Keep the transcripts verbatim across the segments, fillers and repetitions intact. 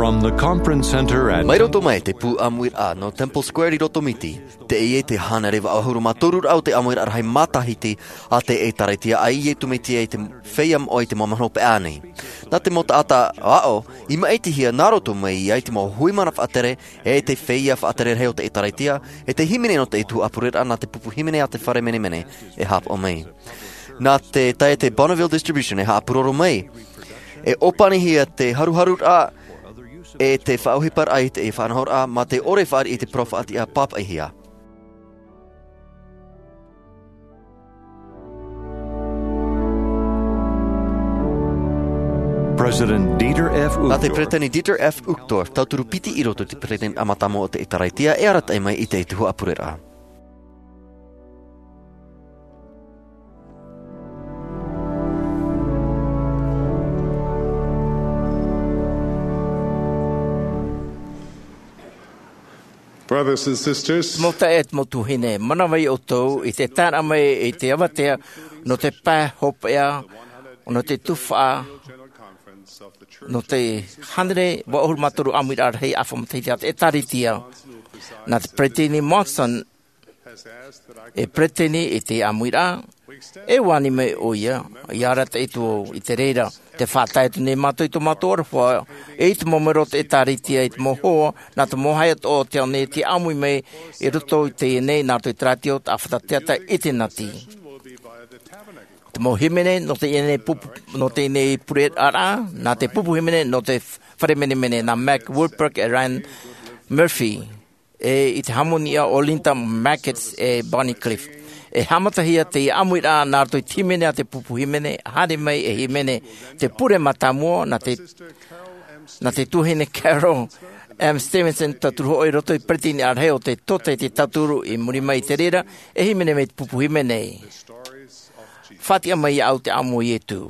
From the conference center at Mai roto mai te pū ʻāmuiraʻa nō Temple Square i roto Miti, teie te hānere vaʻu ʻahuru mā toru raʻa o te ʻāmuiraʻa rahi matahiti a te ʻĒtārētia a Iesu Mesia i te feiā moʻa i te mau mahana hopeʻa nei. Nā te mau taʻata aʻo i māʻitihia nā roto mai ia i te mau hui mana faʻatere, e te feiā faʻatere rahi o te ʻĒtārētia, e te hīmene nō te tuhaʻa pureraʻa nā te pupu hīmene a te fare menemene e haʻapaʻo mai. Nā te taeaʻe Bonneville Distribution e haʻapūroro mai, e ʻōpanihia te haruharuraʻa, e te faʻaʻohiparaʻa i te faʻanahoraʻa mā te ʻore e fāriʻi i te parau faʻatiʻa pāpaʻihia. President Dieter F. Nā te Uchtdorf. Peresideni Dieter F. Uchtdorf, tauturu piti i roto i te peresideni mātāmua o te ʻĒtārētia, e arataʻi mai i te tuhaʻa pureraʻa. Brothers and sisters, Mau taeaʻe, mau tuahine, manavai ʻoutou i te taeraʻa mai i te avatea nō te pae hopeʻa, nō te tuhaʻa, nō te hānere vaʻu ʻahuru mā toru ʻāmuiraʻa rahi ʻāfa matahiti a te ʻĒtārētia. Nā te peresideni Monson e peresideni i te ʻāmuiraʻa, e ani mai ʻoia, i arataʻi atu i te reira. Tē faʻatae atu nei mātou i tō mātou aroha, e i te mau mero o te ʻĒtārētia, i te mau hoa, nā te mau haʻa atoʻa o te ao nei, tē ʻāmui mai i roto i teie nei, nā roto i te rātio, te ʻāfata teata i te nati. Te mau hīmene nō teie nei pupu, nō teie nei pureraʻa, nā te pupu hīmene nō te fare menemene, nā Mac Wilberg e Ryan Murphy, e i te hāmoniʻa o Linda Mackett e Bonnie Cliff. E haʻamatahia te ʻāmuiraʻa nā roto i te hīmene a te pupu hīmene, haere mai e hīmene te pure mātāmua, nā te, nā te tuahine Carol M. Stevenson, tauturu hoʻi i roto i te peresideni rahi o te tōtaiete tauturu, i muri mai i te reira, e hīmene mai te pupu hīmene. Faʻatiʻa mai iāʻu te ʻāmui o Iesu.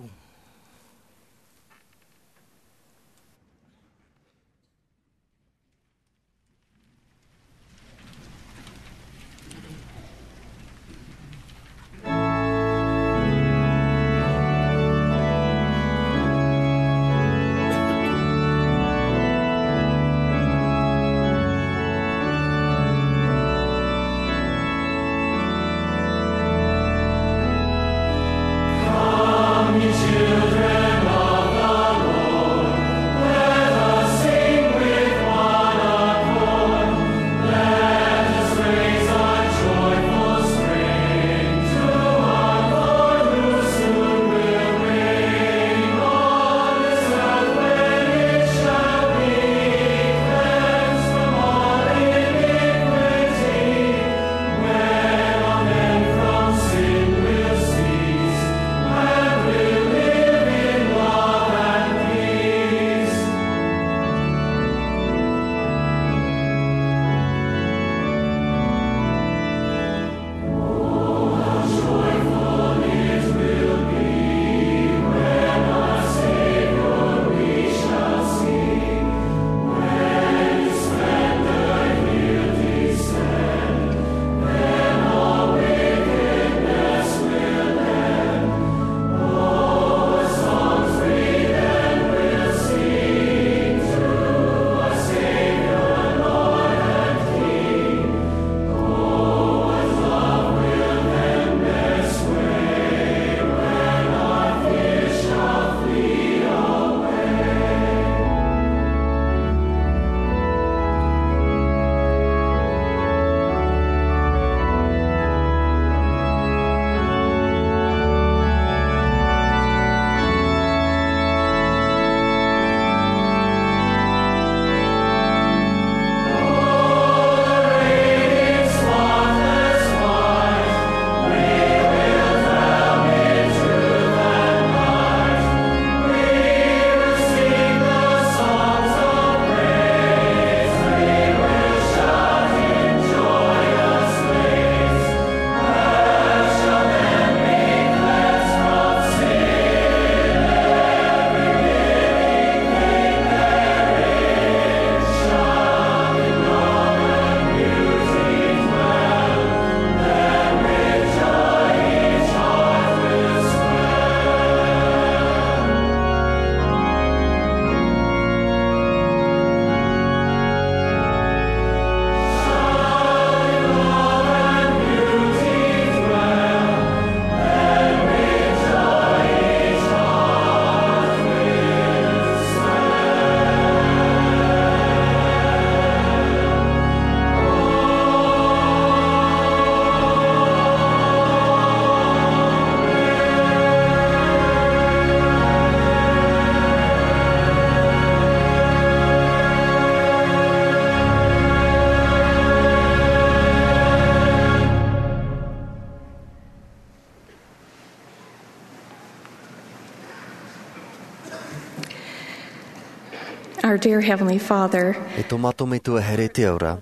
Our dear Heavenly Father, E tō mātou Metua here i te ao ra,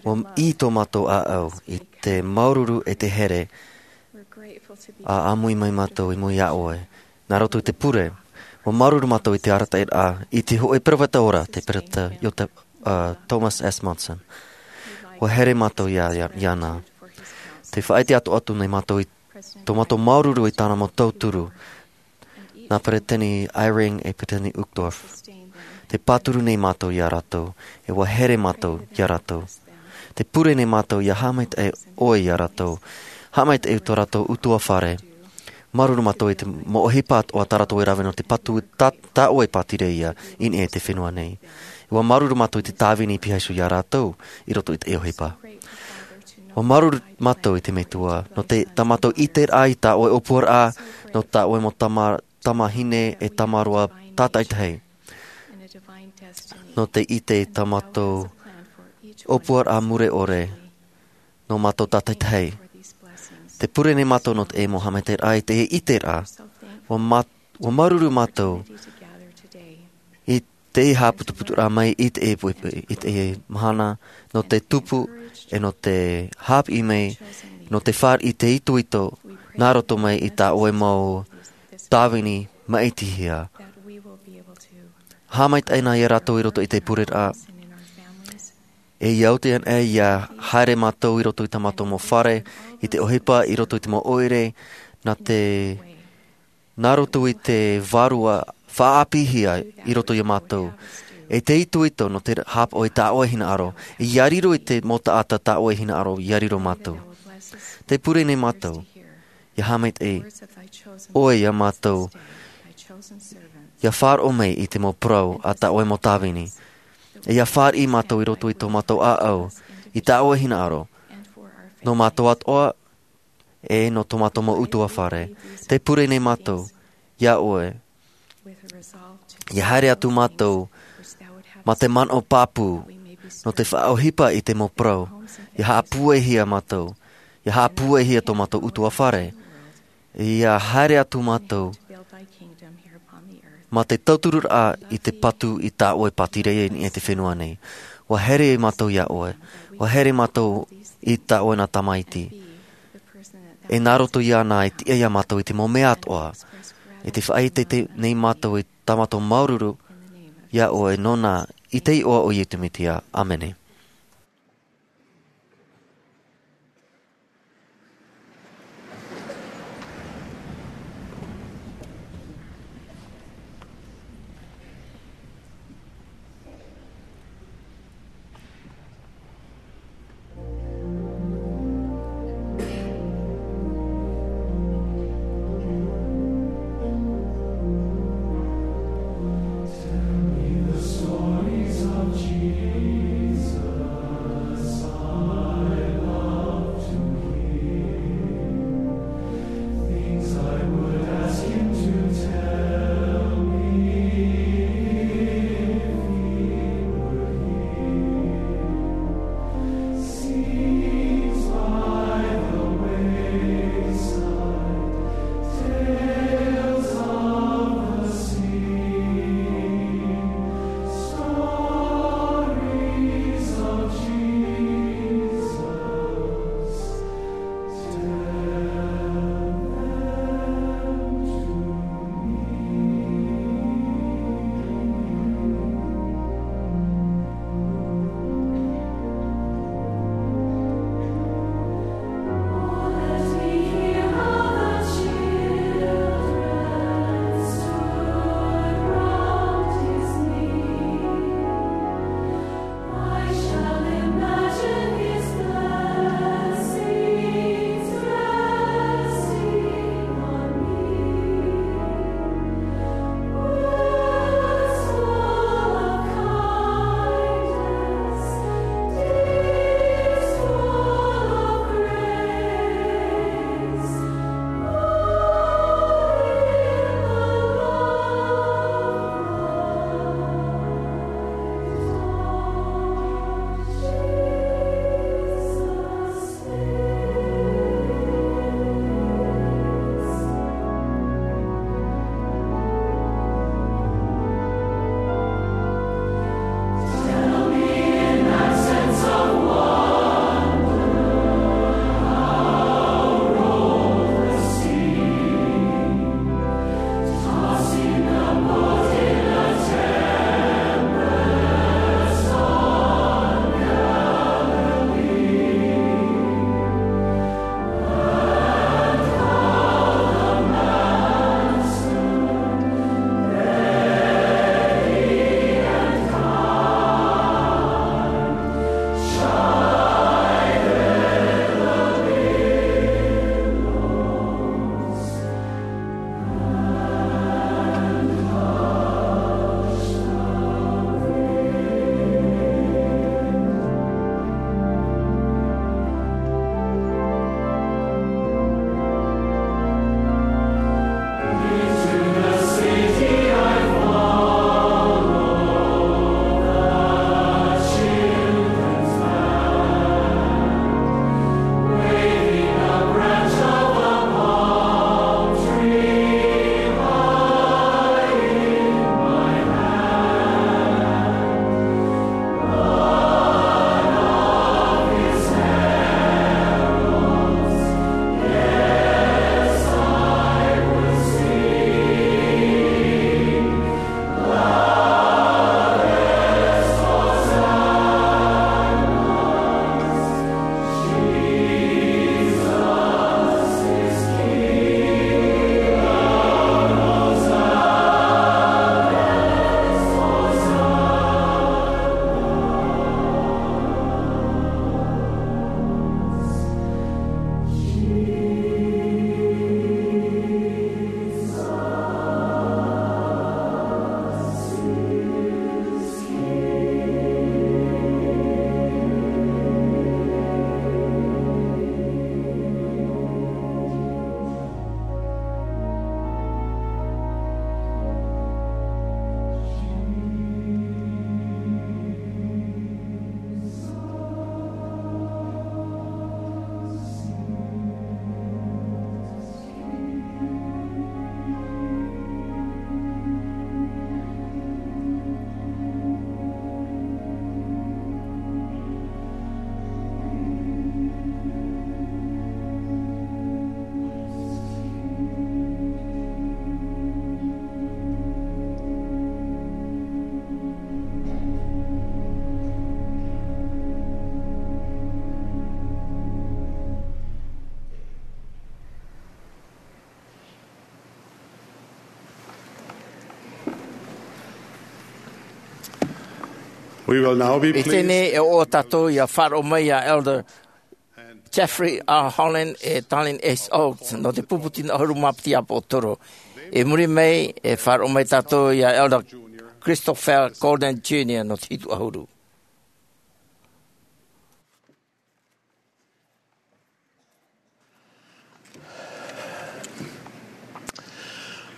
ua ʻī tō mātou ʻāʻau i te māuruuru e te here, we're grateful to be a ʻāmui mai mātou i mua iā ʻoe. Nā roto i te pure, ua māuruuru mātou i te arataʻiraʻa i te hōʻē peropheta ora, te peropheta Iosepha, uh, Thomas S. Monson. Ua here mātou iā, iā, iāna. Tē faʻaʻite atu, atu nei mātou i tō mātou māuruuru i tāna mau tauturu, nā Peresideni Eyring e Peresideni Uchtdorf. Tē pāturu nei mātou iā rātou, e ua here mātou iā rātou. Tē pure nei mātou ʻia haʻamaitaʻi ʻoe iā rātou. Haʻamaitaʻi i tō rātou ʻutuāfare. Māuruuru mātou i te mau ʻohipa atoʻa tā rātou e rave nō te patu tā, tā ʻoe e pātireia i niʻa i te fenua nei. E ua māuruuru mātou i te tāvini i pīhaʻi iho iā rātou i roto i te ʻohipa. Ua māuruuru mātou i te Metua, nō te, tā mātou ʻiteraʻa i tā ʻoe ʻōpuaraʻa, nō tā ʻoe mau tama, tamahine e tamaroa tātaʻitahi. Nō te ʻite i tā mātou ʻōpuaraʻa mure ʻore, nō mātou tātaʻitahi. Tē pure nei mātou nō te mau haʻamaitaʻiraʻa i te ʻiteraʻa. Ua mā-, ua māuruuru mātou i te haʻaputuputuraʻa mai i te, i te mahana, nō te tupu, e nō te haʻapiʻi mai, nō te fāriʻi i te itoito, nā roto mai i tā ʻoe mau tāvini maʻitihia. Haʻamaitaʻi na iā rātou i roto i te pureraʻa. E ʻia oti ana ʻia haere mātou i roto i tā mātou mau fare, i te ʻohipa, i roto i te mau ʻoire, nā te, nā roto i te vārua faʻaʻāpīhia i roto iā mātou. E te itoito nō te haʻapaʻo i tā ʻoe hinaʻaro, ʻia riro i te mau taʻata tā ʻoe hinaʻaro, ʻia riro mātou. Tē pure nei mātou, ʻia haʻamaitaʻi ʻoe iā mātou, ʻia faʻaroʻo mai i te mau parau a tā ʻoe mau tāvini. E ʻia fāriʻi mātou i roto i tō mātou ʻāʻau, i tā ʻoe hinaʻaro, nō mātou atoʻa, e nō tō mātou mau ʻutuāfare. Tē pure nei mātou, iā ʻoe, ʻia haere atu mātou, mā te manaʻo pāpū, nō te faʻaʻohipa i te mau parau, ʻia haʻapūaihia mātou, ʻia haʻapūaihia tō mātou ʻutuāfare, ʻia haere atu mātou, mā te tautururaʻa i te patu i tā ʻoe e pātireia i niʻa i te fenua nei. ʻUa here mātou iā ʻoe, ʻua here mātou i tā ʻoe nā tamaiti. E nā roto iāna e tiʻa iā mātou i te mau mea atoʻa. E tē faʻaʻite nei mātou i tā mātou māuruuru iā ʻoe nōna i te iʻoa o Iesu Mesia. ʻĀmene. I teie nei e ʻoaʻoa tātou ia faʻaroʻo mai ia Elder Jeffrey R. Holland e Dallin S. Oaks nō te pupu tino ʻahuru mā piti ʻāpōsetolo. I muri mai e faʻaroʻo mai tātou ia Elder Christopher Golden Junior nō te hitu ʻahuru.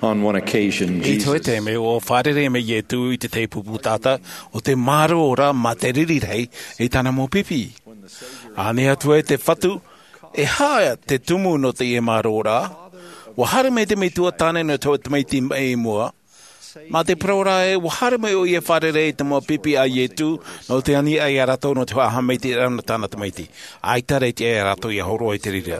On one occasion, I te hōʻē taime, ʻua fārerei mai Ietu i te tahi pupu taʻata ʻo te mārō ra mā te riri rahi i tāna mau pipi. ʻĀnei atu ai te Fatu, e aha te tumu nō teie mārō ra? ʻUa haere mai te metua tāne nō te hōʻē tamaiti mai i mua. Mā te parau ra ē, ʻua haere mai ʻoia e fārerei i te mau pipi a Ietu, nō te ani ia rātou nō te haʻamaitaʻiraʻa nō tāna tamaiti. ʻAita rā e tiʻa ia rātou ia hōroʻa i te reira.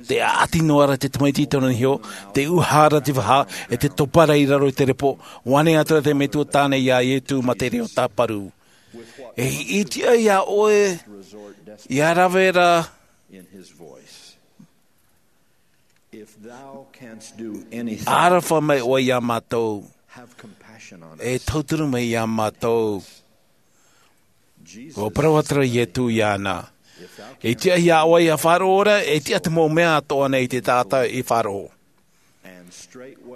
Tē ʻaʻati noa ra te tamaiti i tōna niho, tē ʻuha ra te vaha, e tē topa ra i raro i te repo, ʻua ʻānei atu ra te metua tāne ia Ietu mā te reo tāparu. E, i tiʻa ia ʻoe, ia rave ra, ʻaroha mai ʻoe ia mātou. E tauturu mai ia mātou. ʻUa parau atu ra Ietu iāna. E tiʻa ia ʻoe ia faʻaroʻo ra, e tiʻa te mau mea atoʻa nei te taʻata i faʻaroʻo.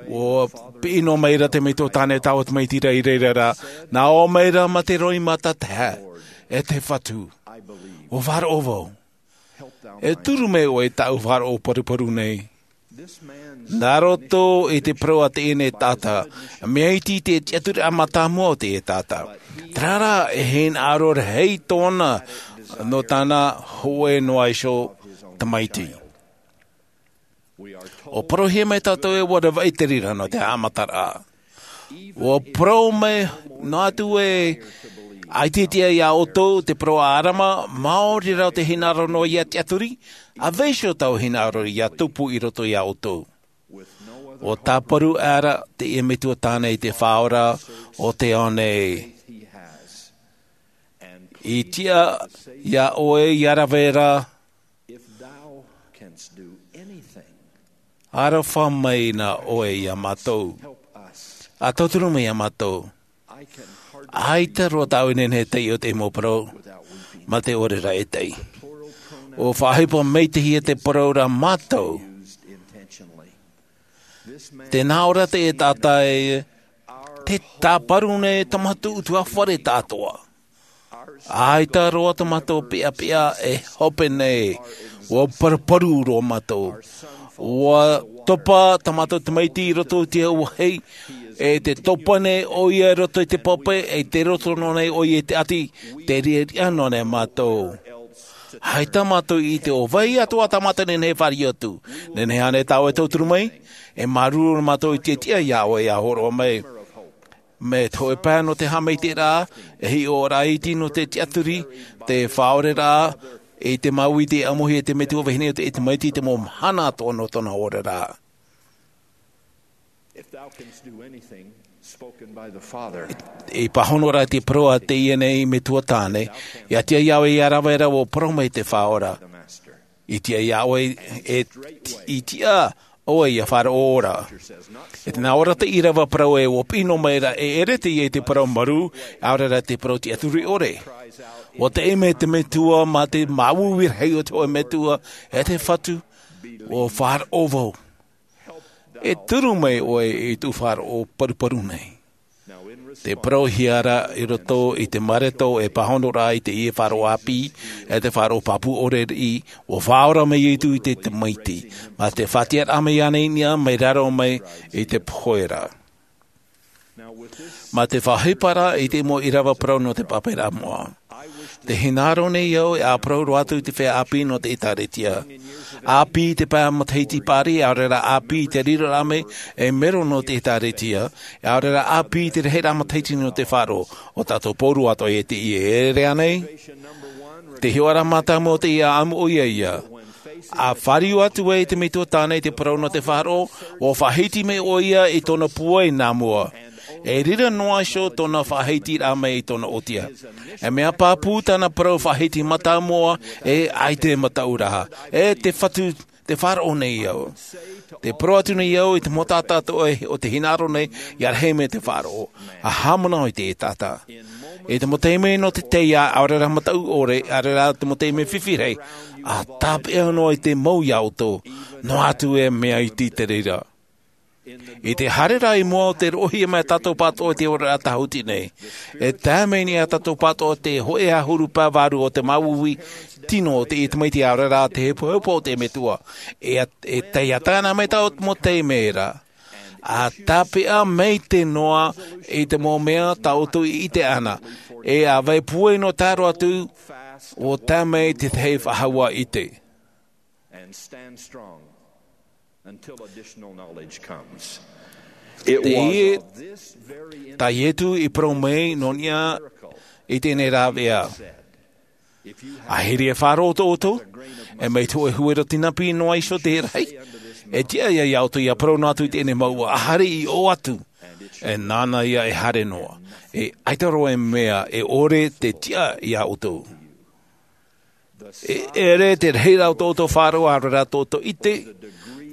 ʻUa piʻi noa mai ra te metua tāne taua tamaiti ra i reira ra, nā ʻō mai ra mā te roimata tahe, e te Fatu. ʻUa faʻaroʻo vau. E turu mai ʻoe i tāʻu faʻaroʻo paruparu nei. Nā roto i te parau a teie nei taʻata, mea iti te tiʻaturiraʻa mātāmua o teie taʻata. Terā rā, e hinaʻaro rahi tōna nō tāna hōʻē noa iho tamaiti. ʻUa parauhia mai tātou ē ʻua ravaʻi te reira nō te haʻamataraʻa. ʻUa parau mai noa atu ē, ʻaita e tiʻa ia ʻoutou te parau a ʻĀdama, maori rā te hinaʻaro noa ia tiʻaturi, ʻa vaiiho taua hinaʻaro ia tupu i roto ia ʻoutou. ʻUa tāparu aʻera teie metua tāne i te Faʻaora o te ao nei. I tiʻa ia ʻoe ia rave ra, ʻaroha mai na ʻoe ia mātou. ʻA tauturu mai ia mātou. ʻAita roa tāʻu e nehenehe e taiʻo i te mau parau mā te ʻōrerā e taʻi. ʻUa faʻaʻohipa maitaʻi te parau ra mātou. Tē nā ʻō ra teie taʻata ē, tē tāparu nei tō mātou ʻutuāfare tāʻātoʻa. ʻAita roa tō mātou peʻapeʻa e hope nei, ʻua paruparu roa mātou. ʻUa topa tā mātou tamaiti i roto i te auahi, e tē topa nei ʻoia i roto i te pape, e tē roto noa nei ʻoia i te ʻati, tē riʻariʻa noa nei mātou. ʻAita mātou i ʻite ʻo vai atoʻa tā mātou e nehenehe e fāriʻi atu. Nehenehe ānei tāʻu e tauturu mai, e māuruuru mātou i tiʻatiʻa ia ʻoe ia hōroʻa mai. Mai te hōʻē pae nō te haʻamaitaʻiraʻa, e hiʻoraʻa iti nō te tiʻaturi, te faʻaoreraʻa, i te māuiui, te ʻāmui e te metua vahine o te tamaiti i te mau mahana atoʻa nō tōna oraraʻa. If thou canst do anything spoken by the Father, I pāhono ra te parau a teie nei metua tāne, ʻia tiʻa ia ʻoe ia rave ra ʻua parau mai te Faʻaora. I tiʻa ia ʻoe, e, i tiʻa ʻoe ia faʻaroʻo ra. E tē nā ʻō ra te ʻīrava parau ē, ʻua piʻi noa mai ra, e ʻere teie i te parau marū, ʻaore rā te parau tiʻaturi ʻore. ʻUa teʻe mai te metua mā te māuiui rahi o te hōʻē metua, e te Fatu, ʻua faʻaroʻo vau. E turu mai ʻoe i tō faʻaroʻo paruparu nei. Tē parauhia ra i roto i te Mareko e pāhono ra i teie faʻaroʻo ʻāpī, e te faʻaroʻo pāpū ʻore riʻi, ʻua faʻaora mai Ietu i te tamaiti. Mā te faʻatiʻaraʻa mai iāna i niʻa, mai raro mai i te pohe ra. Mā te faʻaʻohipa ra i te mau ʻīrava parau nō te pāpaʻiraʻa moʻa. Tē hinaʻaro nei au e ʻāparau roa atu i te feiā ʻāpī nō te ʻĒtārētia. ʻĀpī i te pae matahiti paʻari, ʻaore rā ʻāpī i te riroraʻa mai ei mero nō te ʻĒtārētia, ʻaore rā ʻāpī i te rahiraʻa matahiti nō te faʻaroʻo, ʻo tātou pauroa atoʻa ia teie, e ʻere ānei? Te hiʻoraʻa mātāmua o teie ʻāʻamu ʻoia ïa. ʻA fāriu atu ai te metua tāne i te parau nō te faʻaroʻo, ʻua faʻahiti mai ʻoia i tōna pūai nā mua. E riro noa iho tōna faʻahitiraʻa mai i tōna ʻōtia. E mea pāpū tāna parau faʻahiti mātāmua, e ʻaita e mataʻu ra. E te Fatu Te faʻaroʻo nei au. Te parau atu nei au i te mau taʻata atoʻa o te hinaʻaro nei ia rahi mai te faʻaroʻo. A haʻamanaʻo i te taʻata. I te mau taime nō te teiā, ʻaore rā mataʻu ʻore, ʻaore rā te mau taime fifi rahi, a tāpeʻa noa i te mau ia ʻoutou. Noa atu e mea iti te reira. I te haere rā i mua o te roʻohia mai tātou pātoʻa i te oraraʻa tāhuti nei, e tae mai nei ia tātou pātoʻa te hōʻē ʻahuru pae vārua o te māuiui tino o te tamaiti, ʻaore rā te hepohepo o te metua. E, e taiʻa tāna mai tātou mau taime ra. A tāpeʻa mai te noa i te mau mea tā ʻoutou i ʻite ana. E a vai puai nō tāro atu, ʻo tae mai te tahi faʻahou ʻite. And stand strong until additional knowledge comes. It was of this very tā Ietu i parau mai nō niʻa i teie nei rāveʻa. A hiri e faʻaroʻo tō ʻoutou, e mai te hōʻē huero tinapi noa iho te rahi, e tiʻa ia ia ʻoutou ia parau noa atu i teie nei mouʻa, a haere i ʻō atu. E nāna ia e haere noa. E ʻaita roa e mea e ʻore te tiʻa ia ʻoutou. E ʻere te rahiraʻa o tō ʻoutou faʻaroʻo, ʻaore rā tō ʻoutou ʻite,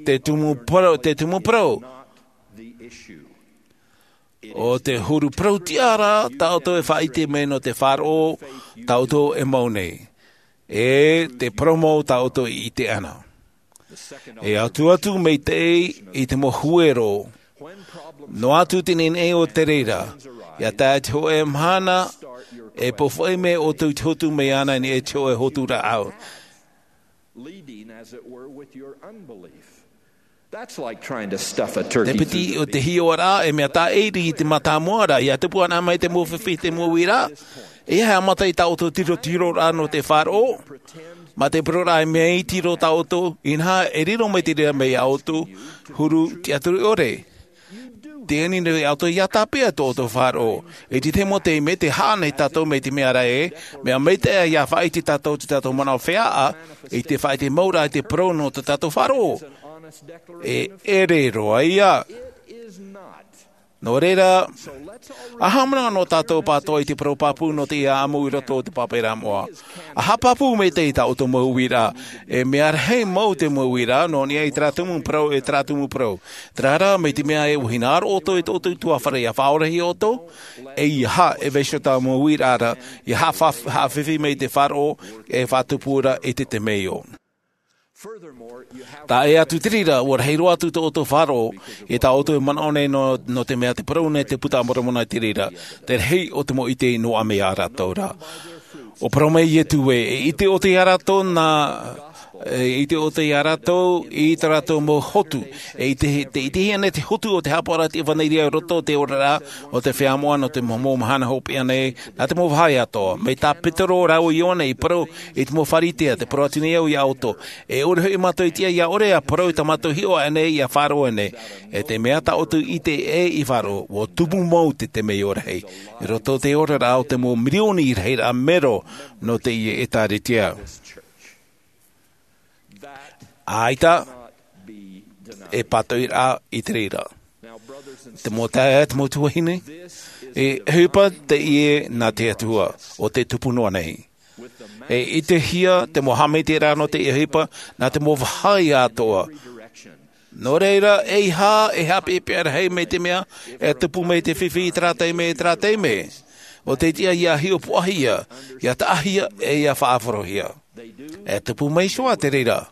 te tumu parau, te tumu parau. ʻO te huru parau tiʻa rā tā ʻoutou e faʻaʻite mai nō te faʻaroʻo tā ʻoutou e mau nei. E te parau mau tā ʻoutou i ʻite ana. E atu atu mai te, i te mau huero. Noa atu te nehenehe o te reira, ia tae te hōʻē mahana, e pōfaʻi mai ʻoutou i te hotu mai ana nei e te hōʻē hotu rāʻau. Leading, as it were, with your unbelief. That's like trying to stuff a turkey through the beak. Te piti o te hiʻoraʻa, e mea tāʻiri i te mātāmua ra, ia tupu ana mai te mau fifi, te mau uiraʻa. E haʻamata i tā ʻoutou tirotiroraʻa nō te faʻaroʻo. Mā te parau ra, e mea iti roa tā ʻoutou, inaha, e riro mai te reira mai ia ʻoutou, huru tiʻaturi ʻore. Tē ani nei ʻoutou ia tāpeʻa tō ʻoutou faʻaroʻo. I te tahi mau taime, tē haʻa nei tātou mai te mea ra ē, mea maitaʻi ia faʻaʻite tātou, tō tātou manaʻo feiā, i te faʻaʻite mau ra i te parau nō tō tātou faʻaroʻo. E ʻere roa ia. Nō reira, a haʻamanaʻo tātou pātoʻa i te parau pāpū nō teie ʻāmui i roto i te pāpaʻiraʻa moʻa. A haʻapāpū maitaʻi tā ʻoutou mau uiraʻa, e mea rahi mau te mau uiraʻa, nō niʻa i terā tumu parau, e terā tumu parau. Terā rā, mai te mea ē, ʻua hinaʻaro ʻoutou i tō ʻoutou tuhaʻa fare, ia faʻaorahia ʻoutou, ʻeiaha e vaiiho tā mau uiraʻa ra, ia haʻafa-, haʻafifi mai te faʻaroʻo, e faʻatupu ra i te temeio. Taʻa ʻē atu i te reira, ʻua rahi roa atu tō ʻoutou faʻaroʻo, i tā ʻoutou e manaʻo nei nō, nō te mea tē parau nei te Puta a Moromona i te reira, te rahi o te mau ʻite i noaʻa mai ia rātou ra. ʻUa parau mai Ietu ē, e ʻite ʻoutou ia rātou nā, e ʻite ʻoutou ia rātou i tā rātou mau hotu, e ʻite, tē ʻitehia nei te hotu o te haʻapaʻoraʻa i te ʻevanelia i roto i te oraraʻa o te feiā moʻa nō te mau mahana hopeʻa nei, nā te mau vāhi atoʻa. Mai tā Petero rāua Ioane i parau i te mau Pharisea, tē parau atu nei au ia ʻoutou, e ʻore hoʻi mātou i tiʻa ia ʻore ā parau i tā mātou hiʻo aʻe nei, ia faʻaroʻo aʻe nei. E te mea tā ʻoutou i ʻite ē i faʻaroʻo, ʻua tupu mau te temeio rahi i roto i te oraraʻa o te mau mirioni i rahiraʻa mero nō teie ʻētāretia. ʻAita e pātoʻiraʻa i te reira. Te mau taeaʻe, te mau tuahine, e ʻohipa teie nā te Atua, ʻo tē tupu noa nei. E ʻitehia te mau haʻamaitaʻiraʻa nō teie ʻohipa nā te mau vāhi atoʻa. Nō reira, ʻeiaha e haʻapeʻapeʻa rahi mai te mea e tupu mai te fifi i terā taime, i terā taime. ʻO tē tiʻa ia hiʻopoʻahia, ia taʻahia, e ia faʻaroʻohia. E tupu mai iho ā te reira.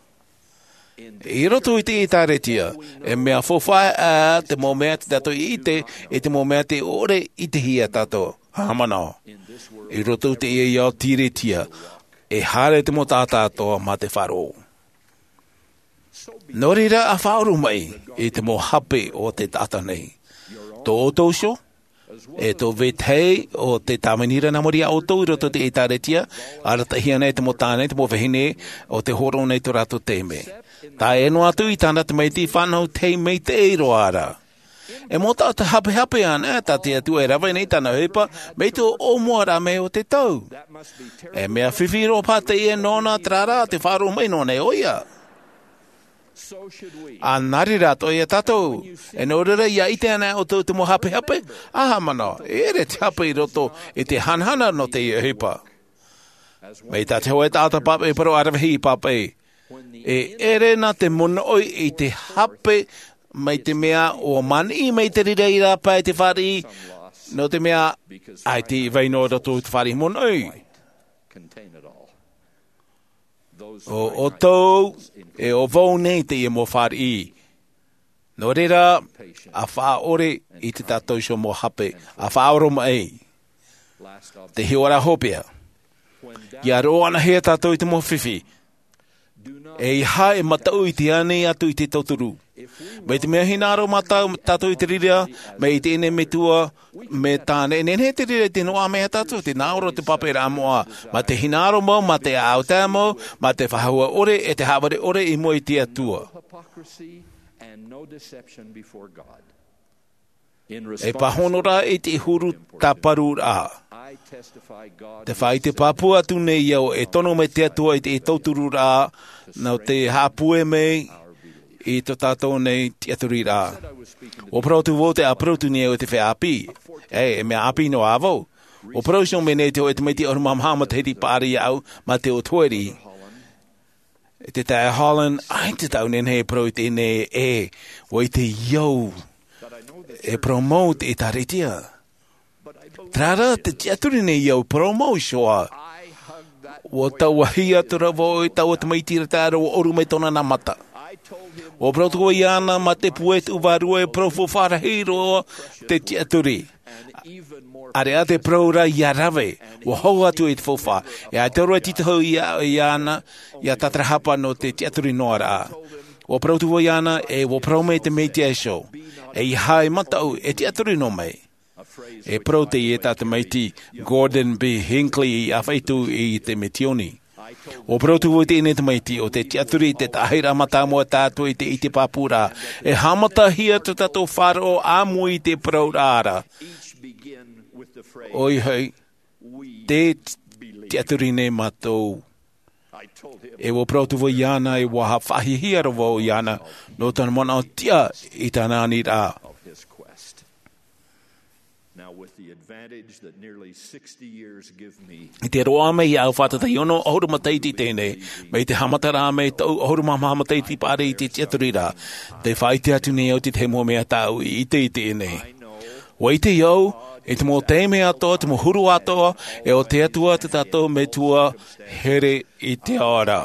I roto i te ʻētāretia, e mea faufaʻa ā te mau mea tē tātou i ʻite, i te mau mea tē ʻore ʻitehia tātou. Haʻamanaʻo. I roto i teie ao tīretia, e haere te mau taʻata atoʻa mā te faʻaroʻo. Nō reira, a faʻaoromaʻi i te mau hape o te taʻata nei. Tō ʻoutou iho, e tō vetahi o te tāvini ra nā muri iā ʻoutou i roto i te ʻētāretia, arataʻihia nei te mau tāne, te mau vahine, ʻo tē hōroʻa nei tō rātou taime. Tae noa atu i tāna tamaiti fānau taime maitaʻi roa ra. E mau taʻata hapehape ānei tā te Atua e rave nei i tāna ʻohipa, mai tō ʻōmuaraʻa mai o te tau. E mea fifi roa paha teie nōna, terā rā, tē faʻaoromaʻi noa nei ʻoia. ʻA nā reira atoʻa ia tātou, e nō reira ia ʻite anaʻe ʻoutou i te mau hapehape, a haʻamanaʻo, e ʻere te hape i roto i te hanahana nō teie ʻohipa. Mai tā te hōʻē taʻata pāpaʻi parau aravihi i pāpaʻi. E ʻere nā te monoʻi i te hape mai te mea ʻua maniʻi mai te reira i rāpae te fāriʻi, nō te mea ʻaita i vai noa roto i te fāriʻi monoʻi. ʻO ʻoutou e ʻo vau nei teie mau fāriʻi. Nō reira, ʻa faʻaʻore i te tātou iho mau hape, ʻa faʻaoromaʻi. Te hiʻo ra hopeʻa. ʻIa roʻo anahia tātou i te mau fifi. ʻEiaha e mataʻu i te ani atu i te tauturu. Mai te mea hinaʻaro mā tā-, tātou i te reira, mai i teie nei metua, mai tāna e nehenehe te reira i te noaʻa mai iā tātou, te hinaʻaro te pāpaʻiraʻa moʻa, mā te hinaʻaro mau, mā te ʻāʻau tae mau, mā te faʻahou ʻore, e te haʻavare ʻore i mua i te Atua. E pāhono rā i te huru tāparuraʻa. Te faʻaʻite pāpū atu nei au e tono mai te Atua i te tautururaʻa, nō te haʻapūai mai i tō tātou nei tiʻaturiraʻa. ʻUa parau atu vau te ʻāparau atu nei au i te feiā ʻāpī. E, e mea ʻāpī noa vau. ʻUa parau iho mai nei te hōʻē tamaiti ʻahuru mā maha matahiti paʻari iāʻu, mā te ʻotoʻeri. E te taeaʻe Holland, ʻaita tāʻu e nehenehe e parau i teie nei, e, ʻua ʻite au e parau mau te ʻĒkālesia. Terā rā te tiʻaturi nei au e parau mau iho ā. ʻUa tauahi atu ra vau i taua tamaiti ra tae roa ʻua ʻoru mai tōna nā mata. ʻUa parau atu vau iāna mā te pūai tuʻu vārua e parau faufaʻa rahi roa te tiʻaturi. ʻAreʻa te parau ra ʻia rave, ʻua hau atu i te faufaʻa. E ʻaita roa e tītauhia iāna, ʻia tātarahapa nō te tiʻaturi noa ra. ʻUa parau atu vau iāna, e ʻua parau mai te Mesia iho. ʻEiaha e mataʻu, e tiʻaturi noa mai. E parau teie tā te tamaiti Gordon B. Hinckley i ʻāfaʻi atu i te misiōni. ʻUa parau atu vau i teie nei tamaiti, ʻo te tiʻaturi te tahi ra mātāmua tātou i te ʻite pāpū ra. E haʻamatahia tō tātou faʻaroʻo ʻāmui i te parau ra. ʻOia hoʻi, tē tiʻaturi nei mātou. E ʻua parau atu vau iāna, e ʻua faʻahiahia roa vau iāna, nō tōna manaʻo tiʻa i tāna aniraʻa. Now, with the advantage that nearly sixty years give me, i te roaʻa mai iāʻu fātata i ono ʻahuru matahiti teie nei, mai te haʻamata rā mai taʻu ʻahuru mā maha matahiti paʻari i te tiʻaturiraʻa, tē faʻaʻite atu nei au te tahi mau mea tāʻu i ʻite i teie nei. ʻUa ʻite au, i te mau taime atoʻa, te mau huru atoʻa, e ʻo te Atua tō tātou Metua here i te ao ra.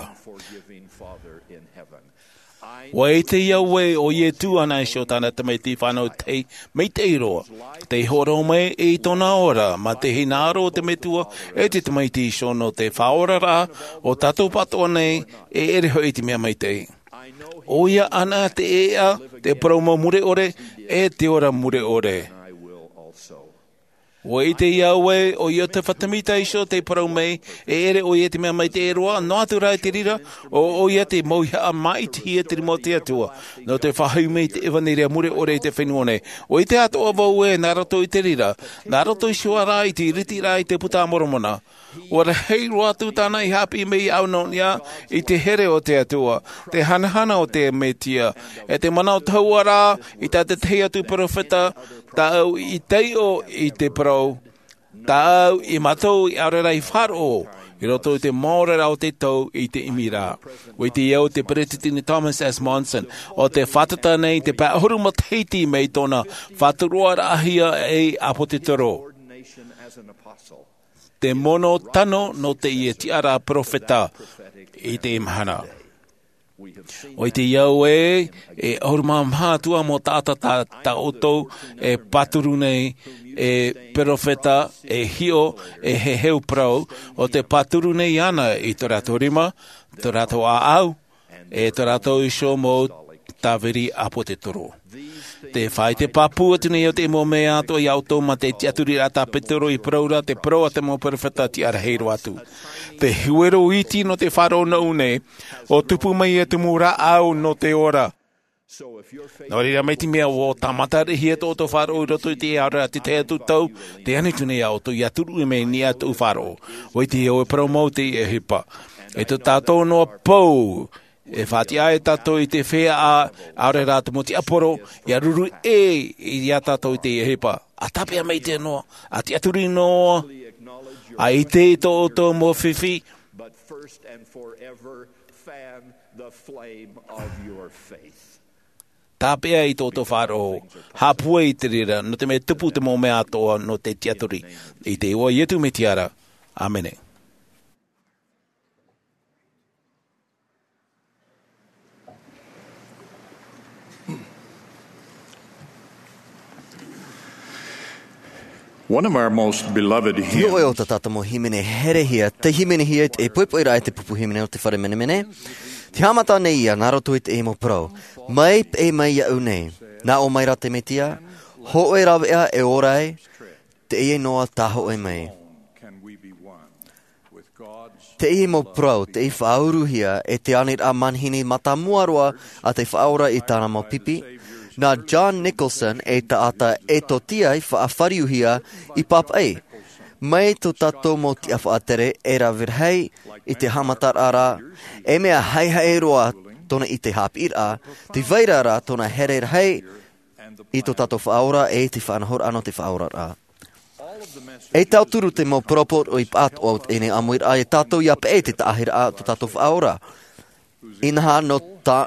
ʻUa ʻite au ē, ʻo Iesu anaʻe iho tāna tamaiti fānau tahi maitaʻi roa, tei hōroʻa mai i tōna ora, mā te hinaʻaro o te Metua e te Tamaiti iho nō te faʻaoraraʻa o tātou pāʻatoʻa nei, e ʻere hoʻi te mea maitaʻi. ʻOia anaʻe te ʻēʻa, te parau mau mure ʻore, e te ora mure ʻore. ʻUa ʻite au ē, ʻo ia te fatu mita iho tei parau mai, e ʻere ʻoia te mea maitaʻi roa, noa atu rā i te reira, ʻo ʻoia te mauhaʻa māʻitihia te rima o te Atua, nō te faʻahoʻi mai i te ʻevaneria mure ʻore i te fenua nei. ʻUa ʻite atoʻa vau ē, nā roto i te reira, nā roto iho ā rā i te ʻiritiraʻa i te Puta a Moromona. ʻUa rahi roa atu tāna i haʻapiʻi mai iāʻu nō niʻa i te here o te Atua, te hanahana o te Mesia, e te manaʻo tahua rā i tā te tahi atu perofeta, tāʻu i taiʻo i te parau, tāʻu i mātau i ʻaore rā i faʻaroʻo, i roto i te maoro rā o te tau i te ʻimi ra. ʻUa ʻite au te Peresideni Thomas S. Monson, ʻo tē fātata nei te pae ʻahuru matahiti mai tōna faʻaturuaraʻahia ei ʻāpōsetolo. Te mono tano nō teie tiʻaraʻa perofeta i teie mahana. ʻUa ʻite au ē, e ʻahuru mā maha atu ā mau taʻata tā, tā ʻoutou e pāturu nei, e perofeta, e hiʻo, e heheu parau, ʻo tē pāturu nei iāna i tō rātou rima, tō rātou ʻāʻau, e tō rātou iho mau tāviri ʻāpōsetolo. Tē faʻaʻite pāpū atu nei au te mau mea atoʻa iā ʻoutou mā te tiʻaturiraʻa tā Petero i parau ra, te parau a te mau perofeta tiʻa rahi roa atu. Te huero iti nō te faʻaroʻo nōʻu nei, ʻua tupu mai e te mau rāʻau nō te ora. Nō reira, mai te mea ʻua tāmataraʻihia tō ʻoutou faʻaroʻo i roto i te ao ra te tahi atu tau, tē ani atu nei iā ʻoutou ʻia turuʻi mai i niʻa tōʻu faʻaroʻo. ʻUa ʻite au e parau mau te ʻohipa. E tō tātou noa pou, e faʻatiʻa ai tātou i te feiā, ʻaore rā te mau tiaporo, ʻia ruru ʻē iā tātou i te ʻohipa. ʻA tāpeʻa maitaʻi noa, ʻa tiʻaturi noa, ʻa ʻite i tō ʻoutou mau fifi, Tāpeʻa i tō tō faʻaroʻo, hāpue i te reira, nō te mea tupu te mau mea atoʻa nō te tiʻaturi. I te iʻoa o Iesu Mesia ra. ʻĀmene. One of our most beloved hymns. Nō ʻoe o tā tātou mau hīmene herehia, tei hīmenehia e poipoi rā e te pupu hīmene o te fare menemene. Te haʻamata nei ia, nā roto i te mau parau. Mai, peʻe mai iāʻu nei. Nā ʻō mai rā te Mesia, hōʻē rāveʻa e ora ai, teie noa tā hōʻē mai. Teie mau parau, tei faʻauruhia e te aniraʻa manihini mātāmua roa a te Faʻaora i tāna mau pipi, nā John Nicholson e taʻata Etiotia i faʻafāriuhia i pāpaʻi. Mai tō tātou mau tiʻa faʻatere e rave rahi i te haʻamataraʻa ra, e mea haihai roa tōna i te haʻapiʻiraʻa, tē vai ra rā tōna here rahi i tō tātou Faʻaora e te faʻanahoraʻa nō te faʻaoraraʻa. E tauturu te mau parau poroʻi pāʻatoʻa o teie nei ʻāmuiraʻa e tātou ia peʻe te taʻahiraʻa tō tātou Faʻaora. Inaha nō tā,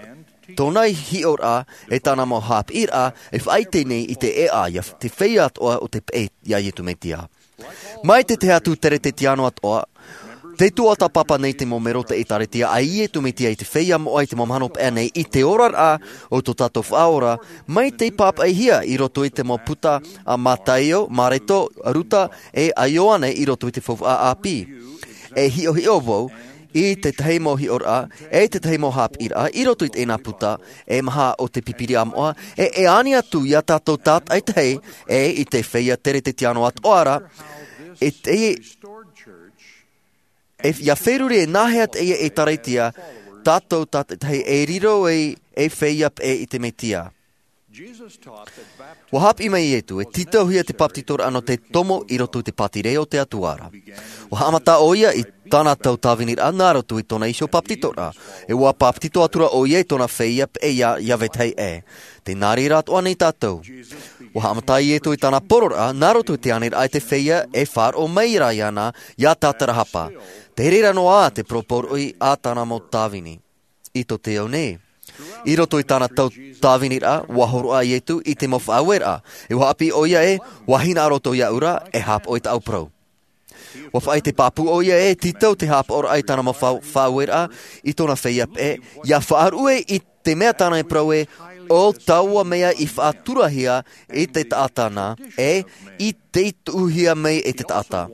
tōna hiʻoraʻa e tāna mau haʻapiʻiraʻa e faʻaʻite nei i te ʻēʻa ia te feiā atoʻa o te peʻe iā Iesu Mesia. Mai te tahi atu Keresetiano atoʻa, tē tuatāpapa nei te mau melo o te ʻĒkālesia a Iesu Mesia i te feiā moʻa i te mau mahana paʻi nei i te oraraʻa o tō tātou Faʻaora, mai tei pāpaʻihia i roto i te mau puta a Mataio, Mareko, Luka, e a Ioane i roto i te Faufaʻa ʻĀpī. E hiʻohiʻo vau i te tahi mau hiʻoraʻa, e te tahi mau haʻapiʻiraʻa i roto i teie puta, e maha o te Pīpīria moʻa, e, e ani atu iā tātou tātaʻitahi, e i te feiā Keresetiano atoʻa ra, e te, e, ia feruri e nāhea teie ʻĒkālesia, tātou tātaʻitahi e riro ai e feiā peʻe i te Mesia. ʻUa haʻapiʻi mai Iesu, e tītauhia te bāpetizoraʻa nō te tomo i roto i te pātireia o te Atua ra. ʻUa haʻamata ʻoia i tāna tau tāviniraʻa nā roto i tōna iho bāpetizoraʻa, e ʻua bāpetizo atu ra ʻoia i tōna feiā peʻe ia, ia vetahi ʻē. Tē nā reira atoʻa nei tātou. ʻUa haʻamata Iesu i tāna poroʻi, nā roto i te aniraʻa e te feiā e faʻaroʻo mai ra iāna, iā tātarahapa. Tē reira noa te parau poroʻi a tāna mau tāvini. I tō te ao nei. I roto i tāna tau tāviniraʻa, ʻua hōroʻa Iesu i te mau faʻaueraʻa. E ʻua haʻapiʻi ʻoia ē, ʻua hinaʻaro atoʻa iāʻu ra, e haʻapaʻo i tāʻu parau. ʻUa faʻaʻite pāpū ʻoia ē, tītau te haʻapaʻoraʻa i tāna mau faʻau-, faʻaueraʻa, i tōna feiā peʻe, ia faʻaruʻe i te mea tāna e parau ē, ʻo taua mea i faʻaturahia i te taʻata na, e i tei tuʻuhia mai e te taʻata.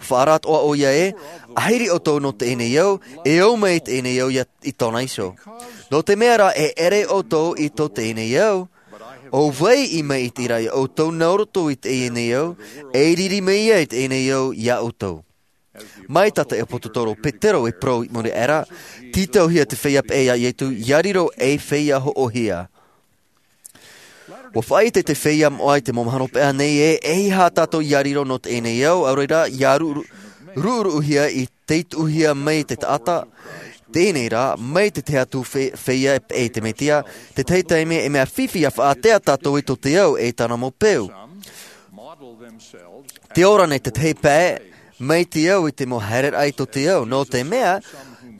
Faʻaara atoʻa ʻoia ē, ʻahiri ʻoutou nō teie nei ao, e ō mai i teie nei ao ia i tōna iho. Nō te mea rā e ʻere ʻoutou i tō teie nei ao, ʻo vai i maitaʻi ra iā ʻoutou nā roto i teie nei ao, e riri mai ia i teie nei ao iā ʻoutou. Mai tā te ʻāpōsetolo Petero e parau i muri aʻe ra, tītauhia te feiā peʻe iā Iesu, ia riro ei feiā hoʻohia. ʻUa faʻaʻite te feiā moʻa i te mau mahana paʻi nei ē, e aha tātou ia riro nō teie nei ao, ʻaore rā, ia ru-, ru-, ruʻuruʻuhia i tei tuʻuhia mai te taʻata, teie nei rā, mai te tahi atu fe-, feiā peʻe i te Mesia, te tahi taime e mea fifi ia faʻaātea tātou i tō te ao e tāna mau peu. Tē ora nei te tahi pae, mai te ao i te mau haereraʻa i tō te ao, nō te mea,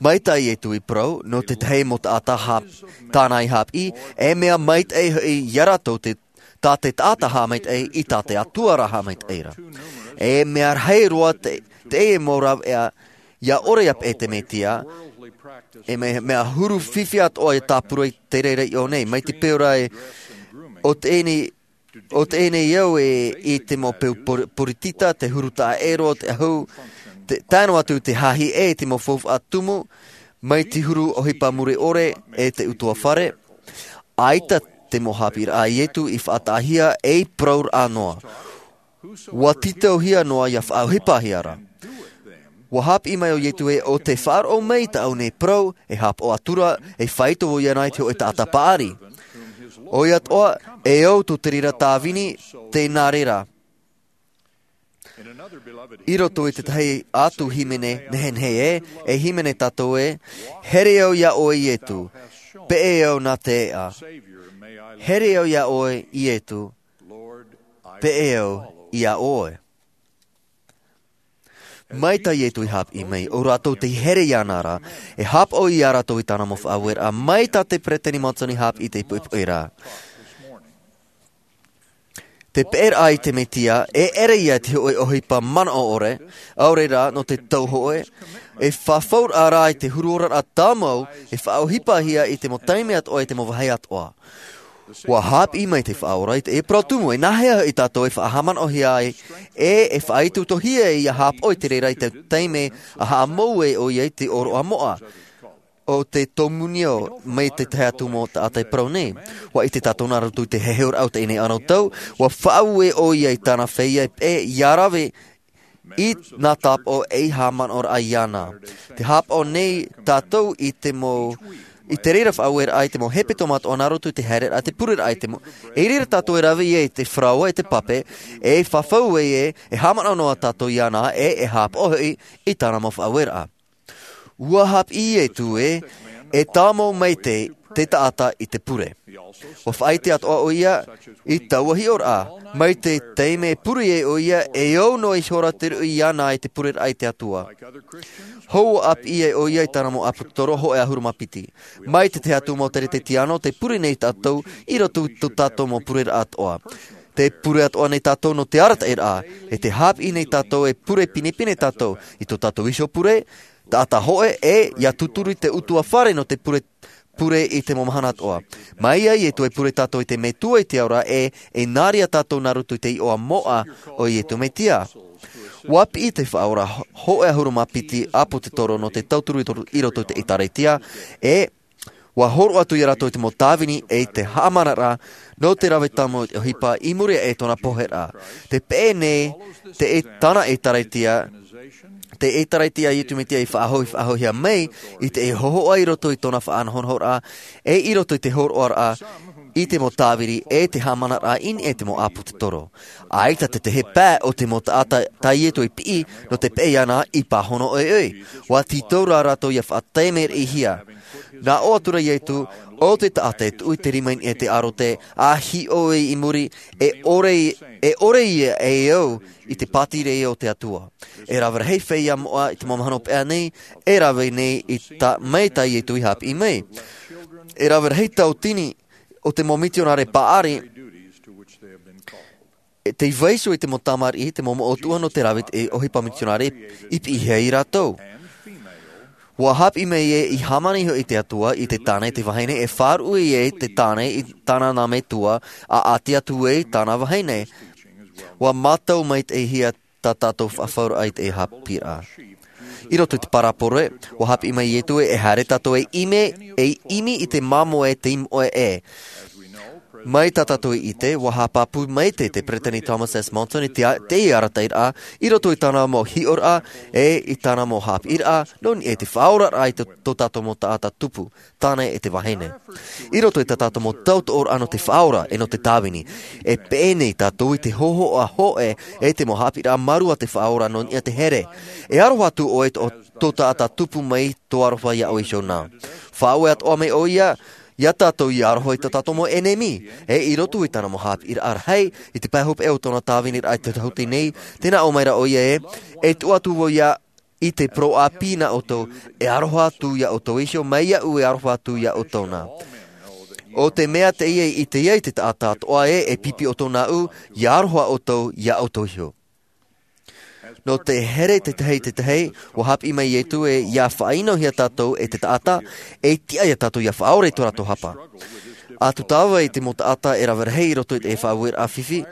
mai tā Iesu i parau, nō te tahi mau taʻata hā-, tāna i haʻapiʻi, e mea maitaʻi hoʻi iā rātou te, tā te taʻata haʻamaitaʻi, i tā te Atua rā haʻamaitaʻi ra. E mea rahi roa te, te mau rāveʻa, ia ʻore ia peʻe te Mesia, e mea, mea huru fifi atoʻa ia tāpura i te reira i ʻō nei, mai te peu ra e, ʻo teie nei, ʻo teie nei au e i te mau peu por-, poritita, te huru taʻa ʻē roa o te ʻahu, te, tae noa atu te hāhi ʻē, te mau faufaʻa tumu, mai te huru ʻohipa mure ʻore e te ʻutuāfare. ʻAita te mau haʻapiʻiraʻa a Iesu i faʻataʻahia ei parauraʻa noa. ʻUa tītauhia noa ia faʻaʻohipahia ra. ʻUa haʻapiʻi mai ʻo Iesu ē, ʻo tē faʻaroʻo mai i tāʻu nei parau, e haʻapaʻo atu ra, e faito vau iāna i te hōʻē taʻata paʻari. ʻOia atoʻa, e au tō te reira tāvini, tē nā reira. I roto i te tahi atu hīmene nehenehe ē, e hīmene tātou ē, here au iā ʻoe Iesu, peʻe au nā te ʻēʻa. Here au iā ʻoe Iesu, peʻe au iā ʻoe. Mai tā Ietu i hāpiʻi mai, ʻo rātou tei here iāna ra, e hāpaʻo ia rātou i tāna mau faʻaueraʻa, mai tā te peresideni Monson i hāpiʻi i te poʻipoʻi ra. Te peʻeraʻa i te Mesia, e ʻere ia te hōʻē ʻohipa manaʻo ʻore, ʻaore rā nō te tau hōʻē, e fafauraʻa rā i te huru oraraʻa tāmau, e faʻaʻohipahia i te mau taime atoʻa, i te mau vāhi atoʻa. ʻUa hāpiʻi mai te Faʻaora i te ʻēpara tumu, e nāhea hoʻi tātou e faʻahaʻamanaʻohia ai, e, e faʻaitoitohia e ia hāpaʻo i te reira i te taime a haʻamou ai ʻoia i te ʻōroʻa moʻa o te tōmūnio mai te tahi atu mau taʻata e parau nei. ʻUa ʻite tātou nā roto i te heheuraʻa o teie nei anotau, ʻua faʻaue ʻoia i tāna feiā e peʻe ia rave i nā tāpaʻo e i haʻamanaʻoraʻa iāna. Tē hāpaʻo nei tātou i te mau, i te reira faʻaueraʻa i te mau hepetoma atoʻa nā roto i te haereraʻa, te pureraʻa i te mau, i reira tātou e rave ia i te faraoa e te pape, e fafau ai ē, e haʻamanaʻo noa tātou iāna, e, e hāpaʻo hoʻi i tāna mau faʻaueraʻa. ʻUa hāpiʻi Ietu ē, e tāmau maite te taʻata i te pure. ʻUa faʻaʻite atoʻa ʻoia i taua hiʻoraʻa, mai te taime e pure ai ʻoia, e au noa ihora te ruʻi iāna i te pureraʻa i te Atua. Hou ʻāpī ai ʻoia i tāna mau ʻāpōsetolo hōʻē ʻahuru mā piti. Mai te tahi atu mau teretetiano, tē pure nei tātou i roto i tō tātou mau pureraʻa atoʻa. Tē pure atoʻa nei tātou nō te arataʻiraʻa, e tē hāpiʻi nei tātou e pure pinepine tātou i tō tātou iho pure, taʻata hōʻē, e ia tūturu i te ʻutuāfare nō te pure, pure i te mau mahana atoʻa. Mai ia Ietu e pure tātou i te Metua i te ao ra, e, e nā reira tātou nā roto i te iʻoa moʻa o Ietu Mesia. ʻUa piʻi te Faʻaora hō-, hōʻē ʻahuru mā piti ʻāpōsetolo nō te tauturu i ro-, i roto i te ʻĒkālesia, e ʻua hōroʻa atu ia rātou i te mau tāvini e i te haʻamanaraʻa nō te rave tāmau i te ʻohipa i muri aʻe i tōna poheraʻa. Tē peʻe nei te ʻē-, tāna ʻĒkālesia, te ʻĒkālesia a Ietu Mesia i faʻahou-, faʻahouhia mai i te hōhoʻa i roto i tōna faʻanahonahoraʻa, e i roto i te hōroʻaraʻa i te mau tāvini e te haʻamanaraʻa i niʻa i te mau ʻāpōsetolo. ʻAita te tahi pae o te mau taʻata tā Ietu i piʻi nō te peʻe iāna i pāhono ʻoiʻoi. ʻUa tītau rā rātou ia faʻataime-riʻihia. Nā ʻō atu ra Ietu, ʻo te taʻata e tuʻu i te rima i niʻa i te ʻārote, ʻa hiʻo i muri, e ʻore, e ʻore ia e au i te pātireia o te Atua. E rave rahi feiā moʻa i te mau mahana hopeʻa nei, e rave nei i tā, mai tā Ietu i hāpiʻi mai. E rave rahi tauatini o te mau mitionare paʻari, e tei vaiiho i te mau tamariʻi, te mau moʻotua nō te rave i te ʻohipa mitionare i piʻihia ia rātou. ʻUa hāpiʻi mai ē, i hāmani iho i te Atua, i te tāne, te vahine, e faʻaruʻe ai te tāne i tāna nā metua, ʻa ʻati atu ai tāna vahine. ʻUa mātau maitaʻihia tā tātou faʻafauraʻa i te hāpiʻiraʻa. I roto i te parabole, ʻua hāpiʻi mai Ietu ē, e haere tātou e ʻimi, e ʻimi i te māmoe tei moʻe ē. Mai tā tātou i ʻite, ʻua haʻapāpū maitaʻi te Peresideni Thomas S. Monson i te a-, te arataʻiraʻa, i roto i tāna mau hiʻoraʻa, e i tāna mau hāpiʻiraʻa, nō niʻa i te faʻaoraraʻa i tō, tō tātou mau taʻata tupu, tāne e te vahine. I roto i tā tātou mau tautoʻoraʻa nō te Faʻaora, e nō te tāvini, e peʻe nei tātou i te hōhoʻa hōʻē, e te mau hāpiʻiraʻa mārū a te Faʻaora nō niʻa i te here. E aroha atu ʻoe i tō, tō taʻata tupu mai tō aroha iā ʻoe iho na. Faʻaue atoʻa mai ʻoia, iā tātou ia aroha i tō tātou mau ʻenemi, e i roto i tāna mau hāpiʻiraʻa rahi, i te pae hopeʻa o tōna tāviniraʻa i te tahuti nei, tē nā ʻō mai ra ʻoia ē, e tuʻu atu vau ia i te parau ʻāpī nā ʻoutou, e aroha atu iā ʻoutou iho, mai iāʻu e aroha atu iā ʻoutou na. ʻO te mea teie i ʻite ai te taʻata atoʻa ē, e pipi ʻoutou nāʻu, ia aroha ʻoutou iā ʻoutou iho. Nō te here te tahi i te tahi, ʻua hāpiʻi mai Ietu ē, ia faʻaʻinohia tātou e te taʻata, e tiʻa ia tātou ia faʻaora i tō rātou hapa. ʻA tūtava i te mau taʻata e rave rahi i roto i te faʻaueraʻa fifi,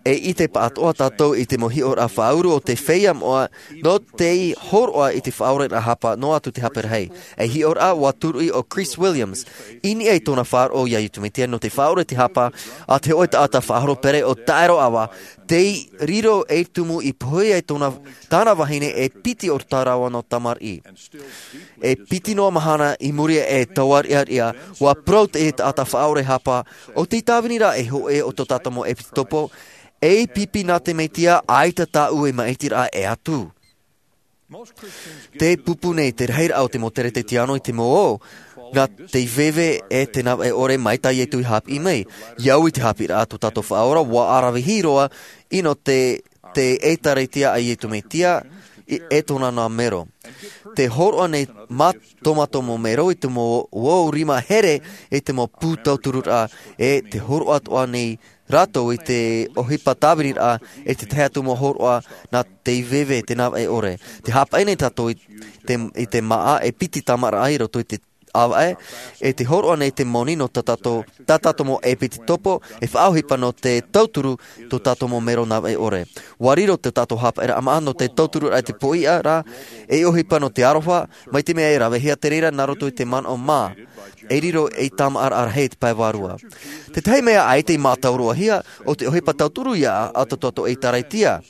e ʻite pāʻatoʻa tātou i te mau hiʻoraʻa faʻauru o te feiā moʻa, nō tei hōroʻa i te faʻaoraraʻa hapa, noa atu te hape rahi. Ei hiʻoraʻa ʻua tūruʻi ʻo Chris Williams, i niʻa i tōna faʻaroʻo iā Ietu Mesia nō te faʻaora i te hapa, a te hōʻē taʻata faʻahoro pere ʻo Taero Awa, tei riro ei tumu i pohe ai tōna, tāna vahine e piti ʻorotaʻi rāua nō tamariʻi. E piti noa mahana i muri aʻe i taua riʻariʻa, ʻua parau te taʻata faʻaora hapa, ʻo tei tāvini ra e hōʻē o tō tātou mau ʻepisekopo, ei pipi nā te Mesia, ʻaita tāʻu e māʻitiraʻa e atu. Tē pupu nei te rahiraʻa o te mau Teretetiano i te mau ō, nā te veve e te navaʻe ʻore mai tā Ietu i hāpiʻi mai. I au i te hāpiʻiraʻa tō tātou Faʻaora, ʻua ʻaravihi roa, ʻino te, te ʻĒtārētia a Ietu Mesia, e tōna nā mero. Te hōroʻa nei mā tō mātou mau mero i te mau ʻōrima here i te mau pū tautururaʻa, e te hōroʻa atoʻa nei rātou i te ʻohipa tāviniraʻa, e te tahi atu mau hōroʻa nā te veve, te navaʻe ʻore. Te hāpaʻi nei tātou i te, i te māʻa e piti tāmāʻaraʻa i roto i te ʻāvaʻe, e te hōroʻa nei te moni nō tā tātou, tā tātou mau ʻepitopo, e faʻaʻohipa nō te tauturu tō tātou mau mero navaʻe ʻore. ʻUa riro tō tātou hāpaʻiraʻa māʻa nō te tauturu i te poʻiʻa ra, e ʻohipa nō te aroha, mai te mea e ravehia te reira nā roto i te manaʻo mā, e riro ei tāmāʻaraʻa rahi i te pae vārua. Te tahi mea ʻaita i mātauroahia, ʻo te ʻohipa tauturu ia a tō tātou ʻĒtārētia.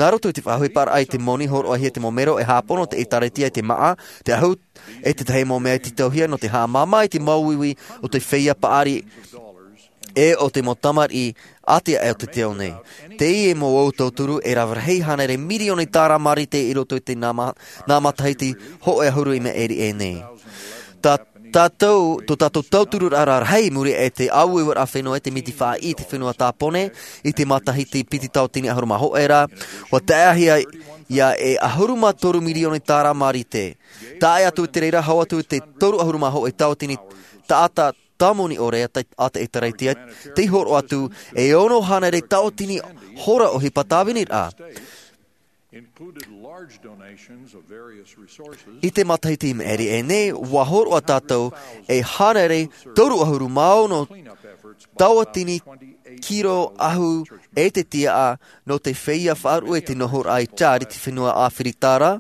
Nā roto i te faʻaʻohiparaʻa i te moni hōroʻahia te mau mero e hāpono te ʻĒtārētia i te māʻa, te ahu, e te tahi mau mea e tītauhia nō te haʻamāmā i te māuiui o te feiā paʻari, e o te mau tamariʻi ʻātiʻa o te ao nei. Teie mau ʻō tauturu e rave rahi hānere mirioni tāra mārite i roto i te nā ma-, nā matahiti hōʻē ʻahuru i maʻiri aʻe nei. Tā tātou, tō tātou tautururaʻa rahi i muri aʻe i te ʻāueueraʻa fenua i te miti faʻaʻī i te fenua Tāpōnē, i te matahiti piti tauatini ʻahuru mā hōʻē ra, ʻua taeʻahia ia e ʻahuru mā toru mirioni tāra mārite. Tae atu i te reira, hau atu i te toru ʻahuru mā hōʻē tauatini taʻata tāmoni ʻore a te, a te ʻĒtārētia, tei hōroʻa atu e ono hānere tauatini hora ʻohipa tāviniraʻa. I te matahiti i maʻiri aʻe nei, ʻua hōroʻa tātou e hānere toru ʻahuru mā ono tauatini kiro ahu e te tiaʻa nō te feiā faʻaruʻe i te nohoraʻa i Chad i te fenua ʻĀfirika ra,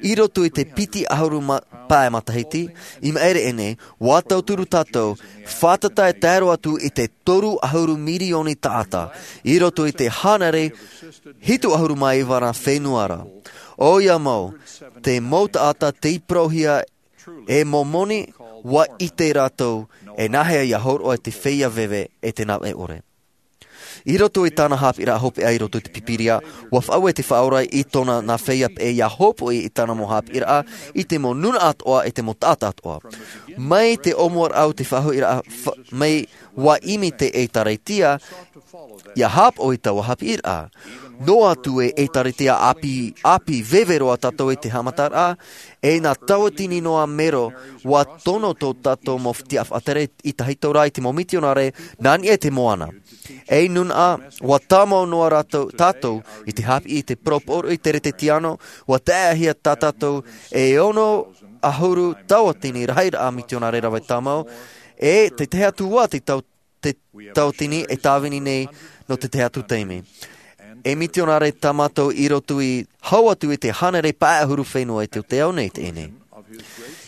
i roto i te piti ʻahuru ma-, pae matahiti, i maʻiri aʻe nei, ʻua tauturu tātou, fātata e tae roa atu i te toru ʻahuru mirioni taʻata, i roto i te hānere hitu ʻahuru mā iva ra fenua ra. ʻOia mau, te mau taʻata tei parauhia e mau moni, ʻua ʻite rātou, e nāhea ia hōroʻa i te feiā veve e te navaʻe ʻore. I roto i tāna haʻapiʻiraʻa hopeʻa i roto i te Pīpīria, ʻua faʻaue te Faʻaora i tōna nā feiā peʻe ia hōpoiʻi i tāna mau haʻapiʻiraʻa, i te mau nūnaʻa atoʻa, e te mau taʻata atoʻa. Mai te ʻōmuaraʻa o te faʻahoʻiraʻa fa-, mai ʻua ʻimi te ʻĒtārētia, ia haʻapaʻo i taua haʻapiʻiraʻa. Noa atu e ʻĒtārētia ʻāpī, ʻāpī veve roa tātou i te haʻamataraʻa, e nā tauatini noa mero, ʻua tono tō tātou mau tiʻafaʻatere i tahito ra i te mau mitionare, nā niʻa i te moana. E nūnaʻa, ʻua tāmau noa rātou, tātou, i te haʻapiʻi i te parau pōroʻi Teretetiano, ʻua taeʻahia tā tātou e ono ʻahuru tauatini rahiraʻa mitionare rave tāmau, e te tahi atu ā te tau-, te tauatini e tāvini nei nō te tahi atu taime. E mitionare tā mātou i roto i hau atu i te hānere pae ʻahuru fenua i te ao nei teie nei.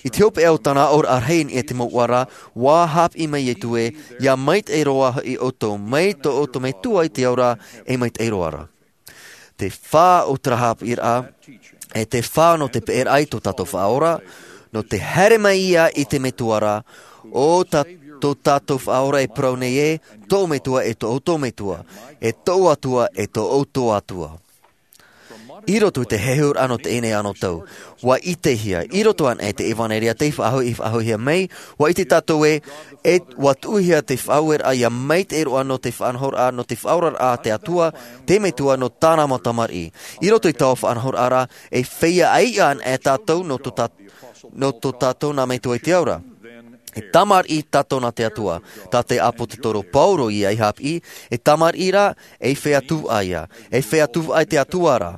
I te hopeʻa o tāna aʻoraʻa rahi i niʻa i te mouʻa ra, ʻua haʻapiʻi mai Ietu ē, ia maitaʻi roa hoʻi ʻoutou, mai tō ʻoutou Metua i te ao ra, e maitaʻi roa ra. Te fā o terā haʻapiʻiraʻa, e te fā nō te peʻeraʻa i tō tātou Faʻaora, nō te haere mai ia i te Metua ra, ʻo tā, tō tātou Faʻaora e parau nei ē, tō Metua e tō ʻoutou Metua, e tō Atua e tō ʻoutou Atua. I roto i te heheuraʻa nō teie nei anotau, ʻua ʻitehia, i roto anaʻe i te ʻevanelia tei faʻahoʻi, faʻahoʻihia mai, ʻua ʻite tātou ē, e ʻua tuʻuhia te faʻaueraʻa ia maitaʻi roa nō te faʻanahoraʻa, nō te faʻaoraraʻa a te Atua, te Metua nō tāna mau tamariʻi. I roto i taua faʻanahoraʻa ra, e feiā ʻaiʻa anaʻe tātou nō tō tā-, nō tō tātou nā Metua i te ao ra. E tamariʻi tātou nā te Atua. Tā te ʻāpōsetolo Paulo ia i haʻapiʻi, e tamariʻi rā, e feiā tuvaʻa ia. E feiā tuvaʻa i te Atua ra.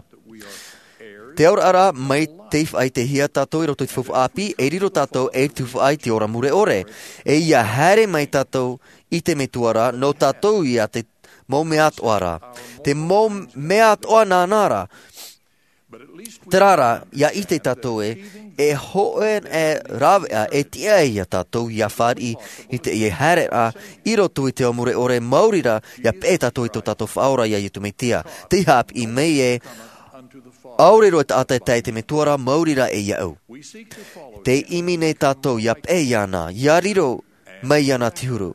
Te auraʻa ra, mai tei faʻaʻitehia tātou i roto i te faufaʻa ʻāpī, e riro tātou ei tuvaʻa i te ora mure ʻore. E ia haere mai tātou i te Metua ra, nō tātou ia te mau mea atoʻa ra. Te mau mea atoʻa nāna ra. Terā rā, ia ʻite tātou ē, e hōʻē e rāveʻa e tiʻa ai ia tātou ia fāriʻi i teie haereraʻa i roto i te ao mure ʻore, maori rā, ia peʻe tātou i tō tātou Faʻaora ia Ietu Metia. Tei haʻapiʻi mai ē, ʻaore roa taʻata e tae i te Metua ra, maori rā e iāʻu. Tē ʻimi nei tātou ia peʻe iāna, ia riro mai iāna te huru.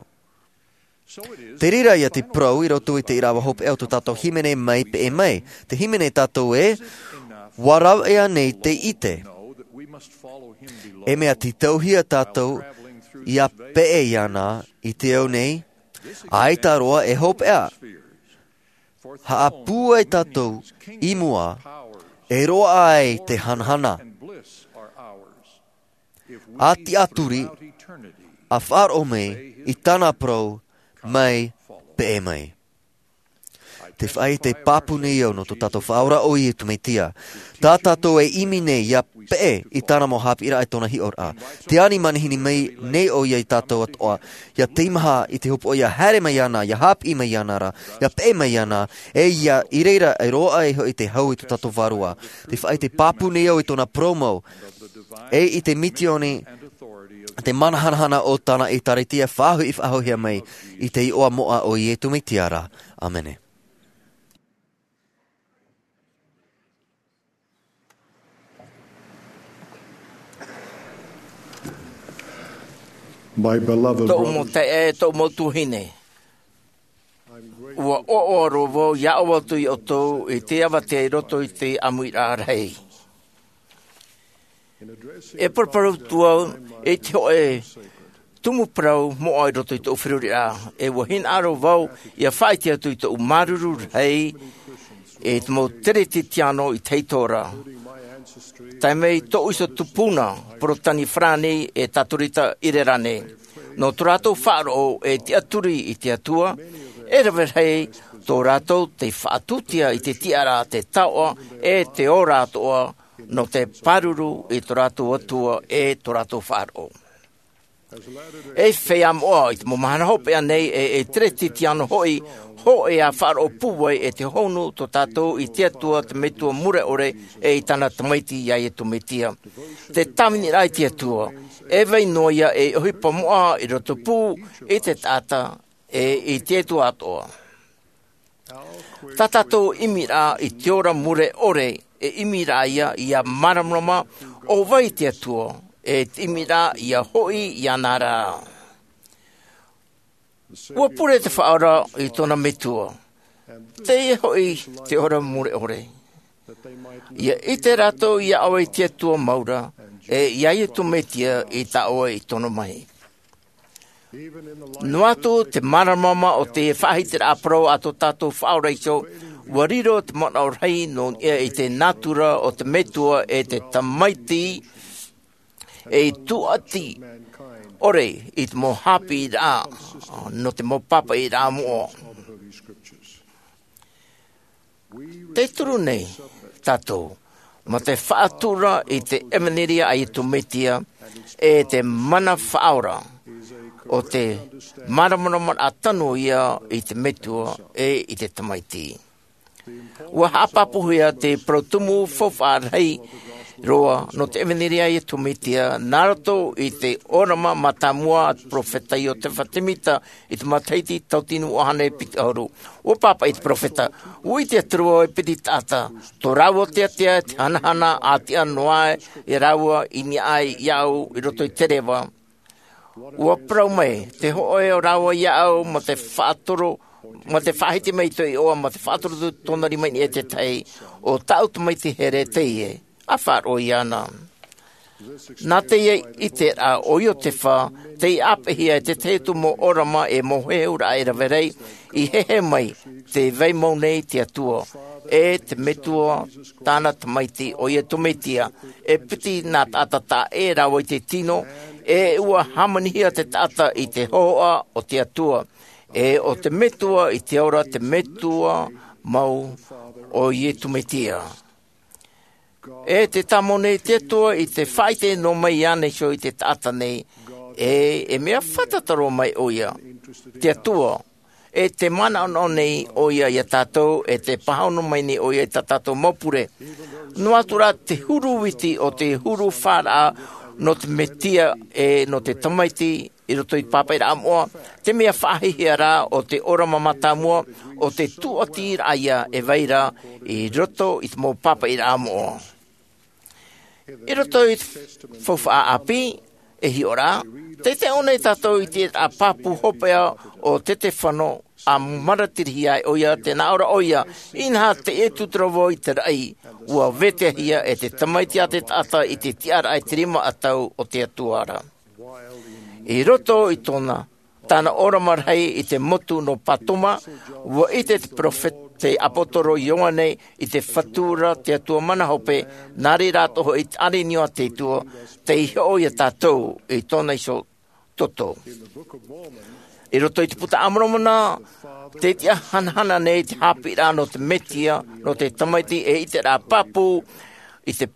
Te reira ia te parau i roto i te ʻīrava hopeʻa o tō tātou hīmene Mai Peʻe Mai. Tē hīmene tātou ē, ʻua rāveʻa nei te ʻite. E mea tītauhia tātou ia peʻe iāna i te ao nei, ʻaita roa e hopeʻa. Haʻapūai tātou i mua E roaʻa ai te hanahana. A tiʻaturi, a faʻaroʻo mai i tāna parau mai peʻe mai. Te faʻaʻite pāpū nei au nō tō tātou Faʻaora ʻo Iesu Mesia. Tā tātou e ʻimi nei ʻia peʻe i tāna mau haʻapiʻiraʻa e tōna hiʻoraʻa. Te ani manihini mai nei ʻoia iā tātou atoʻa. ʻIa teimaha i te hopoʻa ʻia haere mai iāna, ʻia haʻapiʻi mai iāna ra, ʻia peʻe mai iāna, e ʻia i reira e roaʻa ai hoʻi te hau i tō tātou Vārua. Te faʻaʻite pāpū nei au i tōna parau mau, e i te misiōni, te mana hanahana o tāna ʻĒtārētia faʻahoʻi faʻahoʻihia mai i te iʻoa moʻa o Iesu Mesia ra. ʻĀmene. My beloved Tōʻu mau brothers, taeaʻe, tōʻu mau tuahine. Ua ʻoaʻoa roa vau ʻia ʻoaʻoa atu iā ʻoutou i te avatea i roto i te ʻāmuiraʻa rahi. E paraparau atu au i te hōʻē tumu parau moʻa i roto i tōʻu feruriraʻa. E ua hinaʻaro vau ʻia faʻaʻite atu i tōʻu māuruuru rahi i te mau Teretitiano i te hītoria. Tae mai tōʻu iho tupuna, Porotani farāni, e Tatorita Irerane. Nō tō rātou faʻaroʻo e tiʻaturi i te Atua, e rave rahi tō rātou tei faʻatūtia i te tiʻaraʻa, te taoʻa, e te ora atoʻa, nō te pāruru i tō rātou Atua e tō rātou faʻaroʻo. E feiā moʻa, i te mau mahana hopeʻa nei, e, e Teretitiano hoʻi, hōʻē ʻa faʻaroʻo pūai e te hōhonu tō tātou i te Atua, te Metua mure ʻore, e i tāna Tamaiti iā Iesu Mesia. Te tāviniraʻa i te Atua, e vai noa ia ei ʻohipa moʻa i roto pū i te taʻata, e i te Atua atoʻa. Tā tātou ʻimiraʻa i te ora mure ʻore, e ʻimiraʻa ia ʻia māramarama ʻo vai te Atua, e te ʻimiraʻa ia hoʻi iāna ra. Ua pure te Faʻaora i tōna Metua, teie hoʻi te ora mure ʻore. ʻIa ʻite rātou iā ʻoe i te Atua mau ra, e iā Iesu Mesia i tā ʻoe i tono mai. Noa atu te māramarama o te faʻahitiraʻa parau a tō tātou Faʻaora iho, ua riro te manaʻo rahi nō niʻa i te nātura o te Metua e te Tamaiti, ei tūʻati ʻore i te mau haʻapiʻiraʻa, nō te mau pāpaʻiraʻa moʻa. Te turu nei tātou, mā te faʻatura i te ʻevanelia a Iesu Mesia, e te mana faʻaora, ʻo te māramarama tano ia i te Metua e i te Tamaiti. Ua haʻapāpūhia te parau tumu faufaʻa rahi roa nō te ʻevanelia a Iesu Mesia, nā roto i te ʻōrama mātāmua a te peropheta Iosefa Semita i te matahiti tauatini ʻahuru. Ua pāpaʻi te peropheta, ʻua ʻite atu ra vau e piti taʻata, tō rāua teatea te hanahana ʻātiʻa noa iā rāua i niʻa iāʻu i roto i te reva. Ua parau mai, tē hōʻē ʻo rāua iāʻu, mā te faʻatoro, mā te faʻahiti mai i tō iʻoa, mā te faʻatoro atu tōna rima i niʻa i te tahi, ʻo tāʻu tamaiti here teie, ʻa faʻaroʻo iāna. Nā teie ʻiteraʻa o Iosefa, tei ʻāpeʻehia e te tahi atu mau ʻōrama e mau heheuraʻa e rave rahi, i heheu mai, tē vai mau nei te Atua, e te Metua, tāna Tamaiti, ʻo Iesu Mesia, e piti nā taʻata taʻa ʻē rāua i te tino, e ʻua hāmanihia te taʻata i te hōhoʻa o te Atua, e ʻo te Metua i te ora, te Metua mau ʻo Iesu Mesia. E tē tāmau nei te Atua i te faʻaʻite noa mai iāna iho i te taʻata nei, e, e mea fātata roa mai ʻoia, te Atua, e tē manaʻonaʻo nei ʻoia iā tātou, e tē pāhono mai nei ʻoia i tā tātou mau pure. Noa atu rā te huru viti o te huru faʻaroʻo nō te Mesia, e nō te Tamaiti, i roto i te pāpaʻiraʻa moʻa, te mea faʻahiahia rā o te ʻōrama mātāmua, ʻo te tūʻatiraʻa ia e vai ra i roto i te mau pāpaʻiraʻa moʻa. I roto i te faufaʻa ʻāpī, e hiʻo ra, tē taiʻo nei tātou i te pāpū hopeʻa o Setefano, ʻa maratirihia ai ʻoia, tē nā ʻō ra ʻoia, inaha tē ʻite atu ra vau i te raʻi, ʻua vetaʻahia e te Tamaiti a te taʻata i te tiʻaraʻa i te rima ʻatau o te Atua ra. I roto i tōna, tāna ʻōrama rahi i te motu nō Patoma, ʻua ʻite te peropheta te ʻāpōsetolo Ioane i te Fatu ra te Atua mana hope, nā reira atoʻa hoʻi te ʻārenio a te Atua, tei hoʻo ia tātou i tōna iho toto. I roto i te Puta a Moromona, tē tiʻa hanahana nei te haʻapiʻiraʻa nō te Mesia, nō te Tamaiti e ʻiteraʻa pāpū i te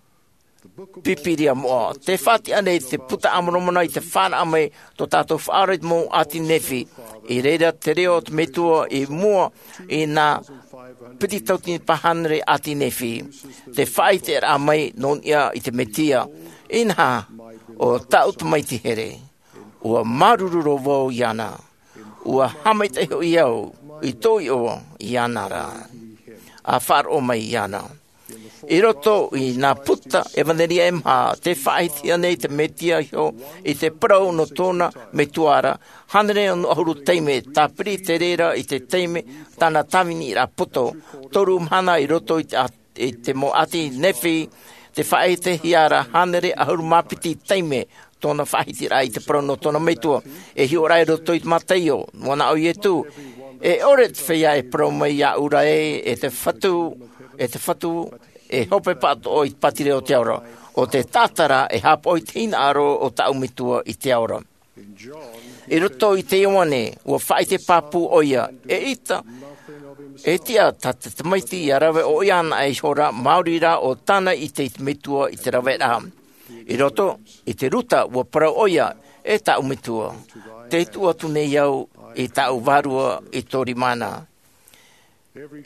Pīpīria moʻa. Tē faʻatiʻa nei te Puta a Moromona i te fānaʻo mai tō tātou Faʻaora i te mau ʻāti Nephi. I reira te reo o te Metua i mua i nā piti tauatini pae hānere ʻāti Nephi. Te faʻaʻiteraʻa mai nō niʻa i te Mesia. Inaha, ʻo tāʻu tamaiti here. ʻUa māuruuru roa vau iāna. ʻUa haʻamaitaʻi hoʻi au i tōʻu iʻoa iāna ra. ʻA faʻaroʻo mai iāna. I roto i nā puta ʻevanelia e maha, tē faʻaʻitehia nei te Mesia iho i te parau nō tōna Metua ra, hānere ono ʻahuru taime, tāpiri te reira i te taime tāna tāviniraʻa poto, toru mahana i roto i te, i te mau ʻāti Nephi, tē faʻaʻitehia ra hānere ʻahuru mā piti taime tōna faʻahitiraʻa i te parau nō tōna Metua. E hiʻo ra i roto i te Mataio, noa naʻo Iesu, e ʻore te feiā e parau mai iāʻu ra ē, e te Fatu, e te Fatu, e hope pāʻatoʻa i te pātireia o te ao ra, ʻo te taʻata ra e haʻapaʻo i te hinaʻaro o tāʻu Metua i te ao ra. I roto i te Ioane, ʻua faʻaʻite pāpū ʻoia, e ʻita, e tiʻa tā te Tamaiti ʻia rave ʻoia anaʻe iho ra, maori rā ʻo tāna ʻite i te Metua i te raveraʻa. I roto i te Ruta, ʻua parau ʻoia, e tāʻu Metua, tē tuʻu atu nei au i tāʻu vārua i tō rima na.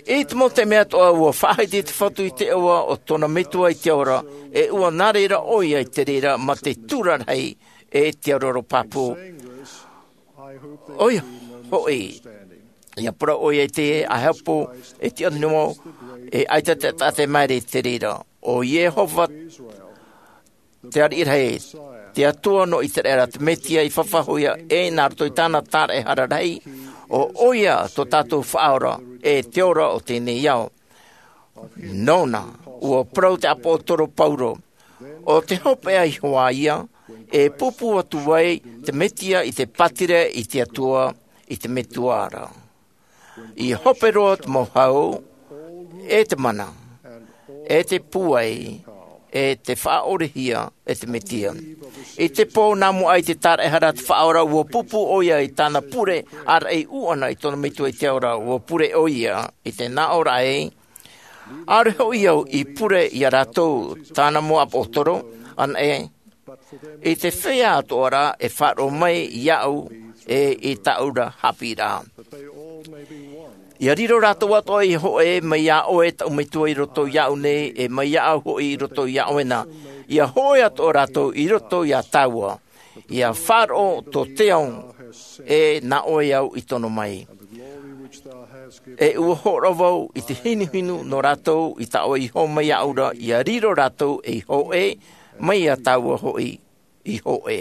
I te mau taime atoʻa ʻua faʻahiti te Fatu i te iʻoa o tōna Metua i te ao ra, e ʻua nā reira ʻoia i te reira mā te tura rahi e te aroaro pāpū. ʻOia hoʻi, ʻia parau ʻoia i te ʻāhepo, e tiʻa noa, e ʻaita te taʻata e māere i te reira. ʻO Iehova te ariʻi rahi, te Atua nō ʻĪteraʻera, te Mesia i faʻahou ia, e nā roto i tāna tāraʻehara rahi, ʻo ʻoia tō tātou Faʻaora, e te ora o teie nei ao. Nōna, ʻua parau te ʻāpōsetolo Paulo, ʻo te hopeʻa iho ā ia, e pūpū atu ai te Mesia i te pātireia i te Atua, i te Metua ra. ʻIa hope roa te mau hau, e te mana, e te pūai, e te faʻaʻorehia, e te Mesia. I te pō nā mua i te tāraʻehara a te Faʻaora, ʻua pūpū ʻoia i tāna pure, ʻāraʻi ʻuʻana i tōna Metua i te ao ra, ʻua pure ʻoia i te nāʻōraʻa ē, ʻaore hoʻi au i pure iā rātou, tāna mau ʻāpōsetolo, anaʻe, i te feiā atoʻa rā e faʻaroʻo mai iāʻu, e i tāʻu ra haʻapiʻiraʻa. ʻIa riro rātou atoʻa i hōʻē mai iā ʻoe, tāʻu Metua, i roto iāʻu nei, e mai iāʻu hoʻi i roto iā ʻoe na. ʻIa hōʻē atoʻa rātou i roto iā tāua. ʻIa faʻaroʻo tō te ao, e nā ʻoe au i tono mai. E ʻua hōroʻa vau i te hinuhinu nō rātou i tā ʻoe i hō mai iāʻu ra, ʻia riro rātou ei hōʻē, mai iā tāua hoʻi i hōʻē.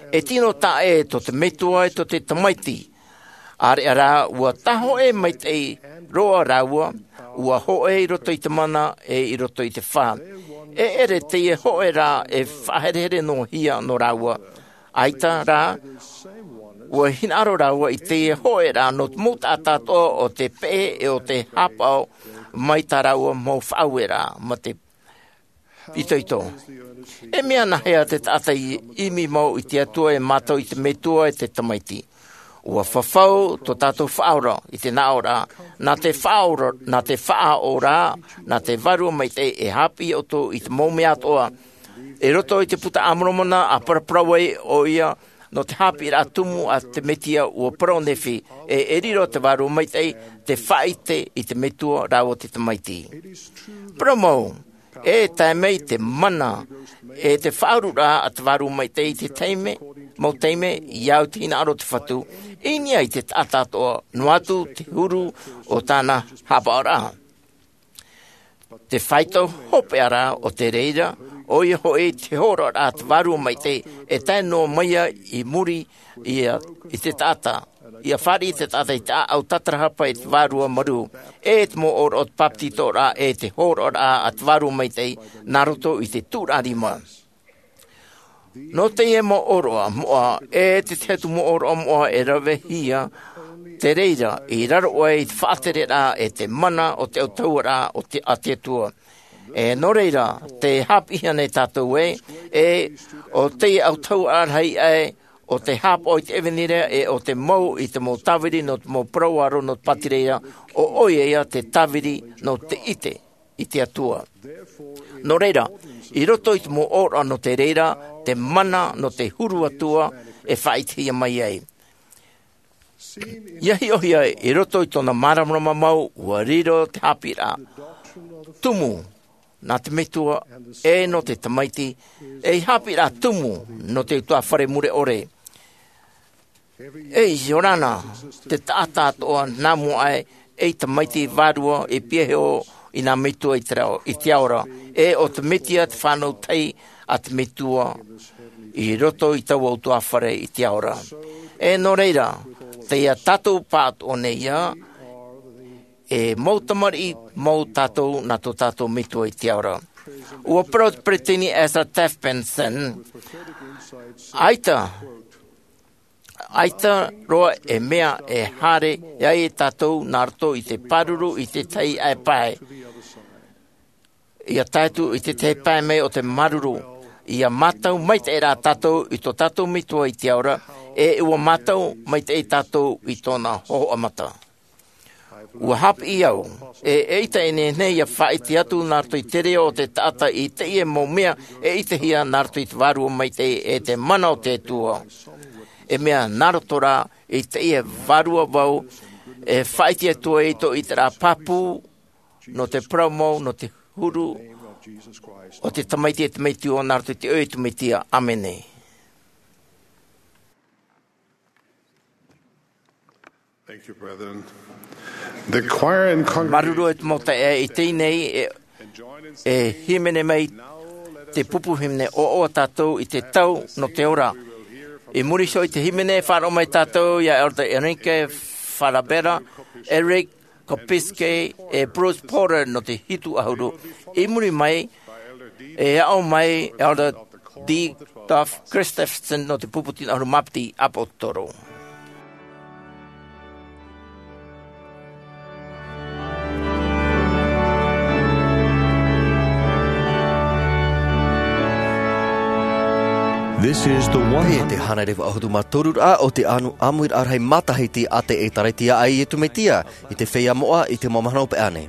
E tino taʻa ʻē tō te Metua e tō te Tamaiti. ʻĀreʻa rā, ʻua tāhōʻē maitaʻi roa rāua, ʻua hōʻē i roto i te mana, e i roto i te fā. E ʻere teie hōʻē rā e faʻaherehere noa hia nō rāua. ʻAita rā, ʻua hinaʻaro rāua i teie hōʻē rā nō te mau taʻata atoʻa ʻo tē peʻe e ʻo tē haʻapaʻo mai tā rāua mau faʻaueraʻa, mā te itoito. E mea nāhea te taʻata i ʻimi mau i te Atua e mātau i te Metua e te Tamaiti? ʻUa fafau tō tātou Faʻaora i te nāʻōraʻa, nā te faʻaora, nā te faʻaora, nā te Vārua Maitaʻi e haʻapiʻi ʻoutou i te mau mea atoʻa. I roto i te Puta a Moromona, ʻa paraparau ai ʻoia nō te haʻapiʻiraʻa tumu a te Mesia, ʻua parau Nephi, e, e riro te Vārua Maitaʻi, te faʻaʻite i te Metua rāua te Tamaiti. Parau mau, e tae mai te mana, e te faʻaururaʻa a te Vārua Maitaʻi i te taime, mau taime, ʻia au i te hinaʻaro o te Fatu, i niʻa i te taʻata atoʻa, noa atu te huru o tāna haʻapaʻoraʻa. Te faito hopeʻa rā o te reira, ʻoia hoʻi te hōroʻaraʻa a te Vārua Maitaʻi, e tae noa mai ia i muri ia i te taʻata, ʻia fāriʻi te taʻata i te ʻāʻau tātarahapa i te Vārua Marū, e te mau ʻōroʻa o te bāpetizoraʻa, e te hōroʻaraʻa a te Vārua Maitaʻi, nā roto i te tūraʻa rima. Nō teie mau ʻōroʻa moʻa, e te tahi atu mau ʻōroʻa moʻa e ravehia, te reira i raro aʻe i te faʻatereraʻa e te mana o te autahuʻaraʻa o te, a te Atua. E nō reira, tē haʻapiʻihia nei tātou ē, e ʻo te autahuʻaraʻa rahi aʻe, ʻo te haʻapaʻo i te ʻevanelia, e ʻo te mau i te mau tāviri nō te mau parau aro nō te pātireia, ʻo ʻoia ia te tāviri nō te ʻite i te Atua. Nō reira, i roto i te mau ʻōroʻa nō te reira, te mana nō te huru Atua e faʻaʻitehia mai ai. ʻIa hiʻohia i roto i tōna māramarama mau, ʻua riro te haʻapiʻiraʻa tumu nā te Metua e nō te Tamaiti, ei haʻapiʻiraʻa tumu nō te ʻutuāfare mure ʻore. E ʻia ora na te taʻata atoʻa nā mua aʻe ei tamaiti vārua i piahi i nā metua i te reo, i te ao ra, e ʻo te Mesia te fānau tahi a te Metua i roto i taua ʻutuāfare i te ao ra. E nō reira, tei ia tātou pāʻatoʻa nei ia, e mau tamariʻi mau tātou nā tō tātou Metua i te ao ra. ʻUa parau te peresideni Ezra Taft Benson, ʻaita, ʻaita roa e mea e haere ai e tātou nā roto i te pāruru i te tahi aʻe pae. ʻIa tae atu i te tahi pae mai o te māuruuru, ʻia mātau maitaʻi rā tātou i tō tātou Metua i te ao ra, e ʻua mātau maitaʻi tātou i tōna hōhoʻa mata. ʻUa haʻapiʻi au, e, eʻita e nehenehe ʻia faʻaʻite atu nā roto i te reo o te taʻata i teie mau mea e ʻitehia nā roto i te Vārua Maitaʻi e te mana o te Atua. E mea nā roto rā i teie Vārua Vau, e faʻaʻite atu ai tō ʻiteraʻa pāpū, nō te parau mau, nō te huru o te Tamaiti e te Metua, nā roto i te ʻoe o te Mesia. ʻĀmene. Thank you, brethren. The choir and congregation Māuruuru e te mau taeaʻe i teie nei, e, e hīmene mai te pupu hīmene, ʻoaʻoa tātou i te tau nō te ora. I muri iho i te hīmene, faʻaroʻo mai tātou ia Elder Enrique Farabera, Eric Kopiske, e Bruce Porter nō te hitu ʻahuru. I muri mai, e aʻo mai Elder D. Duff Christensen nō te pupu tino ʻahuru mā piti ʻāpōsetolo. This is the one hundred. Teie te hānere vaʻu ʻahuru mā toru ra o te ʻāmuiraʻa rahi matahiti a te ʻĒtārētia a Iesu Mesia, i te feiā moʻa, i te mau mahana hopeʻa nei.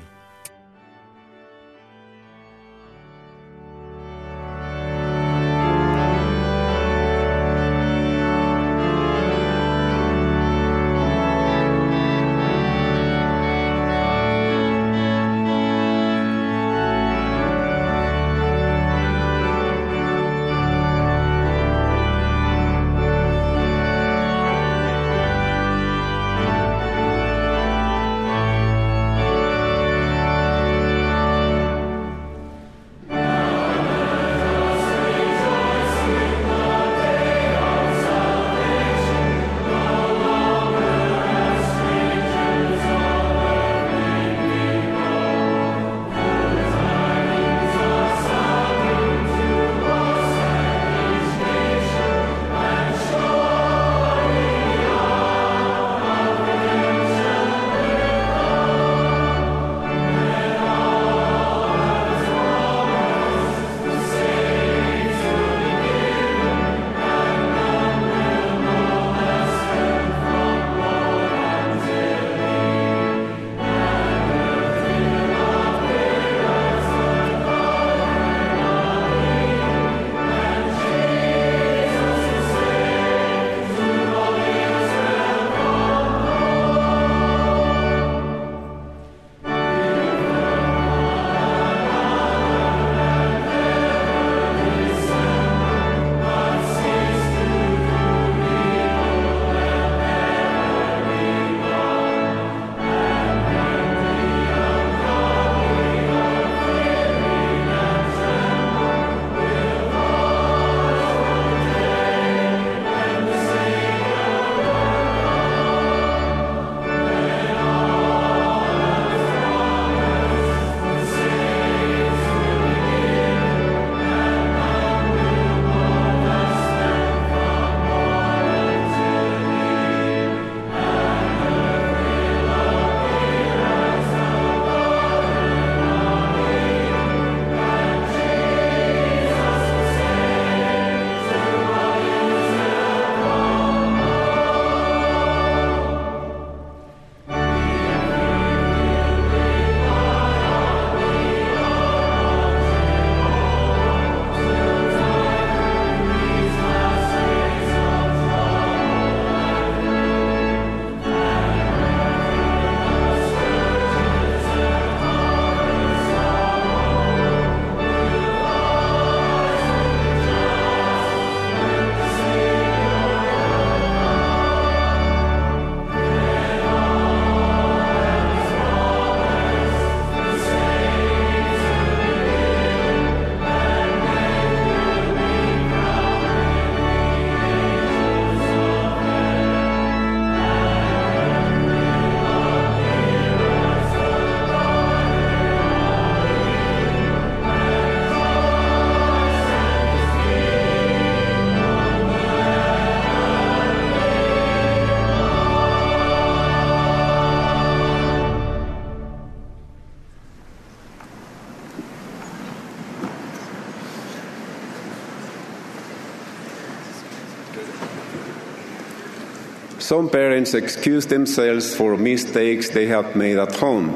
Some parents excuse themselves for mistakes they have made at home,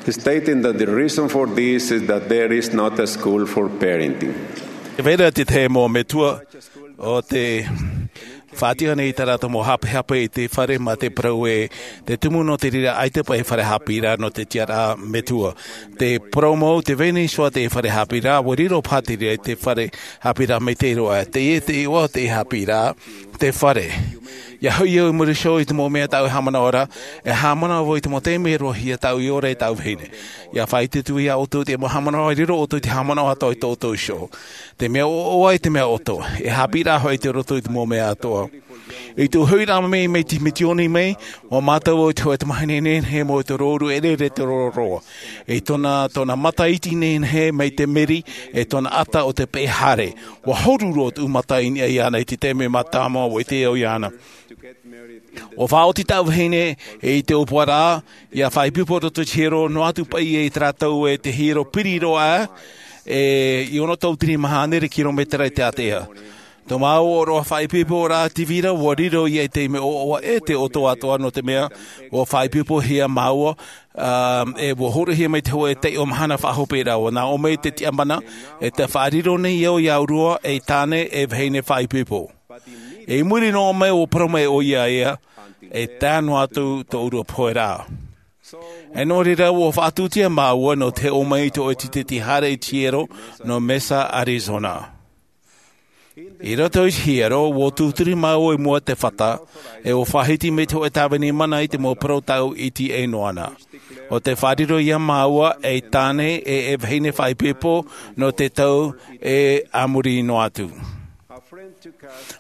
stating that the reason for this is that there is not a school for parenting. E vera te tahi mau metua o te faʻatiʻa nei i tā rātou mau hapehape i te fare mā te parau ē, te tumu nō te reira ʻaita paʻi fare haʻapiʻiraʻa nō te tiʻaraʻa metua. Te parau mau, tē vai nei hoʻi te fare haʻapiʻiraʻa, ʻua riro paha te reira i te fare haʻapiʻiraʻa maitaʻi roa. Teie te iʻoa o te haʻapiʻiraʻa, te fare. ʻIa hoʻi au i muri iho i te mau mea tāʻu e haʻamanaʻo ra, e haʻamanaʻo vau i te mau taime e roaʻa ai tāʻu i ora i tāʻu vahine. ʻIa faʻaʻite atu vau iā ʻoutou i te mau haʻamanaʻo, e riro ʻoutou i te haʻamanaʻo atoʻa i tō ʻoutou iho. Te mea ʻoaʻoa i te mea ʻoto, e haʻapiʻiraʻa hoʻi i roto i te mau mea atoʻa. I tō ʻoe huiraʻatira mai, mai te misiōni mai, ʻua mātau vau i te hōʻē tamahine nehenehe mau i te rōʻau ʻereʻere, te roroa. I tōna, tōna mata iti nehenehe mai te meri, e tōna ʻata ʻo te peʻe haere. ʻUa horu roa tōʻu mata i niʻa iāna i te taime mātāmua ʻua ʻite au iāna. ʻUa faʻaoti tāʻu vahine i te ʻōpuaraʻa, ʻia faʻaipoipo i roto i te hiero, noa atu paʻi i te rātou e te hiero piri roa, e, i ono tautini maha hānere kirometera i te ātea. Tō māua ʻōroʻa faʻaipoiporaʻa tīvira, ʻua riro ia i te mea ʻoaʻoa e te ʻoto atoʻa nō te mea, ʻua faʻaipoipohia māua, ā, e ʻua hōroʻahia mai te hōʻē taiʻo mahana faʻahoperaʻa, ʻua nā ʻō mai te tiʻamana, e tē faʻariro nei au iā ʻoe, e tāne, e vahine faʻaipoipo. I muri noa mai ʻua parau mai ʻoia iāna, e tae noa atu tō ʻoe pohe ra. E nō reira ʻua faʻatūtia māua nō te ō mai i te hōʻē titeti haere i te hiero nō Mesa, Arizona. I roto i te hiero, ʻua tūturi māua i mua i te fata, e ʻua faʻahiti mai te hōʻē tāvini mana i te mau parau tāʻu i tīaʻi noa na. ʻO tē faʻariro ia māua ei tāne e, e vahine faʻaipoipo nō te tau e a muri noa atu.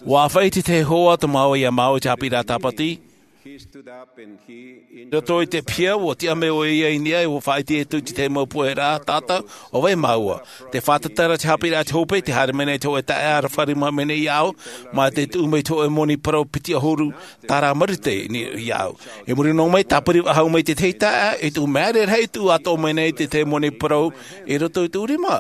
ʻUa ʻāfaʻi te hoa tō māua iā māua i te haʻapiʻiraʻa tāpati. I roto i te piha, ʻua tiʻa mai ʻoia i niʻa, ʻua faʻaʻite atu i te mau pohe ra, tātou, ʻo vai māua? Tē fātata ra te haʻapiʻiraʻa i te hope, tē haere mai nei te hōʻē taeaʻe aroha rima mai nei iāʻu, mā te tuʻu mai te hōʻē moni parau piti ʻahuru tāra marite i niʻa iāʻu. I muri noa mai, tāpiri faʻahou mai te tahi taeaʻe, i tuʻu maere rahi, i tuʻu atoʻa mai nei te tahi moni parau i roto i tōʻu rima.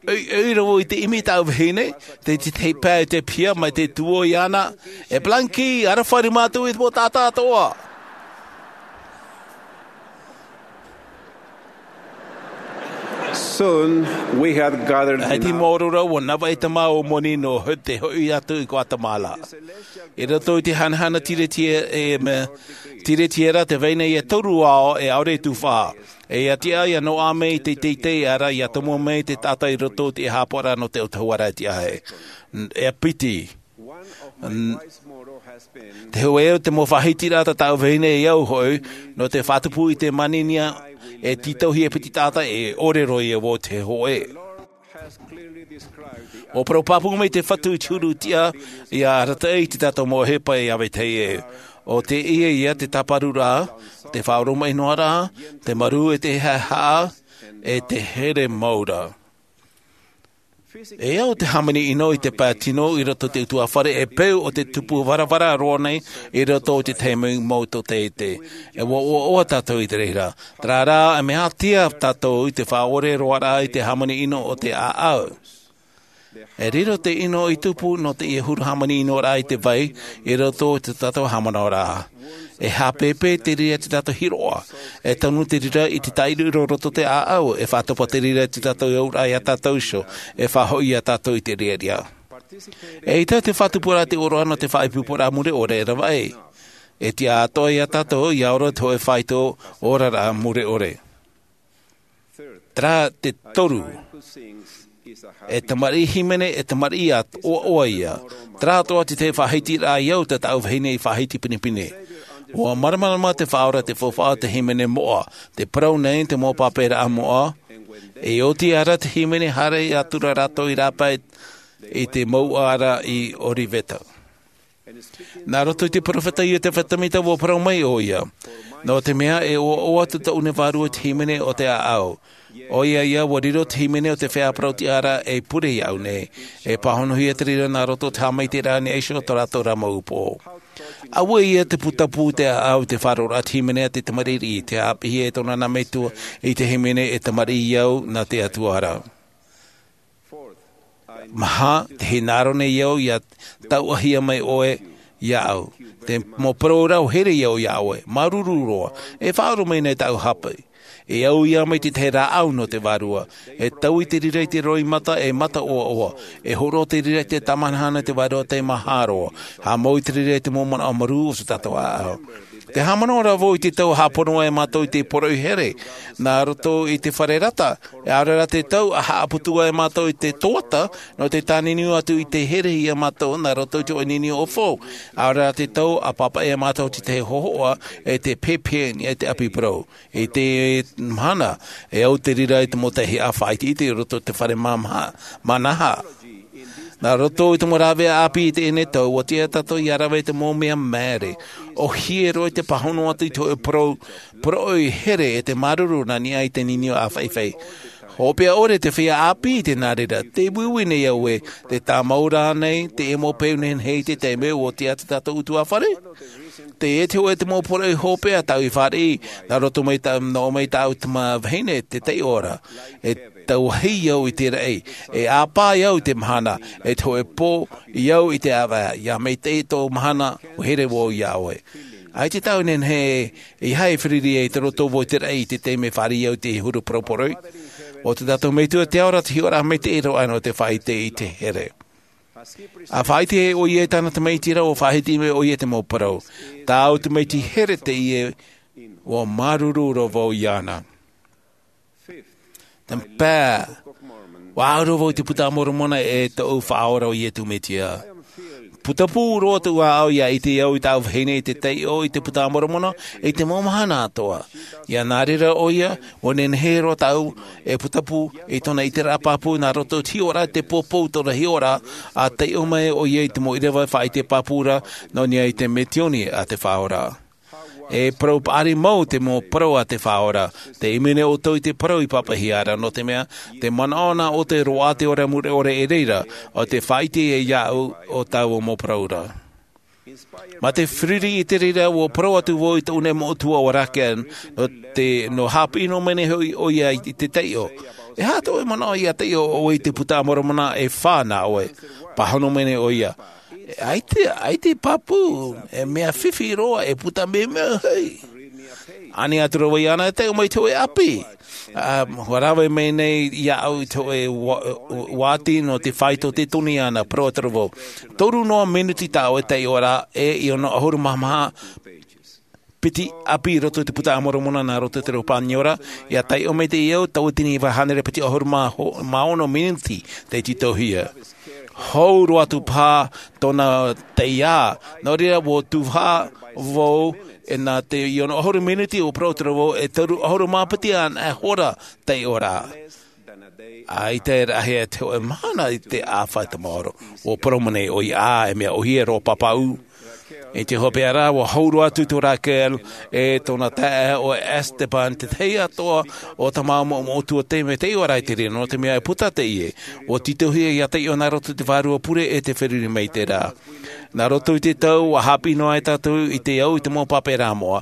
ʻEi, ʻei, rā vau i te ʻimi i tāʻu vahine, te, te, te pae i te piha, mai te tuō iāna, e Blanky, aroha rima atu i te mau taʻata atoʻa. Soon, we had gathered enough. ʻAita i maoro ra, ʻua navaʻi te mau moni nō te hoʻi atu i Guatemala. I roto i te hanahana tiretiera, e, mea, tiretiera tē vai nei e toru ao, e ʻaore i tuhaʻa. E ʻia tiʻa, ʻia noaʻa mai te teitei, ʻaore ra ʻia tomo mai te taʻata i roto i te haʻapaʻoraʻa nō te ʻautahuʻaraʻa e tiʻa ai. N-, e piti. N-, te hōʻē o te mau faʻahitiraʻa tā tāʻu vahine e au hoʻi, nō te faʻatupu i te maninia, e tītauhia e piti taʻata, e ʻore roa ia vau te hōʻē. ʻUa parau pāpū mai te Fatu i te huru tiʻa, ʻia arataʻi i tā tātou mau ʻohipa e ʻave tahi e. ʻO teie ia te tāparuraʻa, te faʻaoromaʻi noa ra, te marū e te haʻehaʻa, e te here mau ra. E au te hāmani ʻino i te pae tino i roto i te ʻutuāfare e peu ʻo te tupu varavara roa nei i roto i te taime mau tōtaiete. E ʻua ʻoaʻoa tātou i te reira. Terā rā, e mea ātea tātou i te faʻaʻore roa ra i te hāmani ʻino o te ʻāʻau. E riro te ʻino i tupu nō teie huru hāmani ʻino ra i te vai i roto i tō tātou haʻamanaʻoraʻa. E haʻapēpē te reira i tō tātou hiroʻa. E tanu te reira i te tāʻiroʻiro i roto i te ʻāʻau. E faʻatopa te reira i tō tātou auraʻa iā tātou iho. E faʻahoʻi iā tātou i te reira. ʻEita te faʻatupuraʻa te ʻōroʻa nō te faʻaipoiporaʻa mure ʻore e ravaʻi. E tiʻa atoʻa iā tātou, ʻia ora te hōʻē faito oraraʻa mure ʻore. Terā te toru. E tamariʻi hīmene, e tamariʻi ʻoaʻoa ia. Terā atoʻa te tahi faʻahitiraʻa i au tā tāʻu vahine i faʻahiti pinepine. ʻUa māramarama te Faʻaora i te faufaʻa o te hīmene moʻa, tē parau nei te mau pāpēraʻa moʻa, e oti aʻera te hīmene haere atu ra rātou i rāpae i te mouʻa ra i Oliveta. Nā roto i te peropheta Iotefa Samita ʻua parau mai ʻoia. Nō te mea e ʻoaʻoa atu tōʻu nei vārua i te hīmene o te ʻāʻau. ʻOia ia ʻua riro te hīmene o te feiā parau-tiʻa ra ei pure iāʻu nei. E pāhonohia te reira nā roto i te haʻamaitaʻiraʻa i niʻa iho i tō rātou ra mau upoʻo. ʻAuē ia te putapū i te ʻāʻau i te faʻaroʻoraʻa i te hīmene a te tamariʻi, tē haʻapiʻihia e tōna nā metua i te hīmene e tamariʻi au nā te Atua ra. Maha, tē hinaʻaro nei au ʻia tauʻahia mai ʻoe Iāʻu. Te mau parau ra ʻua here iāʻu iā ʻoe. Māuruuru roa. E faʻaroʻo mai nei tāʻu hape. E au ia mai te tahi rāʻau nō te vārua. E taui te reira i te roimata, e mata ʻoaʻoa. E hōroʻa te reira i te tāmāhana te vārua tei maha roa. Haʻamau i te reira i te mau manaʻo marū o tō tātou ʻāʻau. Te haʻamanaʻo ra vau i te tau haʻapono ai mātou i te poroʻi here. Nā roto i te fare rata. E ʻaore rā te tau a haʻaputu ai mātou i te toata, nō te tāniniu atu i te here ia mātou, nā roto i te ʻoe ninio ʻōfou. ʻAore rā te tau a pāpaʻi ai mātou te tahi hōhoʻa, e te pēpē, e te ʻapi parau. I te mahana, e au te reira i te mau tahi a faʻaʻiteʻite i roto i te fare mā-, mā-, mānaha. Nā roto i te mau rāveʻa ʻāpī i teie nei tau, ʻua tiʻa tātou ia rave i te mau mea māere. ʻOhie roa i te pāhono atu i te hōʻē parau, poroʻi here e te māuruuru nā niʻa i te ninio ʻāfaifai. Hopeʻa ʻore te feiā ʻāpī i te nā reira, tē uiui nei au ē, tē tāmau ra nei, te ʻemo peu nehenehe i te taime ʻua tiʻa atu tātou ʻutuāfare. Teie te hōʻē te mau poroʻi hopeʻa tāʻu i fāriʻi, nā roto mai tā-, nō mai tāʻu tama vahine, te taiʻo ra. E tauahi au i te raʻi, e ʻāpā au i te mahana, e te hōʻē pō, i au i te ʻāvae, ia maitaʻi tō mahana, ʻua here vau iā ʻoe. ʻAita tāʻu e nehenehe, ʻeiaha e fāriʻi i te roto vau i te raʻi i te taime fāriʻi au i te huru poroporoʻi. ʻO tā tātou Metua te ao ra te hiʻoraʻa maitaʻi roa nō te faʻaʻite i te here. A faʻaʻite ʻoia i tāna tamaiti ra ʻua faʻahiti mai ʻoia i te mau parau. Tāʻu tamaiti here teie ʻua māuruuru roa vau iāna. Te pae, ʻua au roa vau i te Puta a Moromona e tōʻu Faʻaora ʻo Iesu Mesia. Putapū roa tōʻu ʻāʻau ia ʻite au i tāʻu vahine i te taiʻo i te Puta a Moromona i te mau mahana atoʻa. Ia nā reira ʻoia, ʻua nehenehe roa tāʻu e putapū i tōna ʻiteraʻa pāpū nā roto i te hiʻoraʻa te pōpou tōna hiʻoraʻa, a taiʻo mai ʻoia i te mau ʻīrava faʻaʻite pāpū ra, nō niʻa i te misiōni a te Faʻaora. E parau paʻari mau te mau parau a te Faʻaora, tē ʻimi nei ʻoutou i te parau i pāpaʻihia ra, nō te mea, tē manaʻo na ʻoutou e roaʻa te ora mure ʻore i reira, ʻo tē faʻaʻite iāʻu ʻo tāʻu mau parau ra. Mā te fāriʻi i te reira ʻua parau atu vau i tōʻu nei mau ʻutuāfare, nō te, nō haʻapiʻi noa mai nei hoʻi ʻoia i te taiʻo. E aha tō ʻoe manaʻo ia taiʻo ʻoe i te Puta a Moromona e fā nā ʻoe? Pāhono mai nei ʻoia. ʻAita, ʻaita e pāpū, e mea fifi roa, e puta mea mea hei. Ani atu ra vau iāna e taiʻo mai i te hōʻē ʻapi. A, ʻua rave mai nei iāʻu i te hōʻē ua-, ua-, uāti nō te faito tē tonu iāna, parau atu ra vau. Toru noa minuti tā ʻoe taiʻoraʻa, e ʻia ono ʻahuru mā maha piti ʻapi i roto i te Puta a Moromona nā roto i te reo Pāniora, ʻia taiʻo maitaʻi au, tauatini iva hānere piti ʻahuru mā ho-, mā ono minuti tei tītauhia. Hou roa atu paha tōna taiā, nō reira ʻua tuhaʻa vau, e nā te ʻia ono ʻahuru minuti ʻua parau atu ra vau, e toru ʻahuru mā piti ana e hora taiʻoraʻa. ʻAita e rahi e te hōʻē mahana i te ʻāfa i te maoro. ʻUa parau mai nei ʻoia, ā, e mea ʻohie roa pāpaʻu. I te hopeʻa ra, ʻua hou roa atu tō Raquel, e tōna taeaʻe ʻo Esteban, te tahi atoʻa o te mau moʻotua tei mai taiʻoraʻa i te reira, nō te mea e puta teie. ʻUa tītauhia ia taiʻo nā roto i te vārua pure e te feruri maitaʻi ra. Nā roto i te tau, ʻua haʻapiʻi noa ai tātou i te au i te mau pape rā moʻa.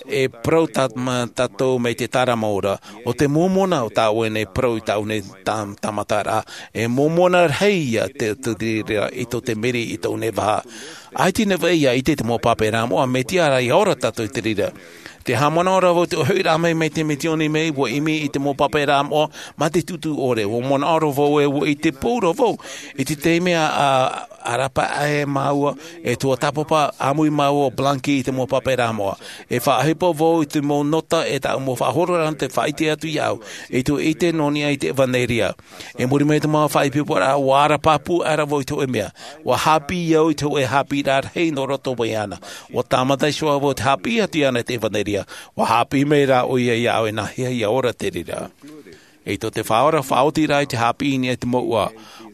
E parau tā-, mā tātou mai te tāramoura. ʻO te mōmona o tā ʻoe nei parau i tā ʻoe nei tā-, tāmataraʻa. E mōmona rahi ia te, te reira i tō te meri i tō ʻoe nei vaha. ʻAita e nehenehe ia ʻite te mau pape rā moʻa, mai te reira ʻia ora tātou i te reira. Te haʻamanaʻo ra vau te hoʻiraʻa mai, mai te misiōni mai, ʻua ʻimi i te mau pape rā moʻa, mā te tūtū ʻore, ʻua manaʻo ra vau ē, ʻua ʻite pau ra vau. I te taime a, a, a rāpae ai māua, e tuatāpapa ʻāmui māua ʻo Blanqui i te mau pape rā moʻa. E faʻaʻohipa vau i te mau nota e tāʻu mau faʻahororaʻa te faʻaʻite atu iāʻu, i te ʻite nō niʻa i te ʻevaneria. I muri mai i te mau faʻaipoiporaʻa, ʻua ara pāpū aʻera vau i te hōʻē mea. ʻUa haʻapiʻi au i te hōʻē haʻapiʻiraʻa rahi nō roto mai iāna. ʻUa tāmata iho ā vau te haʻapiʻi atu iāna i te ʻevaneria. ʻUa haʻapiʻi mai rā ʻoia iāʻu e nāhea ʻia ora te reira. I tō te Faʻaora faʻaotiraʻa i te haʻapiʻi i niʻa i te mouʻa,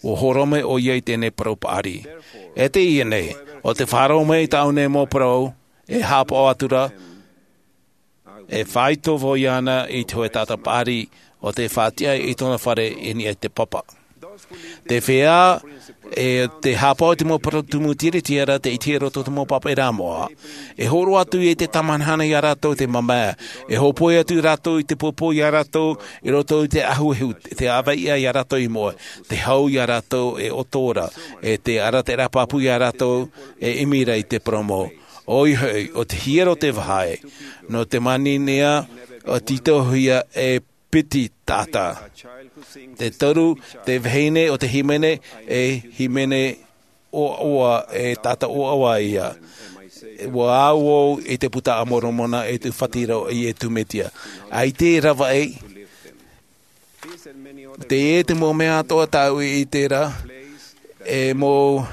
ʻua hōroʻa mai ʻoia i teie nei parau paʻari. E teie nei, ʻo tē faʻaroʻo mai i tāʻu nei mau parau, e haʻapaʻo atu ra, e faito vau iāna i te hōʻē taʻata paʻari, ʻo tē faʻatiʻa i tōna fare i niʻa i te papa. Te feiā, e te hāpaʻo i te mau parau tumu tiriti ra te ʻite i roto i te mau pāpaʻi rā moʻa. E hōroʻa atu i te tāmahanahana iā rātou te mamae. E hōpoi atu rātou i te pōpō iā rātou i roto i te ʻahuʻahu, te ʻāvaʻe iā rātou i moʻe, te hau iā rātou e ʻoto ra, e te arataʻi pāpū iā rātou e ʻimi ra i te poromo. ʻOia hoʻi, ʻo te hiero te vāhi, nō te maninea, ʻo tītauhia e piti taʻata. Te toru, te vahine ʻo te hīmene, e hīmene ʻoaʻoa, e taʻata ʻoaʻoa ia. ʻUa au au i te puta a Moromona e tū fātiro i e tū Metia. ʻAita e ravaʻi, te e te mau mea atoʻa tāʻu i ʻite ra, e mau,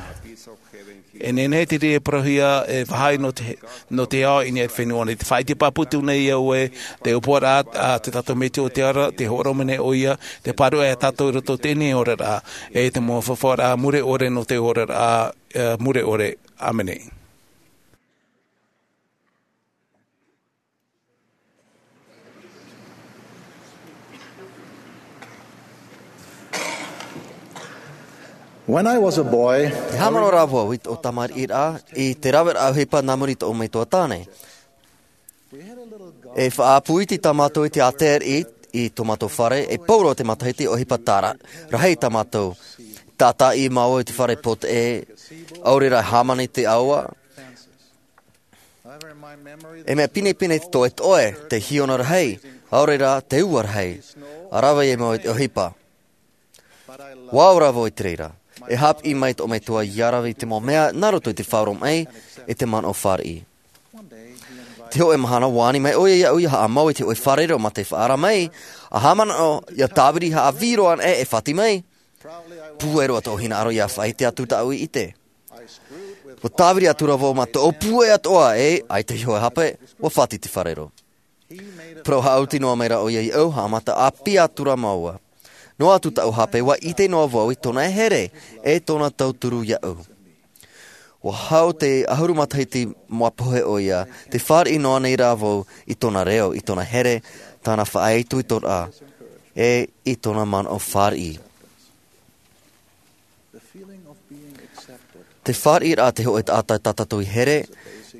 e nehenehe te reira e parauhia, e vāhi nō te, nō te ao i niʻa i te fenua nei. Te faʻaʻite pāpū atu nei au ē, te ʻōpuaraʻa a te tātou Metua o te ao ra, te hōroʻa mai nei ʻoia, te pāruʻe iā tātou i roto i teie oraraʻa, e te mau faufaʻaraʻa mure ʻore nō te oraraʻa, e, mure ʻore. ʻĀmene. When I was a boy, I haʻamanaʻo ra vau i tōʻu tamariʻiraʻa i te raveraʻa ʻohipa nā muri i tōʻu metua tāne. E faʻaʻapu iti tā mātou i te ātea i, i tō mātou fare, e pau roa te matahiti ʻohipa tāra, rahi tā mātou. Tātaʻi māua i te fare poteʻe, ʻaore rā hāmani te ʻaoa. E mea pinepine te toetoe, te hiona rahi, ʻaore rā te ua rahi. ʻA rave ia māua i te ʻohipa. ʻUa ora vau i te reira. E haʻapiʻi mai tōʻu metua ʻia rave i te mau mea nā roto i te faʻaroʻo i te manaʻo fāriʻi. Te hōʻē mahana ʻua ani mai ʻoia iāʻu ʻia haʻamau i te hōʻē fare reo mā te faʻaara mai, ʻa haʻamanaʻo ʻia tāviri haʻavī roa anaʻe e fāti mai. Pūai roa tōʻu hinaʻaro ʻia faʻaʻite atu tāʻu i ʻite. ʻUa tāviri atu ra vau mā tōʻu pūai atoʻa ē, ʻaita e hōʻē hape, ʻua fāti te fare reo. Parau haʻaoti noa mai ra ʻoia iāʻu, haʻamata ʻāpī atu ra māua. Noa atu tāʻu hape, ʻua ʻite noa vau i tōna here, e tōna tauturu iāʻu. ʻUa hau te ʻahuru matahiti ʻua pohe ʻoia, tē fāriʻi noa nei ra vau i tōna reo, i tōna here, tāna faʻaitoitoraʻa, e i tōna manaʻo fāriʻi. Te fāriʻiraʻa te hōʻē taʻata tā tātou i here,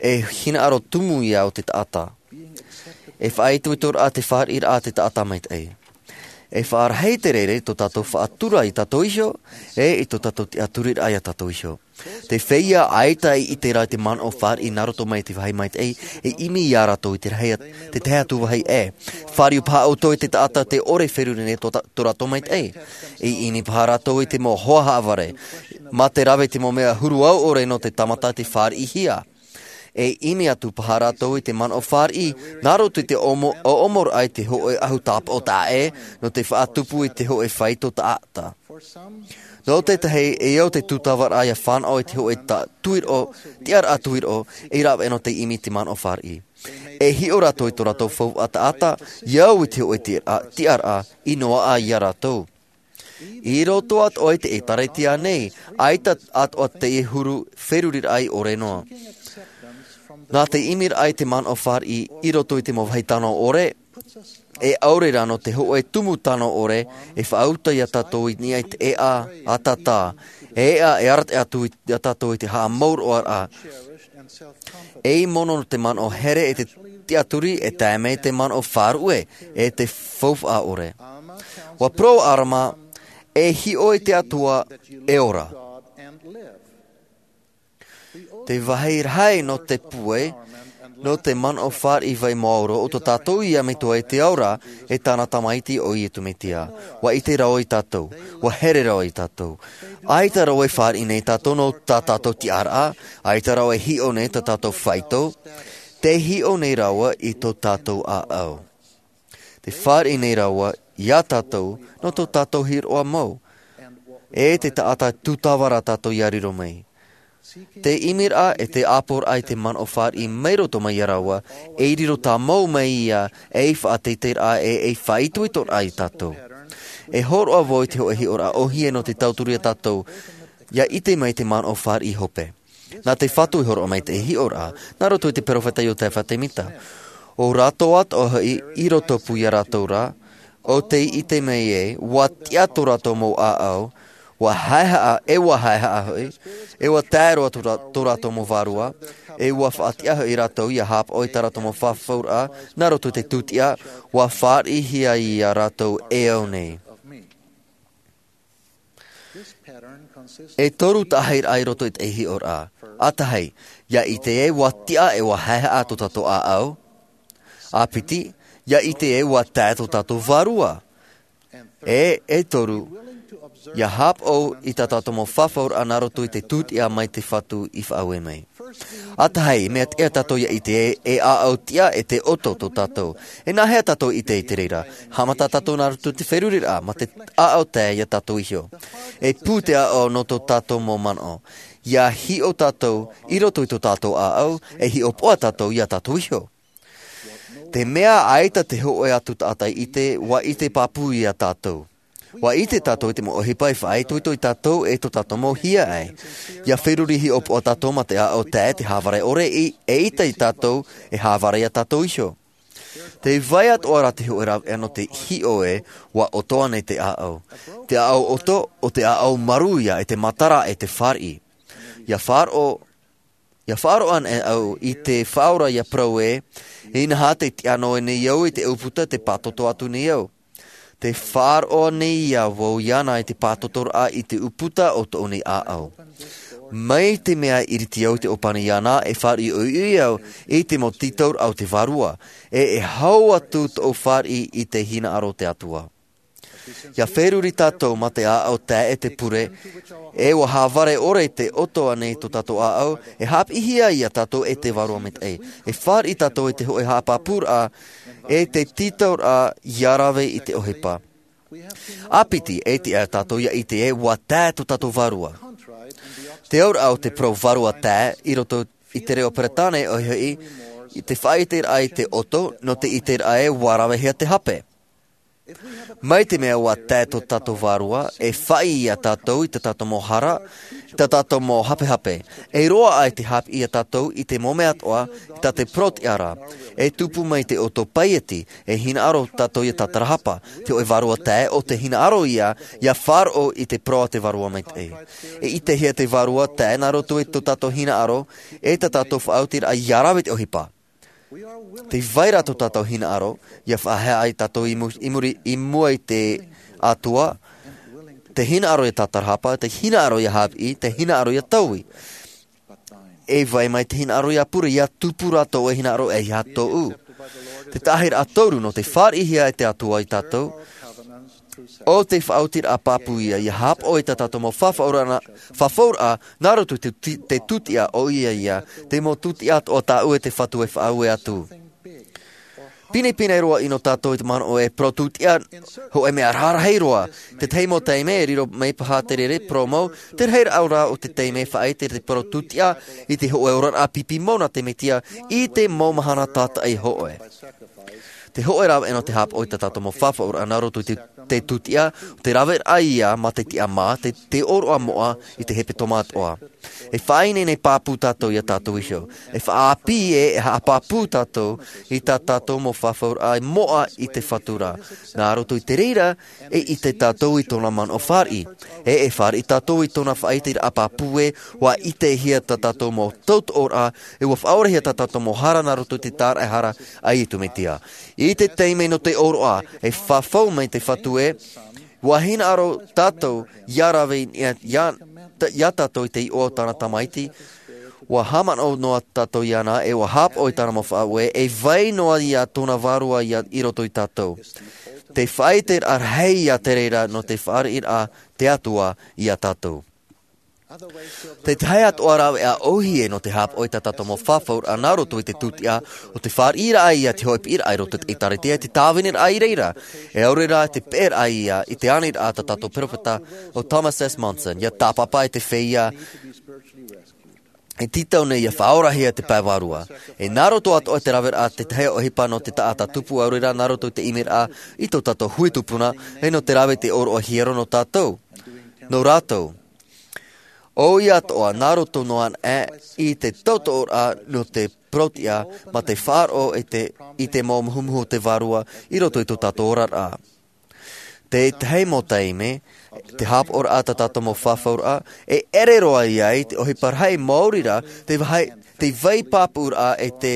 e hinaʻaro tumu ia o te taʻata. E faʻaitoitoraʻa te fāriʻiraʻa te taʻata maitaʻi. E faʻarahi te reira i tō tātou faʻatura ia tātou iho, e i tō tātou tiʻaturiraʻa ia tātou iho. Te feiā ʻaita i ʻite ra i te manaʻo fāriʻi nā roto mai i te vāhi maitaʻi, e ʻimi ia rātou i te rahi, te tahi atu vāhi ʻē. Fāriu paha ʻoutou i te taʻata tē ʻore feruri nei tō tā-, tō rātou maitaʻi. E ʻimi paha rātou i te mau hoa haʻavare. Mā te rave i te mau mea huru au ʻore nō te tāmata tei fāriʻihia. E ʻimi atu paha rātou i te manaʻo fāriʻi, nā roto i te ʻomo-, ʻoʻomoraʻa i te hōʻē ʻahu tāpaʻo taʻa ʻē, nō te faʻatupu i te hōʻē faito taʻata. Nō te tahi, e au te tūtavaraʻa ʻia fānaʻo i te hōʻē ta-, tuiroʻo, tiʻaraʻa tuiroʻo, e rave nō te ʻimi i te manaʻo fāriʻi. E hiʻo rātou i tō rātou faufaʻa taʻata, ʻia au i te hōʻē tiʻaraʻa, tiʻaraʻa, i noaʻa ia rātou. I roto atoʻa i te ʻĒtārētia nei, ʻaita atoʻa te huru feruriraʻa i ʻore noa. Nā te ʻimiraʻa i te manaʻo fāriʻi i roto i te mau vāhi tano ʻore, e ʻaore rā nō te hōʻē tumu tano ʻore, e faʻauta ia tātou i niʻa i te ʻēʻa ʻātaʻata, e ʻēʻa e arataʻi atu ia tātou i te haʻamauroʻaraʻa. E mono nō te manaʻo here e te tiʻaturi e tae mai te manaʻo faʻaruʻe e te faufaʻa ʻore. ʻUa parau ʻo ʻAlama, e hiʻo i te Atua e ora. Te vāhi rahi nō te pūai, nō te manaʻo fāriʻi vai maoro o tō tātou ia metua i te ao ra, e tāna tamaiti ʻo Iesu Mesia. ʻUa ʻite rāua ia tātou, ʻua here rāua ia tātou. ʻAita rāua e fāriʻi nei ia tātou nō tā tātou tiʻaraʻa, ʻaita rāua e hiʻo nei tā tātou faito, tē hiʻo nei rāua i tō tātou ʻāʻau. Tē fāriʻi nei rāua ia tātou nō tō tātou hiʻoraʻa mau, e te taʻata tūtava ra tātou ʻia riro mai. Te ʻimiraʻa e te ʻāpoʻoraʻa i te manaʻo fāriʻi mai roto mai ia rāua, e riro tāmau mai ia, e faʻateiteiraʻa e, e faʻaitoitoraʻa ia tātou. E hōroʻa vau i te hōʻē hiʻoraʻa ʻōhie nō te tauturu ia tātou, ʻia ʻite mai te manaʻo fāriʻi hope. Nā te Fatu i hōroʻa mai te hiʻoraʻa, nā roto i te peropheta Iosefa Semita. ʻO rātou atoʻa hoʻi i rotopū ia rātou ra, ʻo tē ʻite mai ē, ʻua tiʻa tō rātou mau ʻāʻau, Ua haehaʻa, e ua haehaʻa hoʻi, e ua tae roa tō rā-, tō rātou mau vārua, e ua faʻatiʻa hoʻi rātou ia hāpaʻo i tā rātou mau fafauraʻa, nā roto i te tūtiʻa, ua fāriʻihia ia rātou e au nei. E toru taʻahiraʻa i roto i te hiʻoraʻa. ʻA tahi, ia ʻite e ua tiʻa e ua haehaʻa tō tātou ʻāʻau. ʻA piti, ia ʻite e ua tae tō tātou vārua. E, e toru, ia hāpaʻo i tā tātou mau fafauraʻa nā roto i te tūtiʻa mai te Fatu i faʻaue mai. ʻA tahi, mea tiʻa tātou ia ʻite e, e ʻāʻau tiʻa e te ʻoto tō tātou. E nāhea tātou i ʻite i te reira? Haʻamata tātou nā roto i te feruriraʻa, mā te ʻāʻau tae ia tātou iho. E pū te ʻāʻau nō tō tātou mau manaʻo. Ia hiʻo tātou i roto i tō tātou ʻāʻau, e hiʻopoʻa tātou ia tātou iho. Te mea ʻaita te hōʻē atu taʻata i ʻite, ua ʻite pāpū ia tātou. Ua ʻite tātou i te mau ʻohipa e faʻaitoito ia tātou e tō tātou mau hiaʻai. Ia feruri hiʻopoʻa tātou mā te ʻāʻau tae te hāvare ʻore i, eʻita ia tātou e hāvare ia tātou iho. Tē vai atoʻa ra te hōʻē rāveʻa nō te hiʻo ē, ua ʻoto ānei te ʻāʻau. Te ʻāʻau ʻoto, ʻo te ʻāʻau marū ia e te matara e te fāriʻi. Ia faʻaroʻo, ia faʻaroʻo ānei au i te Faʻaora ia parau ē, inaha tē tiʻa noa nei au i te ʻūputa tē pātoto atu nei au. Tē faʻaroʻo nei ia vau iāna i te pātotoraʻa i te ʻūputa o tōʻu nei ʻāʻau. Mai te mea i ʻiriti au i te ʻōpani iāna, e fāriʻi ʻoiʻoi au i te mau tītauraʻa o te Vārua, e, e hau atu tōʻu fāriʻi i te hinaʻaro o te Atua. Ia feruri tātou mā te ʻāʻau tae e te pure, e ua hāvare ʻore te ʻoto ānei tō tātou ʻāʻau, e haʻapiʻihia ia tātou e te Vārua Maitaʻi. E fāriʻi tātou i te hōʻē haʻapāpūraʻa, e te tītauraʻa ia rave i te ʻohipa. ʻA piti, e tiʻa tātou ia ʻite e ua tae tō tātou vārua. Te auraʻa o te parau vārua tae, i roto i te reo Peretāne ʻoia hoʻi, i te faʻaʻiteraʻa i te ʻoto, nō te ʻiteraʻa ē ua ravehia te hape. Mai te mea ua tae tō tātou vārua, e faʻi ia tātou i tā tātou mau hara, i tā tātou mau hapehape. E roaʻa i te haʻapiʻi ia tātou i te mau mea atoʻa, i tā te parau tiʻa ra. E tupu mai te ʻoto paieti, e hinaʻaro tātou ia tātarahapa. Te hōʻē vārua tae, ʻo te hinaʻaro ia, ia faʻaroʻo i te parau a te Vārua Maitaʻi. E ʻitehia te vārua tae nā roto i tō tātou hinaʻaro, e tā tātou faʻaotiraʻa ia rave te ʻohipa. Tē vai ra tō tātou hinaʻaro, ia faʻaheaʻa ia tātou i mu-, i muri, i mua i te Atua, te hinaʻaro ia tātarahapa, te hinaʻaro ia haʻapiʻi, te hinaʻaro ia taui. E vai mai te hinaʻaro ia pure, ia tupu rā tō ʻoe hinaʻaro e ʻeiaha tōʻu. Te taʻahiraʻa toru nō te fāriʻihia e te Atua ia tātou, ʻo te faʻaotiraʻa pāpū ia, ia hāpaʻo i tā tātou mau fafauraʻa, fafauraʻa, nā roto i te tū-, te tūtiʻa ʻoia ia, te mau tūtiʻa atoʻa tāʻu e te Fatu e faʻaue atu. Pinepine roa ʻino tātou i te manaʻo e parau tūtiʻa, hōʻē mea rarahi roa, te tahi mau taime e riro mai paha te rere parau mau, te rahiraʻa rā o te taime e faʻaʻite te parau tūtiʻa i te hōʻē oraraʻa pipi mau nā te Mesia i te mau mahana tātaʻi hōʻē. Te hōʻē rāveʻa nō te hāpaʻo i tā tātou mau fafauraʻa nā roto i te, te tūtiʻa, te rāveʻa ia mā te tiʻa mā, te, te ʻōroʻa moʻa i te hepetoma atoʻa. E faʻaineine pāpū tātou ia tātou iho. E faʻaʻāpī ē, e haʻapāpū tātou i tā tātou mau fafauraʻa moʻa i te Fatu ra. Nā roto i te reira, e ʻite tātou i tōna manaʻo fāriʻi. E, e fāriʻi tātou i tōna faʻaʻiteraʻa pāpū ē, ʻua ʻitehia tā tātou mau tautoʻoraʻa, e ʻua faʻaorahia tā tātou mau hara nā roto i te tāraʻehara a Iesu Mesia. I te taime nō te ʻōroʻa, e fafau mai te Fatu ē, ʻua hinaʻaro tātou ia rave ia, ia, ia tātou i te iʻoa o tāna Tamaiti, ʻua haʻamanaʻo noa tātou iāna, e ʻua hāpaʻo i tāna mau faʻaue, e vai noa ia tōna Vārua ia i roto ia tātou. Te faʻaʻiteraʻa rahi ia te reira nō te fāriʻiraʻa a te Atua ia tātou. Te tahi atoʻa rāveʻa ʻōhie nō te hāpaʻo i tā tātou mau fafauraʻa nā roto i te tūtiʻa, ʻo te fāriʻiraʻa ia te hōʻē piʻiraʻa i roto i te ʻĒtārētia, te tāviniraʻa i reira. E ʻaore rā te peʻeraʻa ia i te aniraʻa a tā tātou peropheta ʻo Thomas S. Monson, ia tāpapa i te feiā e tītau nei ia faʻaorahia te pae vārua. E nā roto atoʻa i te rāveʻa te tahi ʻohipa nō te taʻata tupu, ʻaore rā nā roto i te ʻimiraʻa i tō tātou hui tupuna, e nō te rave i te ʻōroʻa hiero nō tātou, nō rātou. ʻOia atoʻa, nā roto noa aʻe i te tautoʻoraʻa nō te parau tiʻa, mā te faʻaroʻo i te, i te mau muhumuhu o te Vārua i roto i tō tātou oraraʻa. Te tahi mau taime, te hāpaʻoraʻa tā tātou mau fafauraʻa, e ʻere roa ia i te ʻohipa rahi maori rā, te vai, te vai pāpūraʻa e te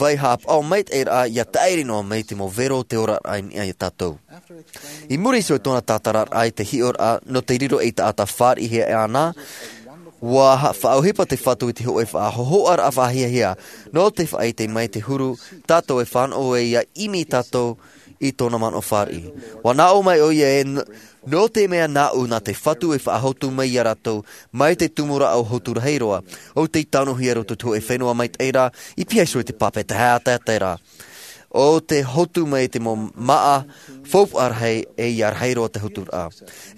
vai hāpaʻo maitaʻiraʻa ia taʻiri noa mai te mau vero o te oraraʻa i niʻa ia tātou. I muri iho i tōna tātararaʻa i te hiʻoraʻa nō te riro ei taʻata fāriʻihia e ana, ua ha-, faʻaʻohipa te Fatu i te hōʻē faʻahohoʻaraʻa faʻahiahia, nō te faʻaʻite mai te huru tātou e fānaʻo ai ia ʻimi tātou i tōna manaʻo fāriʻi. Ua nāʻō mai ʻoia e n-, nō te mea nāʻu nā te Fatu e faʻahotu mai ia rātou, mai te tumu rā o Hotu Rahi Roa, ʻo tei tanuhia roto i te hōʻē fenua maitaʻi ra, i pihaʻi iho i te pape tahi ʻātaʻata ra. ʻO te hotu mai te mau māʻa, faufaʻa rahi, e ia rahi roa te hoturaʻa.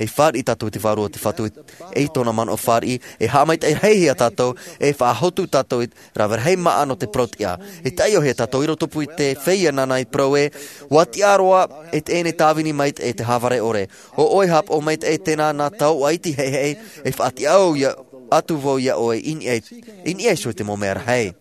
E fāriʻi tātou i te vārua o te Fatu, e i tōna manaʻo fāriʻi, e haʻamaitaʻi rahi ia tātou, e faʻahotu tātou i rave rahi māʻa nō te parau-tiʻa. E taiʻohia tātou i roto pū i te feiā nāna i parau ē, ua tiʻa roa, e teie nei tāvini mai e te hāvare ʻore. ʻO ʻoe hāpaʻo maitaʻi tēnā nā tauʻa iti heihei, e faʻatiʻa au ia, atu vau ia ʻoe i niʻa, i niʻa iho i te mau mea rahi.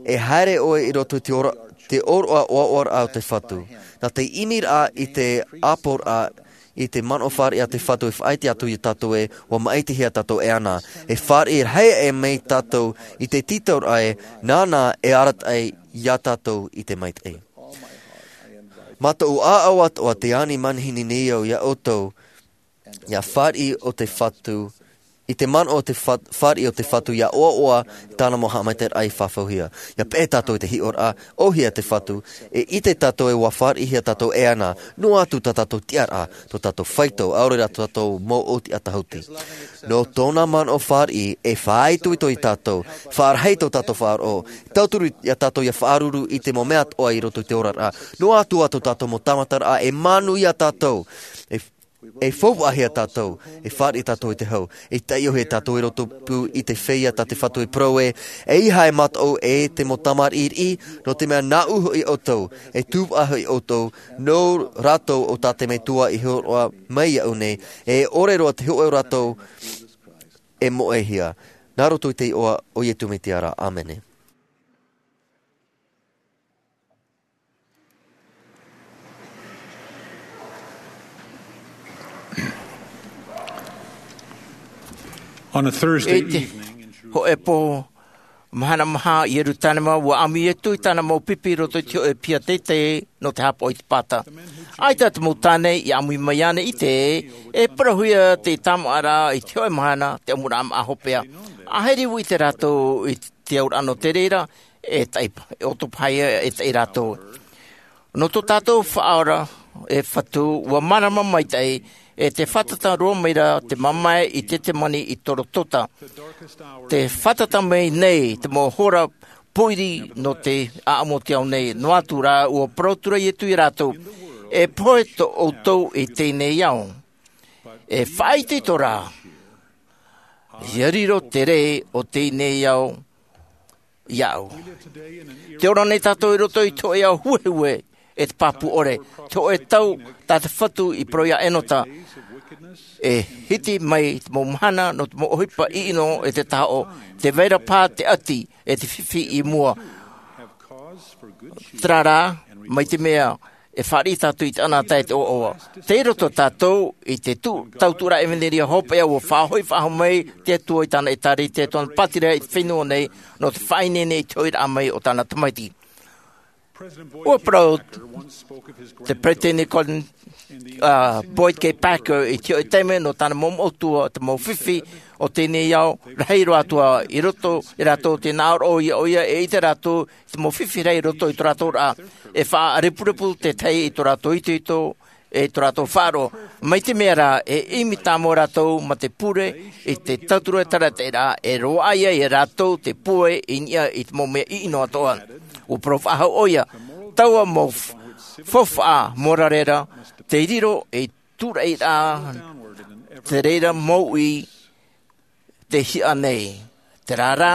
E haere ʻoe i roto i te ora, te ʻōroʻa ʻoaʻoaraʻa o te Fatu. Nā te ʻimiraʻa i te ʻāpoʻoraʻa i te manaʻo fāriʻi a te Fatu e faʻaʻite atu ia tātou ē, ua maʻitihia tātou e ana. E fāriʻi rahi aʻe mai tātou i te tītauraʻa ē, nāna e arataʻi ia tātou i te maitaʻi. Mā tōʻu ʻāʻau atoʻa te ani manihini nei au ia ʻoutou, ia fāriʻi o te Fatu, i te manaʻo o te fa-, fāriʻi o te Fatu ia ʻoaʻoa tāna mau haʻamaitaʻiraʻa i fafauhia. Ia peʻe tātou i te hiʻoraʻa, ʻōhie te Fatu, e ʻite tātou e ua fāriʻihia tātou e ana, noa atu tā tātou tiʻaraʻa, tō tātou faito, ʻaore rā tō tātou mau ʻōtiʻa tahuti. Nō tōna manaʻo fāriʻi, e faʻaitoito ia tātou, faʻarahi tō tātou faʻaroʻo, tauturu ia tātou ia faʻaruru i te mau mea atoʻa i roto i te oraraʻa, noa atu ā tō tātou mau tāmataraʻa, e manuia tātou, e, e faufaʻahia tātou, e fāriʻi tātou i te hau, e taiʻohia tātou i roto pū i te feiā tā te Fatu i parau ē, ʻeiaha e mataʻu e te mau tamariʻi riʻi, nō te mea nāʻu hoʻi ʻoutou, e tūpaʻa hoʻi ʻoutou, nō rātou ʻo tā te Metua i hōroʻa mai iāʻu nei, e ʻore roa te hōʻē o rātou e moʻehia. Nā roto i te iʻoa o Iesu Mesia ra. ʻĀmene. On a Thursday I te evening in Jerusalem, hōʻē pō mahana maha i Ierusalema, ua ʻamu Iesu i tāna mau pipi i roto i te hōʻē piha teitei nō te hāpaʻo i te pāta. ʻAita te mau tāne i ʻāmui mai ānei i te, e parauhia te tāmāʻaraʻa i te hōʻē mahana, te ʻamuraʻa māʻa hopeʻa. ʻAhiri ua ʻite rātou i te auraʻa nō te reira, e taʻi, e ʻoto paha ia e taʻi rātou. Nō tō tātou Faʻaora, e Fatu, ua mārama maitaʻi, e te fātata roa mai ra te mamae i Tetemani i Gorogota. Te fātata mai nei te mau hora pōiri nō te ʻāʻamu o te ao nei, noa atu rā, ua parau atu ra Iesu ia rātou, e pohe tō ʻoutou i teie nei ao. E faʻaitoito rā, ʻia riro te rē o teie nei ao iāʻu. Tē ora nei tātou i roto i te hōʻē ao huehue, e te pāpū ʻore, te hōʻē tau tā te Fatu i parau ia Enota, e hiti mai te mau mahana nō te mau ʻohipa ʻino e te tahaʻo, tē vai ra paha te ʻati, e te fifi i mua. Terā rā, mai te mea, e fāriʻi tātou i te ʻanaʻanatae e te ʻoaʻoa. Tei roto tātou i te tau-, tautuʻaraʻa ʻevanelia hopeʻa ua faʻahoʻi faʻahou mai te Atua i tāna ʻĒtārētia, tōna pātireia i te fenua nei, nō te faʻaineine i te hoʻiraʻa mai o tāna Tamaiti. Ua parau te Peresideni Gordon, ā, Boyd K. Packer i te hōʻē taime nō tāna mau moʻotua, te mau fifi o teie nei ao, rahi roa atu ā i roto ia rātou tē nā ʻō ia ʻoia, e ʻite rātou te mau fifi rahi i roto i tō rātou ra, e faʻarepurepu te tahi i tō rātou itoito, e tō rātou faʻaroʻo. Mai te mea rā, e ʻimi tāmau rātou mā te pure i te tauturu e tāraʻa, e roaʻa ia ia rātou te pūai i niʻa i te mau mea ʻino atoʻa. ʻUa parau faʻahou ʻoia, taua mau f-, faufaʻa mōrare ra, tei riro ei tūraʻi ra, te reira mau i te hiʻa nei, terā rā,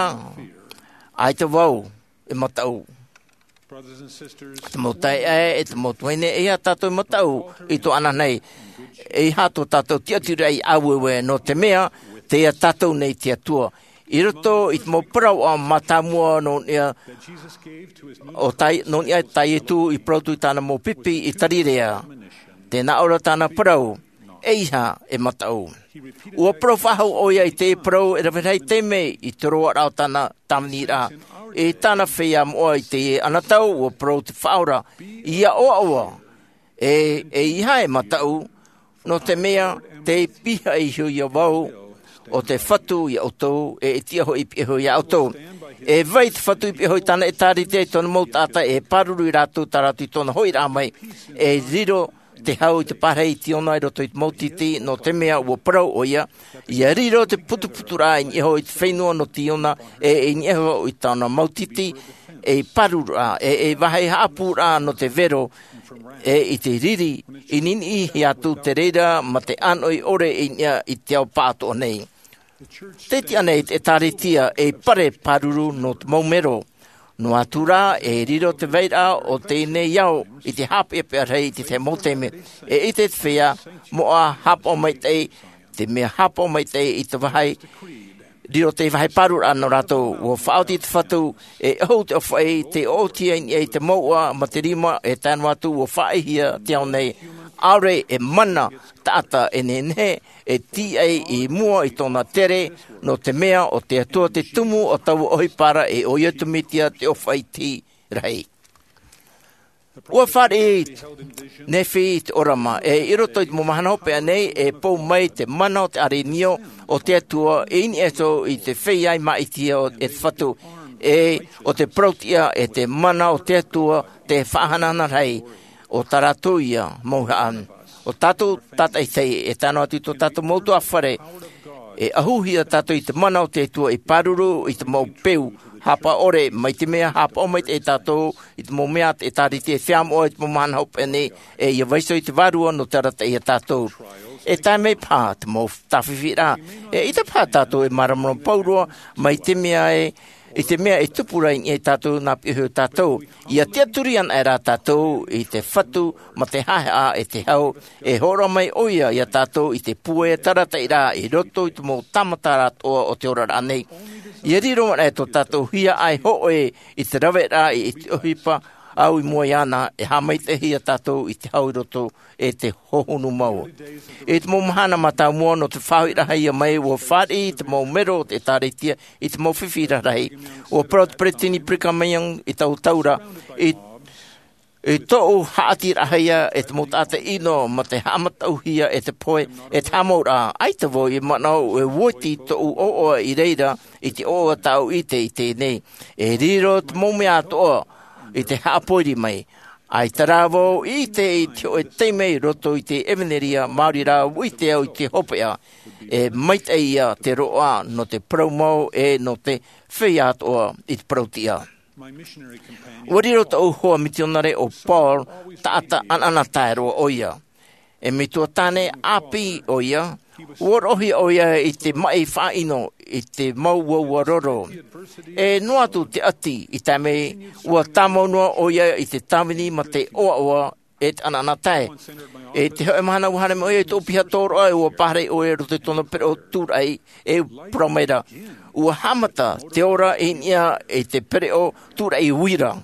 ʻaita vau e mataʻu. Te mau taeaʻe, e te mau tuahine, ʻeiaha tātou e mataʻu i tō ʻananahi, ʻeiaha tō tātou tiʻaturiraʻa i ʻāueue, nō te mea, tei ia tātou nei te Atua. I roto i te mau parau mātāmua nō niʻa, ʻo tai-, nō niʻa tā Iesu i parau atu i tāna mau pipi i Kalileia. Tē nā ʻō ra tāna parau, ʻeiaha e mataʻu. Ua parau faʻahou ʻoia i te parau e rave rahi taime i te roaraʻa o tāna tāviniraʻa, i tāna feiā moʻa i te anotau. Ua parau te Faʻaora iā ʻoaʻoa, e ʻeiaha e mataʻu, nō te mea tei pihaʻi iho ia vau o te Fatu iā ʻoutou, e e tiʻa hoʻi i pihaʻi iho iā ʻoutou. E vai te Fatu i pihaʻi iho i tāna ʻĒtārētia i tōna mau taʻata, e pāruru ia rātou, tā rātou i tōna hoʻiraʻa mai. E riro te hau i te pārahi i Tiona i roto i te mau tītī, nō te mea ua parau ʻoia, ia riro te putuputuraʻa i niʻa iho i te fenua nō Tiona, e i niʻa iho i tāna mau tītī, ei pārururaʻa, e ei vāhi haʻapūraʻa nō te vero, e i te riri i niniʻi atu te reira mā te ʻānoʻi ʻore i niʻa i te ao pāʻatoʻa nei. Tē tiʻa nei te ʻĒtārētia ei pare pāruru nō te mau mero. Noa atu rā, e riro te vairaʻa o teie nei ao i te haʻapeʻapeʻa rahi i te tahi mau taime, e ʻite te feiā moʻa haʻapaʻo maitaʻi, te mea haʻapaʻo maitaʻi i te vāhi, riro te vāhi pārururaʻa nō rātou. Ua faʻaoti te Fatu, e ʻahu te ʻōfaʻi, tei ʻoʻotihia i niʻa i te mouʻa mā te rima, e tae noa atu ua faʻaʻihia te ao nei. ʻAore e mana taʻata e nehenehe e tīaʻi i mua i tōna tere, nō te mea ʻo te Atua te tumu o taua ʻohipa ra, e ʻo ia te Metia te ʻōfaʻi rahi. Ua fāriʻi Nefi te ʻōrama, e i roto i te mau mahana hopeʻa nei, e pou mai te mana o te ʻārenio o te Atua i niʻa iho i te feiā i māʻitihia e te Fatu, e ʻo te parau-tiʻa e te mana o te Atua te faʻahanahana rahi, ʻo tā rātou ia mau haʻa. ʻO tātou tātaʻitahi, e tae noa atu i tō tātou mau ʻutuāfare, e ʻahuhia tātou i te mana o te Atua i pāruru i te mau peu haʻapaʻo ʻore, mai te mea haʻapaʻo maitaʻi tātou i te mau mea a te ʻĒtārētia e feiā moʻa i te mau mahana hopeʻa nei, e ia vaiiho i te Vārua nō te arataʻi ia tātou. E tae mai paha te mau tāfifiraʻa, e ʻaita paha tātou e māramarama pauroa mai te mea e, i te mea e tupu ra i niʻa ia tātou nā pihaʻi iho ia tātou. Ia tiʻaturi anaʻe rā tātou i te Fatu mā te haʻehaʻa e te hau, e hōroʻa mai ʻoia ia tātou i te pūai arataʻiraʻa i roto i te mau tāmata atoʻa o te oraraʻa nei. Ia riro anaʻe tō tātou hiaʻai hōʻē i te raveraʻa i te ʻohipa ʻau i mua iāna, e haʻamaitaʻihia tātou i te hau i roto e te hohonu mau. I te mau mahana mātāmua nō te faʻahoʻiraʻahia mai, ua fāriʻi te mau mero o te ʻĒtārētia i te mau fifi rarahi. Ua parau te peresideni Brigham Young i taua tau ra, i, i tōʻu haʻatirahia e te mau taʻata ʻino mā te haʻamataʻuhia e te pohe, e te haʻamauraʻa, ʻaita vau i manaʻo e uati tōʻu ʻoaʻoa i reira i te ʻoaʻoa tāʻu i ʻite i teie nei. E riro te mau mea atoʻa i te haʻapōiri mai. ʻAita rā vau i ʻite i te hōʻē taime i roto i te ʻevanelia, maori rā, ua ʻite au i te hopeʻa, e maitaʻi ia te roaʻa nō te parau mau e nō te feiā atoʻa i te parau-tiʻa. Ua riro tōʻu hoa mitionare ʻo Paul, taʻata ʻanaʻanatae roa ʻoia. E metua tāne ʻāpī ʻoia, ua roʻohia ʻoia i te maʻi faʻaʻino i te mau uaua roro. E noa atu te ʻati i tae mai, ua tāmau noa ʻoia i te tāvini mā te ʻoaʻoa e te ʻanaʻanatae. I te hōʻē mahana ua haere mai ʻoia i tōʻu piha tōroʻa, e ua pāhono ʻoia i roto i tōna pereʻoʻo tūraʻi, e parau mai ra, ua haʻamata te ora i niʻa i te pereʻoʻo tūraʻi uira.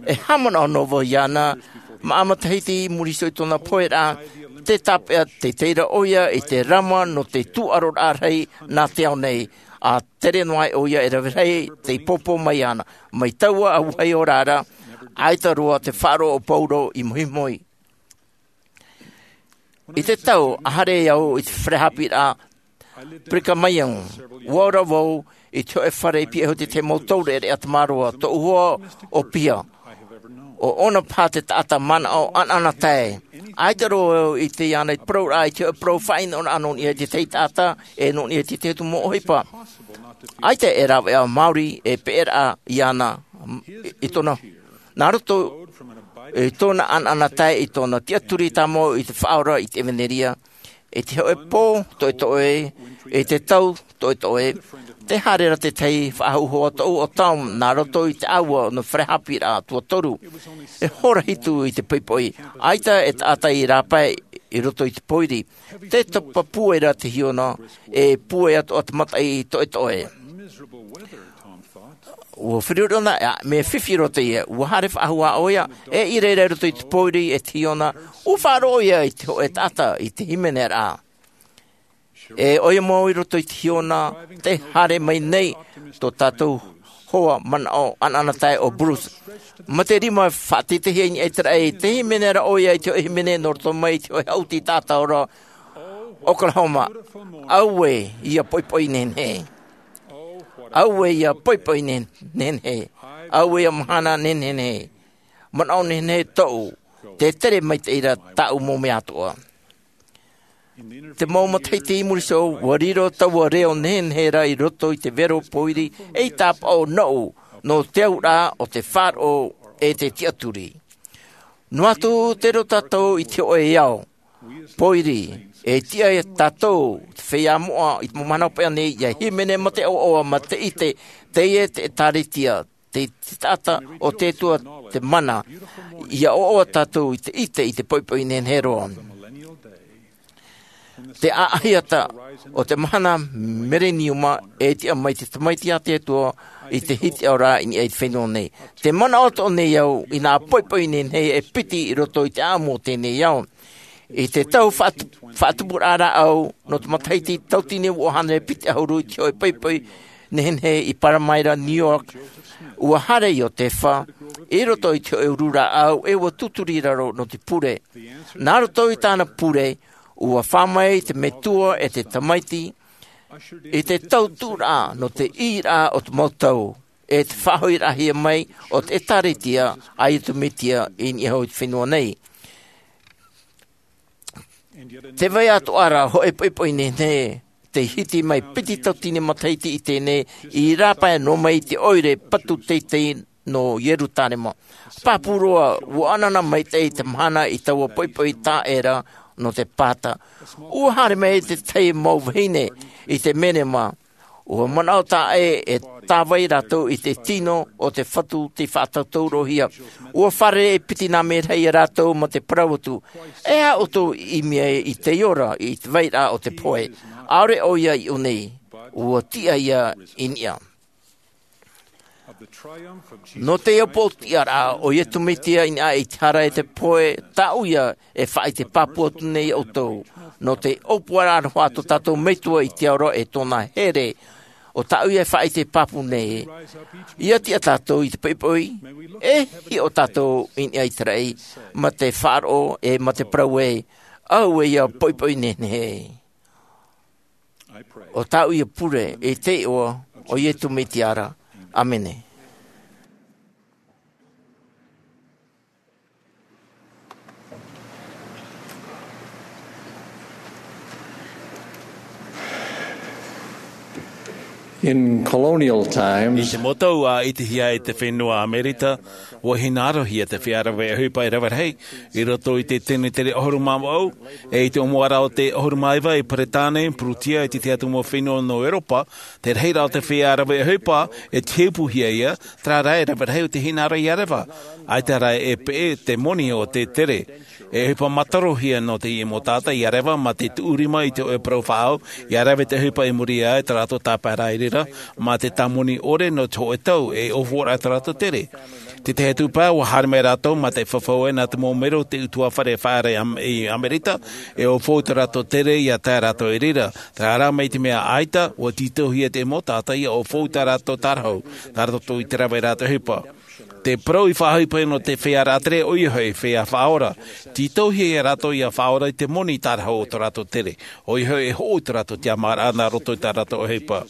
E haʻamanaʻo noa vau iāna, māʻa matahiti i muri iho i tōna poheraʻa, tē tāpeʻa teitei ra ʻoia i te rama nō te tūʻaroraʻa rahi nā te ao nei, ʻa tere noa ai ʻoia e rave rahi tei pōpō mai iāna. Mai taua ʻāvaʻe ora ra, ʻaita roa te faʻaroʻo o Paulo i mohimohi. I te tau, ʻa haere au i te fare haʻapiʻiraʻa Brigham Young, ua ora vau i te hōʻē fare i pihaʻi iho i te tahi mau taureʻareʻa tamaroa, tōʻu hoa ʻōpīha. ʻO ʻōna paha te taʻata manaʻo ʻanaʻanatae. ʻAita roa au i ʻite iāna i te parauraʻa i te hōʻē parau faʻaʻino nō niʻa i te tahi taʻata, e nō niʻa i te tahi atu mau ʻohipa. ʻAita e rāveʻa maori e peʻeraʻa iāna i, i tōna, nā roto i tōna ʻanaʻanatae, i tōna tiʻaturi tāmau i te Faʻaora, i te ʻevanelia, i te hōʻē pō toʻetoʻe, i te tau toʻetoʻe, tē haere ra te tahi faʻahoʻi hoa tōʻu ʻo Tom nā roto i te ʻāua nō te fare haʻapiʻiraʻa tuatoru. E hora hitu i te poʻipoʻi, ʻaita e taʻata i rāpae i roto i te pōiri. Tē topa pūai ra te hiona, e pūai atoʻa te mataʻi toʻetoʻe. Ua feruri ʻōna, ʻa, mea fifi roto ia, ua haere faʻahou ʻoia, e i reira i roto i te pōiri e te hiona, ua faʻaroʻo ia i te hōʻē taʻata i te hīmeneraʻa. E ʻoia mau i roto i te hiona, tē haere mai nei tō tātou hoa manaʻo ʻanaʻanatae ʻo Bruce. Mā te rima faʻateitei i niʻa i te raʻi, tē hīmene ra ʻoia i te hōʻē hīmene nō roto mai i te hōʻē haʻuti taʻata ora, Oklahoma. Auē ia poʻipoʻi nehenehe. Auē ia poʻipoʻi ne-, nehenehe. Auē ia mahana nehenehe. Manaʻo nehenehe tōʻu. Tē tere maitaʻi ra tāʻu mau mea atoʻa. Te mau matahiti i muri iho, ua riro taua reo nehenehe ra i roto i te vero pōiri, ei tāpaʻo nōʻu, nō te auraʻa o te faʻaroʻo e te tiʻaturi. Noa atu tē riro tātou i te hōʻē ao pōiri, e tiʻa ia tātou, te feiā moʻa i te mau mahana hopeʻa nei, ʻia hīmene mā te ʻoaʻoa, mā te ʻite, teie te ʻĒkālesia, te, te taʻata o te Atua, te mana, ʻia ʻoaʻoa tātou i te ʻite i te poʻipoʻi nehenehe roa. Te ʻaʻahiata o te mahana mereniuma e tiʻa mai te Tamaiti a te Atua i te hitiʻaora i niʻa i te fenua nei. Tē manaʻo atoʻa nei au i nā poʻipoʻi nehenehe e piti i roto i te ʻāʻamu o teie nei ao. I te tau faʻat-, faʻatupuraʻa rāʻau, nō te matahiti tauatini e vaʻu hānere piti ʻahuru i te hōʻē poʻipoʻi nehenehe i Palmyra, New York, ua haere Iosepha i roto i te hōʻē ʻuru rāʻau, e ua tūturi i raro nō te pure. Nā roto i tāna pure, ua fā mai te metua e te Tamaiti i te tautuʻuraʻa nō te ʻīraʻa o te mau tau, e te faʻahoʻiraʻahia mai o te ʻĒkālesia a Iesu Mesia i niʻa i te fenua nei. Tē vai atoʻa ra hōʻē poʻipoʻi nehenehe, tei hiti mai piti tauatini matahiti i teie nei, i rāpae noa mai i te ʻoire patu teitei nō Ierusalema. Pāpū roa, ua ʻanaʻana maitaʻi te mahana i taua poʻipoʻi taʻata ra nō te pāta. Ua haere mai te tahi mau vahine i te merema. Ua manaʻo taʻa ʻē e tāvai rātou i te tino o te Fatu tei faʻatautaurohia. Ua fārerei e piti nā merahi ia rātou mā te parau atu, e aha ʻoutou i ʻimi ai i te ora i te vairaʻa o te pohe? ʻAore ʻoia i ʻō nei, ua tiʻa ia i niʻa. Nō te ʻōpuaraʻa o Iesu Mesia i niʻa i te hara e te pohe, tāʻu ia e faʻaʻite pāpū atu nei ʻoutou. Nō te ʻōpuaraʻa aroha tō tātou Metua i te ao ra e tōna here, ʻo tāʻu ia e faʻaʻite pāpū nei. ʻIa tiʻa tātou i te poʻipoʻi, e hiʻo tātou i niʻa i te raʻi, mā te faʻaroʻo e mā te parau ē, auē ia poʻipoʻi nehenehe. ʻO tāʻu ia pure i te iʻoa o Iesu Mesia ra. ʻĀmene. In colonial times, i te mau tau ʻa ʻitehia e te fenua Amerika, ua hinaʻarohia te feiā rave ʻohipa e rave rahi i roto i te tenetere ʻahuru mā vaʻu, e i te ʻōmuaraʻa o te ʻahuru mā iva i Peretāne, Pūrutia, e te tahi atu mau fenua nō Europa. Te rahiraʻa o te feiā rave ʻohipa, e tihepuhia ia, terā rā e rave rahi o te hinaʻaro ʻia reva. ʻAita rā e peʻe te moni o te tere. E ʻohipa mātarohia nō teie mau taʻata ʻia reva mā te tuʻu rima i te hōʻē parau faʻaau, ʻia rave te ʻohipa i muri iho, tā rātou tāpaeraʻa i reira, mā te tāmoni ʻore nō te hōʻē tau, e ʻōfōraʻa tō rātou tere. Te tahi atu pae, ua haere mai rātou mā te fafau nā te mau melo o te ʻutuāfare faʻaara i Am-, i Amerika, e ʻōfou tō rātou tere ʻia tae rātou i reira. Terā rā mai te mea ʻaita, ua tītauhia te mau taʻata ʻia ʻōfou tā rātou tārahu, nā roto i te rave i rātou ʻohipa. Te parau i faʻaʻohipa nō te feiā ratere, ʻoia hoʻi, feiā faʻaora. Tītauhia ia rātou ʻia faʻaora i te moni tārahu o tō rātou tere. ʻOia hoʻi, e hoʻo i tō rātou tiʻamāraʻa nā roto i tā rātou ʻohipa.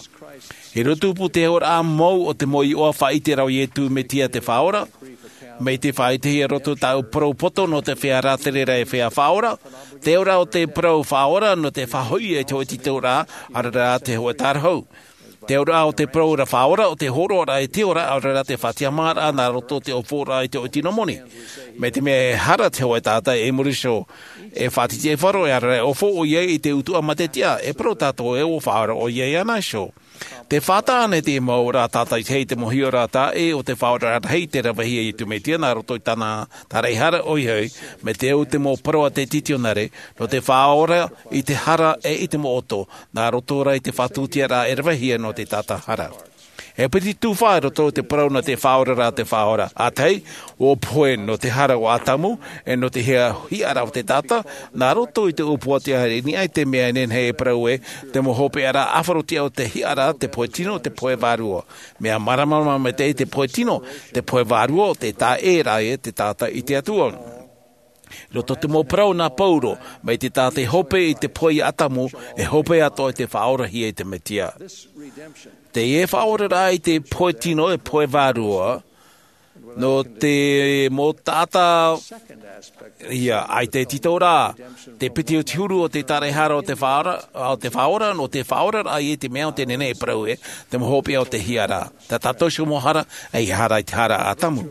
I roto tupu te oraraʻa mau o te mau iʻoa faʻaʻite ra o Iesu Mesia te Faʻaora, mai te faʻaʻitehia i roto tāʻu parau poto nō te feiā ratere ra e feiā faʻaora, te auraʻa o te parau faʻaora nō te faʻahoʻi i te hōʻē tītauraʻa, ʻaore rā te hōʻē tārahu. Te auraʻa o te parau ra faʻaora, ʻo te hōroʻaraʻa i te ora, ʻaore rā te faʻatiʻamāraʻa nā roto i te ʻōfōraʻa i te hōʻē tino moni. Mai te mea e hara te hōʻē taʻata i muri iho, e faʻatitiʻaifaro, e ʻaore rā e ʻōfou ʻoia i te utuʻa mā te tiʻa, e parau tātou ē ʻua faʻaora ʻoia iāna iho. Tē fātata nei te mau oraraʻa tātaʻitahi i te mau hiʻoraʻa taʻa ʻē o te Faʻaora rahi tei ravehia e Iesu Mesia nā roto i tāna, tā rāʻau hara, ʻoia hoʻi, mai te au te mau parau a te titionare, nō te faʻaora i te hara e i te mau ʻoto, nā roto rā i te faʻatūtiaraʻa e ravehia nō te taʻata hara. E piti tufa i roto i te parau nō te faʻaoraraʻa a te Faʻaora. ʻĀtahi, ʻua pohe nō te hara o Atamu, e nō te hia-, hiʻaraʻa o te taʻata, nā roto i te ʻōpuaraʻa i niʻa i te mea e nehenehe e parau ē, te mau hopeʻaraʻa ʻāfarotiʻa o te hiʻaraʻa, te pohe tino, te pohe vārua. Mea māramarama maitaʻi te pohe tino, te pohe vārua, te taʻa ʻē rā ē te taʻata i te Atua. I roto i te mau parau nā Pauro, mai te taʻata i hope i te pohe ia Atamu, e hope atoʻa i te faʻaorahia i te Mesia. Teie faʻaoraraʻa i te pohe tino e pohe vārua, nō te mau taʻata, ia, ʻaita e tītau ra, te piti o te huru o te tāraʻehara o te Faʻaora, o te Faʻaora, nō te faʻaoraraʻa i te mea o te nehenehe e parau ē, te mau hopeʻa o te hiʻaraʻa. Tā tātou iho mau hara, ʻeiaha rā i te hara a Atamu.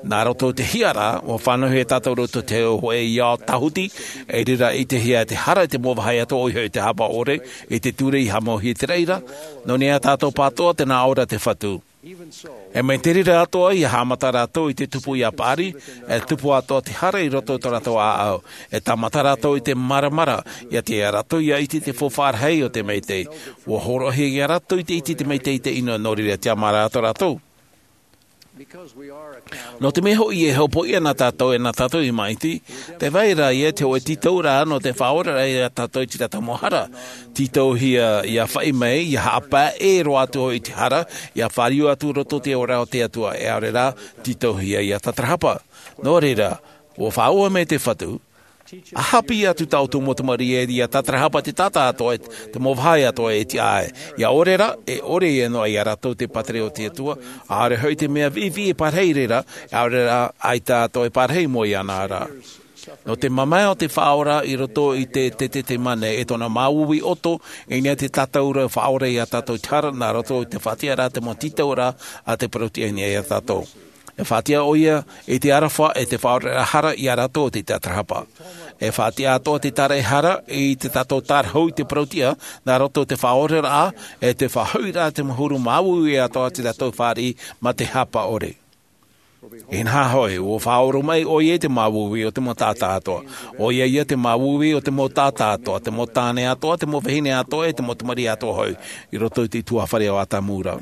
Nā roto i te hiʻaraʻa, ʻua fānauhia tātou i roto i te hōʻē ao tāhuti, i reira i te hia te hara i te mau vāhi atoʻa ʻoia hoʻi te hapa ʻore, i te ture i haʻamauhia i te reira, nō niʻa tātou pātoʻa tēnā ʻō ra te Fatu. E mai te reira atoʻa, ʻia haʻamata rātou i te tupu ia Paʻari, e tupu atoʻa te hara i roto i tō rātou ʻāʻau. E tāmata rātou i te māramara, ʻia tiʻa rātou ʻia ʻite i te faufaʻa rahi o te Mesia. ʻUa hōroʻahia ia rātou i te ʻite i te Mesia i te ʻino, nō reira e tiʻamā atoʻa rātou. Nō te mea hoʻi e hopoiʻa na tātou e nā tātou i māʻiti, tē vai ra ïa te hōʻē tītauraʻa nō te faʻaoraraʻa ia tātou i tā tātou mau hara. Tītauhia ʻia faʻi mai, ʻia haʻapae roa atu hoʻi i te hara, ʻia fāriu atu i roto i te oraraʻa o te Atua, e ʻaore rā, tītauhia ʻia tātarahapa. Nō reira, ʻua faʻaue mai te Fatu, ʻa haʻapiʻi atu tā ʻoutou mau tamariʻi ē ʻia tātarahapa te taʻata atoʻa, te mau vāhi atoʻa e tiʻa ai. ʻIa ʻore rā, e ʻore ïa noa ia rātou te pātireia o te Atua, ʻaore hoʻi te mea viʻiviʻi e pārahi i reira, ʻaore rā, ʻaita atoʻa e pārahi mau iāna ra. Nō te mamae o te Faʻaora i roto i te, te, te, te mane, e tōna māuiui ʻoto, i niʻa i te tātauraʻa faʻaora ia tātou i te hara, nā roto i te faʻatiʻaraʻa te mau tītauraʻa a te Parau-tiʻa i niʻa ia tātou. E faʻatiʻa ʻoia i te aroha e te faʻaoraraʻa hara ia rātou o te tātarahapa. E faʻatiʻa atoʻa te tāraʻehara i tā tātou tārahu i te Parau-tiʻa, nā roto i te faʻaoraraʻa, e te faʻahoʻiraʻa te mau huru māuiui atoʻa tā tātou fāriʻi mā te hapa ʻore. Inaha hoʻi, ʻua faʻaora mai ʻoia i te māuiui o te mau taʻata atoʻa. ʻOia ïa te māuiui o te mau taʻata atoʻa, te mau tāne atoʻa, te mau vahine atoʻa, e te mau tamariʻi atoʻa hoʻi, i roto i te ʻutuāfare o Atamu ra.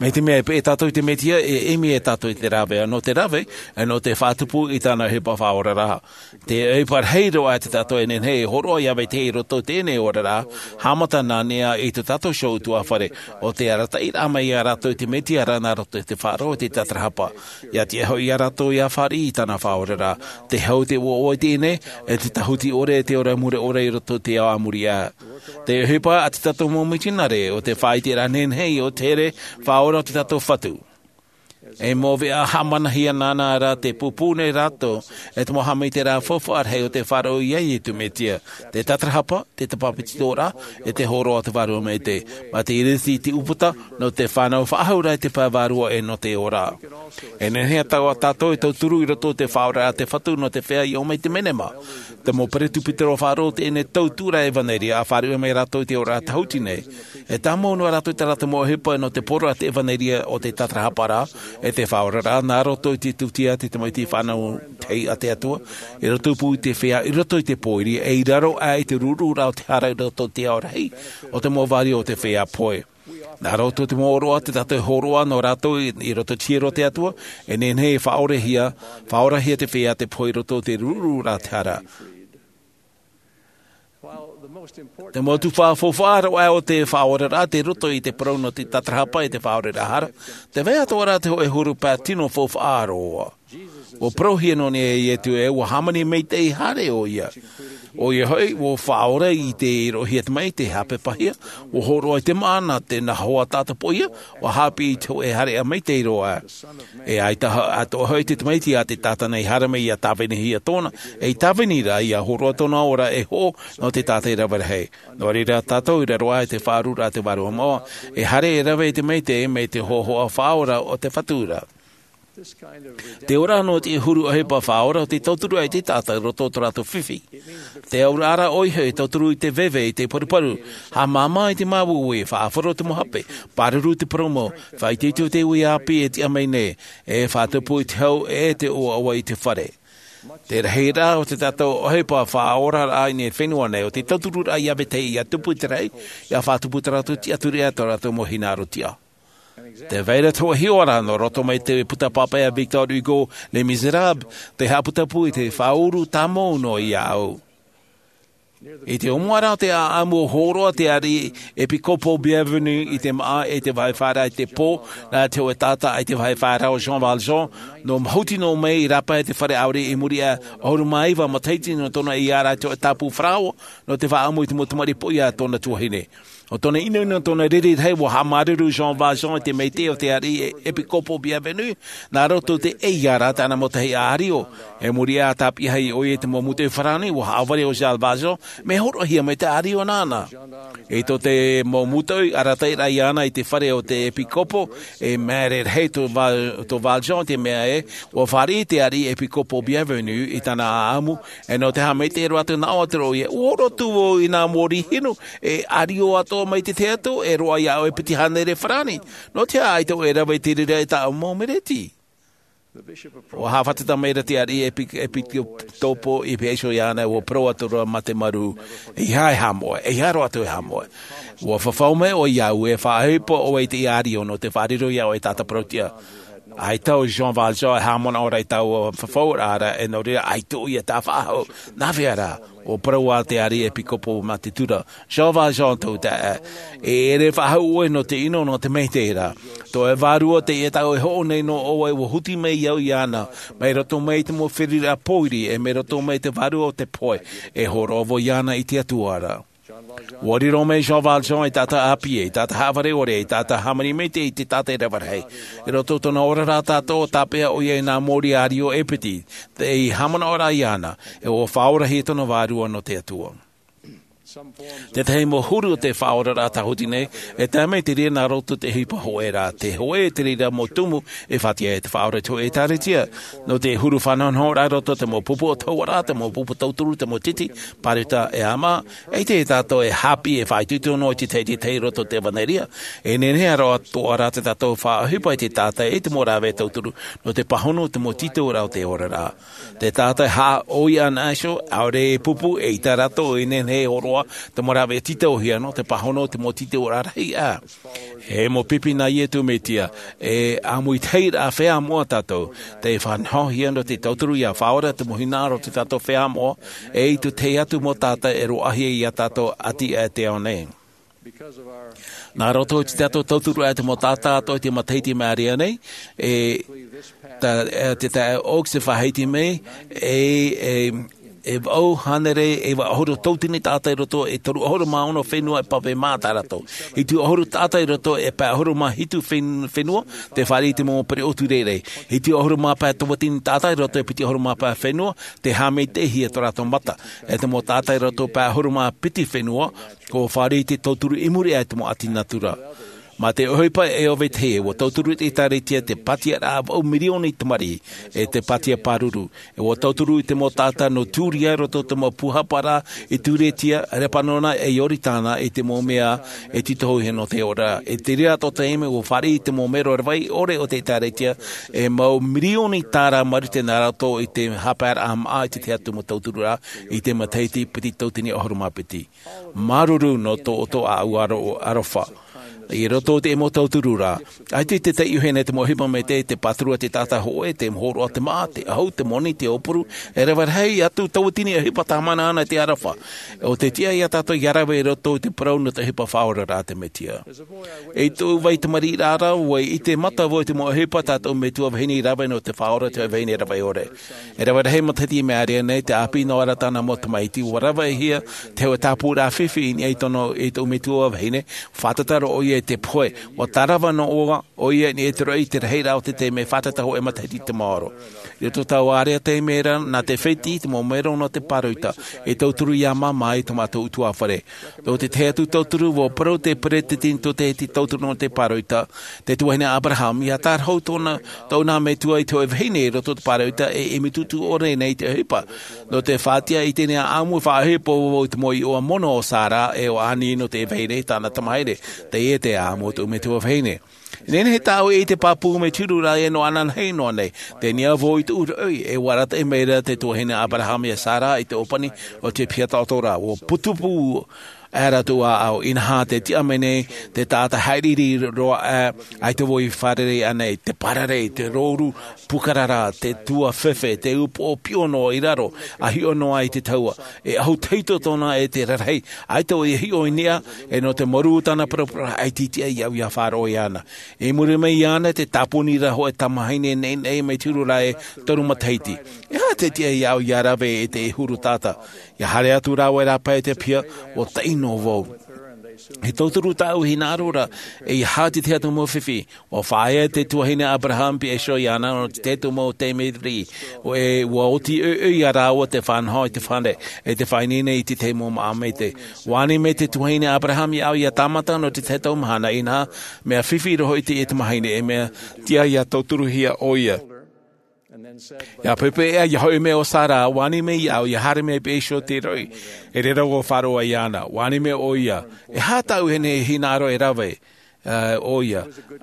Mai te mea e peʻe tātou i te Mesia, e ʻimi e tātou i te rāveʻa, nō te rave, e nō te faʻatupu i tāna ʻohipa faʻaoraraʻa. Te ʻohipa rahi roa tā tātou e nehenehe e hōroʻa ia vetahi i roto i teie nei oraraʻa, haʻamata nā niʻa i tō tātou iho ʻutuāfare, ʻo te arataʻiraʻa mai ia rātou i te Mesia ra nā roto i te faʻaroʻo i te tātarahapa. ʻIa tiʻa hoʻi ia rātou ʻia fāriʻi i tāna faʻaoraraʻa. Te hau, te ʻoaʻoa i teie nei, e te tāhuti ʻore, e te ora mure ʻore i roto i te ao a muri aʻe. Te ʻohipa a tā tātou mau mitionare, ʻo te faʻaʻiteraʻa nehenehe ʻo te here faʻaora o tō tātou Fatu. E mau veʻa haʻamanahia nāna ra tē pūpū nei rātou, e te mau haʻamaitaʻiraʻa faufaʻa rahi o te faʻaroʻo ia Iesu Mesia. Te tātarahapa, te tāpapetitoraʻa, e te hōroʻa o te Vārua Maitaʻi. Mā te iriti i te ʻūputa, nō te fānau faʻahou ra i te pae vārua e nō te ora. E nehenehe atoʻa tātou e tauturu i roto i te faʻaoraraʻa a te Fatu nō te feiā i ʻō mai i te menema. Te mau peresibutero faʻaroʻo i teie tauturu ʻevanelia, ʻa fāriʻi mai rātou i te oraraʻa tāhuti nei. E tāmau noa rātou i tā rātou mau ʻohipa nō te poroʻi a te ʻevanelia ʻo te tātarahapa ra, e te faʻaoraraʻa, nā roto i te tūtia a te tamaiti fānau tahi a te Atua, i roto pū i te feiā, i roto i te pōiri, e i raro aʻe i te rururaʻa o te hara i roto i te ao rahi, ʻo te mau vārua o te feiā pohe. Nā roto i te mau ʻōroʻa tā tātou e hōroʻa nō rātou i, i roto i te hiero o te Atua, e nehenehe e faʻaorahia, faʻaorahia te feiā tē pohe i roto i te rururaʻa o te hara. Te mau tuhaʻa faufaʻa roa o te faʻaoraraʻa tei roto i te parau nō te tātarahapa e te faʻaoraraʻa hara, tē vai atoʻa ra te hōʻē huru pae tino faufaʻa roa. ʻUa parauhia nō niʻa ia Iesu ē ʻua hāmani maitaʻi haere ʻoia. ʻOia hoʻi, ʻua faʻaora i te roʻohia tamaiti, te haʻapeʻahia, ʻua hōroʻa i te māʻa nā te nahoa taʻata poʻia, ʻua haʻapiʻi i te hōʻē haereʻa maitaʻi roa. E ʻaita atoʻa hoʻi te tamaiti a te taʻata nei i haere mai ʻia tāvinihia tōna, e i tāvini ra ʻia hōroʻa tōna ora e hoʻo nō te taʻata i rave rahi. Nō reira tātou i raro aʻe i te faʻaururaʻa a te Vārua Moʻa, e haere e rave i te maitaʻi mai te hōhoʻa faʻaora o te Fatu ra. Te ora nō te huru ʻohipa faʻaora ʻo tē tauturu ai te taʻata i roto i tō rātou fifi. Te auraʻa ra ʻoia hoʻi e tauturu i te veve, i te paruparu, haʻamāmā i te māuiui, faʻaʻāfaro i te mau hape, pāruru i te purōmu, faʻaitoito i te uʻi ʻāpī e tiʻa mai nei, e faʻatupu i te hau e te ʻoaʻoa i te fare. Te rahiraʻa o te tātou ʻohipa faʻaoraraʻa i nei fenua nei o te tautururaʻa ia vetahi ia tupu i te rahi, ia faʻatupu tō rātou tiʻaturi ʻe tō rātou mau hinaʻaro tiʻa. Te vai ra te hoʻe hiʻoraʻa nō roto mai te puta pāpaʻi a Victor Hugo, Les Misérables, te haʻaputapū i te faʻauru tāmau noa iā ʻu. I te ʻōmuaraʻa o te ʻaʻamu, hōroʻa te ariʻi ʻEpikōpo Bienvenu i te māʻa e te vāhi fāraʻa i te pō, nā te hoʻe taʻata i te vāhi fāraʻa o Jean Valjean, nō mahuti noa mai i rāpae te fare ʻaore i muri aʻe, ʻahuru mā iva matahiti nō tōna ʻeiā ra i te hoʻe tāpū farao, nō te faʻaʻamu i te mau tamariʻi poʻia a tōna tuahine. ʻO tōna ʻinoʻino, tōna riri rahi, ʻua haʻamāuruuru Jean Valjean i te maitaʻi o te ariʻi ʻEpikōpo Bienvenu, nā roto i te ʻeiā ra tāna mau tahi ʻārio. I muri aʻe, tāpiʻi ʻoia i te mau mūtoʻi farāni, ʻua haʻavare ʻo Jean Valjean, mea hōroʻahia mai te ʻārio nāna. I tō te mau mūtoʻi arataʻiraʻa iāna i te fare o te ʻEpikōpo, e māere rahi tō Va-, tō Valjean i te mea ē, ʻua fāriʻi te ariʻi ʻEpikōpo Bienvenu i tāna ʻaʻamu, e nō te haʻamaitaʻi roa atu nā ʻō atu ra ʻoia, ʻua hōroʻa atu vau i nā mōrī hinu, e ʻārio atoʻa mai te tahi atu, e roaʻa iā ʻoe e piti hānere farāni. Nō te aha ʻaita ʻoe e rave i te reira i tāʻu mau mereti? ʻUa haʻafātata mai ra te ariʻi ʻEpi-, ʻEpikōpo i pīhaʻi iho iāna, ʻua parau atu ra mā te mārū, ʻeiaha e haʻamoʻe, ʻeiaha roa atu e haʻamoʻe. ʻUa fafau mai ʻoe iāʻu, e faʻaʻohipa ʻoe i te ʻārio nō te faʻariro iā ʻoe e tāta parauʻtiʻa. ʻAita ʻo Jean Valjean e haʻamanaʻo ra i taua fafauraʻa ra, e nō reira, ʻaita ʻoia e tāfaʻahou. Nā hea rā? ʻUa parau ā te ariʻi ʻEpikōpo mā te tura, Jean Valjean tōʻu taeaʻe, e ʻere faʻahou ʻoe nō te ʻino, nō te maitaʻi ra. Tō ʻoe vārua, teie tāʻu e hoʻo nei nō ʻō ai, ʻua huti mai au iāna, mai roto mai i te mau feruriraʻa pōiri, e mai roto mai i te vārua o te pohe, e hōroʻa vau iāna i te Atua ra. ʻUa riro mai Jean Valjean ei taʻata ʻāpī, ei taʻata haʻavare ʻore, ei taʻata hāmani maitaʻi, ei taʻata e rave rahi. I roto i tōna oraraʻa tāʻātoʻa, tāpeʻa ʻoia i nā mōrī ʻārio e piti, ei haʻamanaʻoraʻa iāna, e ʻua faʻaorahia tōna vārua nō te Atua. Te tahi mau huru o te faʻaoraraʻa tāhuti nei, e tae mai te reira nā roto i te ʻohipa hōʻē ra, te hōʻē te reira mau tumu e faʻatiʻa ai te Faʻaora i te hōʻē ʻĒtārētia. Nō te huru faʻanahonahoraʻa i roto i te mau pupu ʻōtahuʻaraʻa, te mau pupu tauturu, te mau titi, pāroita ʻe ʻāmaʻa, ʻaita tātou e haʻapiʻi e faʻaitoito noa i te tahi i te tahi i roto i te ʻevanelia. E nehenehe roa atoʻa rā tā tātou faʻaʻohipa i te taʻata i te mau rāveʻa tauturu, nō te pāhono i te mau tītauraʻa o te oraraʻa. Te taʻata e haʻaʻoia ana iho, ʻaore e pupu, eʻita rātou e nehenehe e hōroʻa te mau rāveʻa tītauhia nō te pāhono i te mau tītauraʻa rahi ā. E mau pipi nā Iesu Mesia, e ʻāmui tahi rā feiā moʻa tātou, tē faʻanahohia nō te tauturu ia Faʻaora te mau hinaʻaro o tā tātou feiā moʻa, e i te tahi atu mau taʻata e roaʻahia ia tātou ʻati aʻe i te ao nei. Nā roto i tā tātou tauturu aʻe i te mau taʻata atoʻa i te matahiti māʻiri nei, e tā, e te taeaʻe Oaks e faʻahiti mai, e, e, e vaʻu hānere, e vaʻu ʻahuru tauatini taʻata i roto i te toru ʻahuru mā ono fenua e pāpū mā tā rātou. Hitu ʻahuru taʻata i roto i te pae ʻahuru mā hitu fen-, fenua, tē fāriʻi i te mau pereʻoʻo tūreirei. Hitu ʻahuru mā pae tauatini taʻata i roto i te piti ʻahuru mā pae fenua, tē haʻamaitaʻihia tō rātou mata. E te mau taʻata i roto i te pae ʻahuru mā piti fenua, ʻua fāriʻi i te tauturu i muri aʻe i te mau ʻati natura. Mā te ʻohipa e ʻo vetahi, ʻua tauturu te ʻĒtārētia i te pātiaraʻa vaʻu mirioni tamariʻi, e te pātia pāruru. E ʻua tauturu i te mau taʻata nō Tūria i roto i te mau pūhaparaʻa i Tūretia, Repanona ʻe Ioritana i te mau mea e tītauhia nō te ora. I te reira atoʻa taime ʻua fāriʻi i te mau mero rave ʻore o te ʻĒtārētia, e mau mirioni tāra marite nā roto i te haʻapaeraʻa māʻa i te tahi atu mau tauturu ra, i te matahiti piti tauatini ʻahuru mā piti. Māuruuru nō tō ʻoutou ʻāʻau aro-, aroha. I roto i te mau tauturu ra, ʻaita i te taiʻo hia nei te mau ʻohipa maitaʻi, te pāturu a te taʻata hōʻē, te hōroʻa te māʻa, te ʻahu, te moni, te ʻōpuru, e rave rahi atu tauatini ʻohipa tāmāna ana i te aroha. ʻO te tiʻa ia tātou ia rave i roto i te parau nō te ʻohipa faʻaoraraʻa a te Mesia. I tōʻu vai tamariʻiraʻa ra, ʻua ʻite mata vau i te mau ʻohipa tā tōʻu metua vahine i rave nō te Faʻaora i te hōʻē vahine rave ʻore. E rave rahi matahiti i maʻiri aʻe nei, tē ʻāpī noa ra tāna mau tamaiti, ʻua ravehia te hōʻē tāpūraʻa fifi i niʻa i tōna, i tōʻu metua vahine, fātata roa ʻoia i te pohe, ʻua tārava noa ʻoia i niʻa i te roaʻa i te rahiraʻa o te taime, fātata hōʻē matahiti i te maoro. I roto i taua ʻārea taime ra, nā te fētiʻi te mau mero nō te pāroita, e tauturu ia māmā i tō mātou ʻutuāfare. Nō te tahi atu tauturu, ʻua parau te peresideni tō te tauturu nō te pāroita, te tuahine Aberaham, ia tārahu tōna, tōna metua i te hōʻē vahine i roto i te pāroita e, e ʻimi tūtū ʻore nei i te ʻohipa. Nō te faʻatiʻa i teie nei ʻāʻamu, faʻaʻohipa vau i te mau iʻoa mono o Sara ʻe o Ani nō te vahine tāna tamahine, teie te ʻāʻamu o tōʻu metua vahine. Nehenehe tāʻu e ʻite pāpū mai te huru ra e nō ananahi noa nei. Teie vau i tuʻu roʻi, e ʻua arataʻi mai ra te tuahine Aberahama iā Sara i te ʻōpani o te piha taʻoto ra. ʻUa putupū aʻe rātou ʻāʻau, inaha tē tiʻa mai nei te taʻata haʻiriʻiri roa aʻe, ʻaita vau i fārerei ānei, te parare, te rōru pūkarara, te tuafefe, te upoʻo piʻo noa i raro, ʻa hiʻo noa i te tahua. E ʻahu tahito tōna e te rarahi, ʻaita vau i hiʻo i niʻa, e nō te marū tāna paraparau, ʻaita i tiʻa iāʻu ʻia faʻaroʻo iāna. I muri mai iāna te tāpuni ra hōʻē tamahine neʻineʻi mai te huru ra e toru matahiti. E aha tē tiʻa iāʻu ʻia rave i te huru taʻata? ʻIa haere atu rāua e rāpae i te piha, ʻua taʻi noa vau. E tauturu tāʻu hinaʻaro ra, e ʻia haʻati te tahi atu mau fifi. ʻUa faʻaea te tuahine Aberahama Piʻe Iso iāna nō te tahi atu mau taime riʻi. ʻUa, e, ʻua oti ʻoiʻoi iā rāua te faʻanaho i te fare, e te faʻaineine i te tahi mau māʻa maitaʻi. ʻUa ani mai te tuahine Aberahama iāʻu ʻia tāmata nō te tahi atu mahana, inaha, mea fifi roa hoʻi teie tamahine, e mea tiʻa ʻia tauturuhia ʻoia. ʻIa poʻipoʻi ʻē, ʻia hoʻi mai ʻo Sara, ʻua ani mai iāʻu, ʻia haere mai Piʻe Iso i te roʻi. I reira ʻua faʻaroʻo iāna, ʻua ani mai ʻoia. E aha tāʻu e nehenehe e hinaʻaro e rave, ā, ʻoia?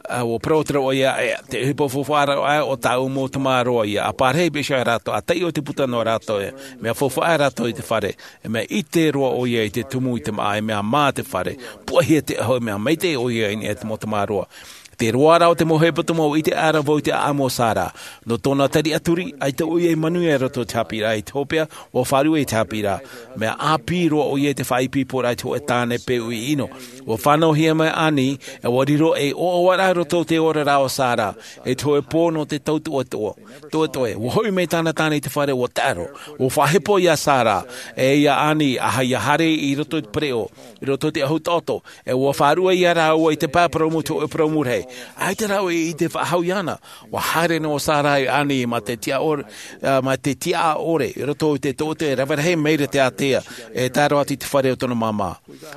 Ā, ʻua parau atu ra ʻoia, e, te ʻohipa faufaʻa ra ʻo tāʻu mau tamaroa ïa. ʻA pārahi Piʻe Iso iā rātou, ʻa taiʻo te puta nō rātou, e mea faufaʻa rātou i te fare. E mea ʻite roa ʻoia i te tumu i te māʻa, e mea mā te fare. Puʻehia te ʻahu, e mea maitaʻi ʻoia i niʻa i te mau tamaroa. Te roaraʻa o te mau hepetoma, ʻua ʻite aʻera vau i te ʻāʻamu o Sara. Nō tōna tariʻa turi, ʻaita ʻoia i manuia i roto i te haʻapiʻiraʻa i te hopeʻa, ʻua faʻaruʻe i te haʻapiʻiraʻa. Mea ʻāpī roa ʻoia i te faʻaipoiporaʻa i te hōʻē tāne peu ʻino. ʻUa fānauhia mai ʻo Ani, e ʻua riro ei ʻoaʻoaraʻa i roto i te oraraʻa o Sara, i te hōʻē pō nō te tau toʻetoʻe. Toʻetoʻe, ʻua hoʻi mai tāna tāne i te fare, ʻua taʻero. ʻUa faʻahepo iā Sara, e iā Ani, ʻa, ʻia haere i roto i te pereʻoʻo, i roto i te ʻahu taʻoto, e ʻua faʻaruʻe iā rāua i te pae purōmu, te hōʻē purōmu rahi. ʻAita rāua i ʻite faʻahou iāna. ʻUa haere noa ʻo Sara iā Ani mā te tiʻa ʻore, ā, mā te tiʻa ʻore, i roto i te toʻotoʻo e rave rahi maira te ātea, e tae roa atu i te fare o tōna māmā.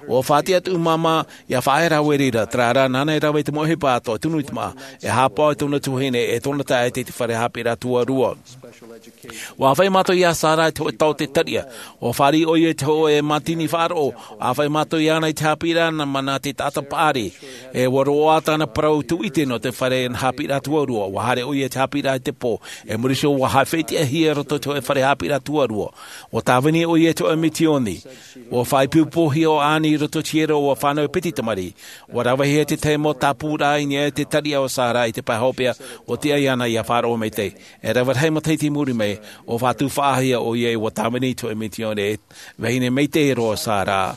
ʻUa faʻatiʻa atu māmā, ʻia faʻaea rāua i reira, terā rā, nāna e rave i te mau ʻohipa atoʻa, tunu i te māʻa, e haʻapaʻo i tōna tuahine, e tōna taeaʻe i te fare haʻapiʻiraʻa tuarua. ʻUa ʻāfaʻi mātou iā Sara i te hōʻē taote tariʻa. ʻUa fāriʻi ʻoia i te hōʻē mātini faʻaroʻo. ʻUa ʻāfaʻi mātou iāna i te haʻapiʻiraʻa nā, nā te taʻata paʻari. E ʻua roaʻa tāna parau tūʻite nō te fare haʻapiʻiraʻa tuarua. ʻUa haere ʻoia i te haʻapiʻiraʻa i te pō. E muri iho ʻua haʻafetiʻahia i roto i te hōʻē fare haʻapiʻiraʻa tuarua. ʻUa tāvini ʻoia i te hōʻē misioni. ʻUa faʻaipoipohia ʻo Ani i roto i te hiero, ʻua fānau e piti tamariʻi. ʻUa ravehia te tahi mau tāpūraʻa i niʻa i te tariʻa o Sara i te pae hopeʻa, ʻua tiʻa iāna ʻia faʻaroʻo maitaʻi. E rave rahi matahiti i muri mai, ʻua faʻatufaʻahia ʻoia, ʻua tāvini i te hōʻē misioni, e vahine maitaʻi roa ʻo Sara.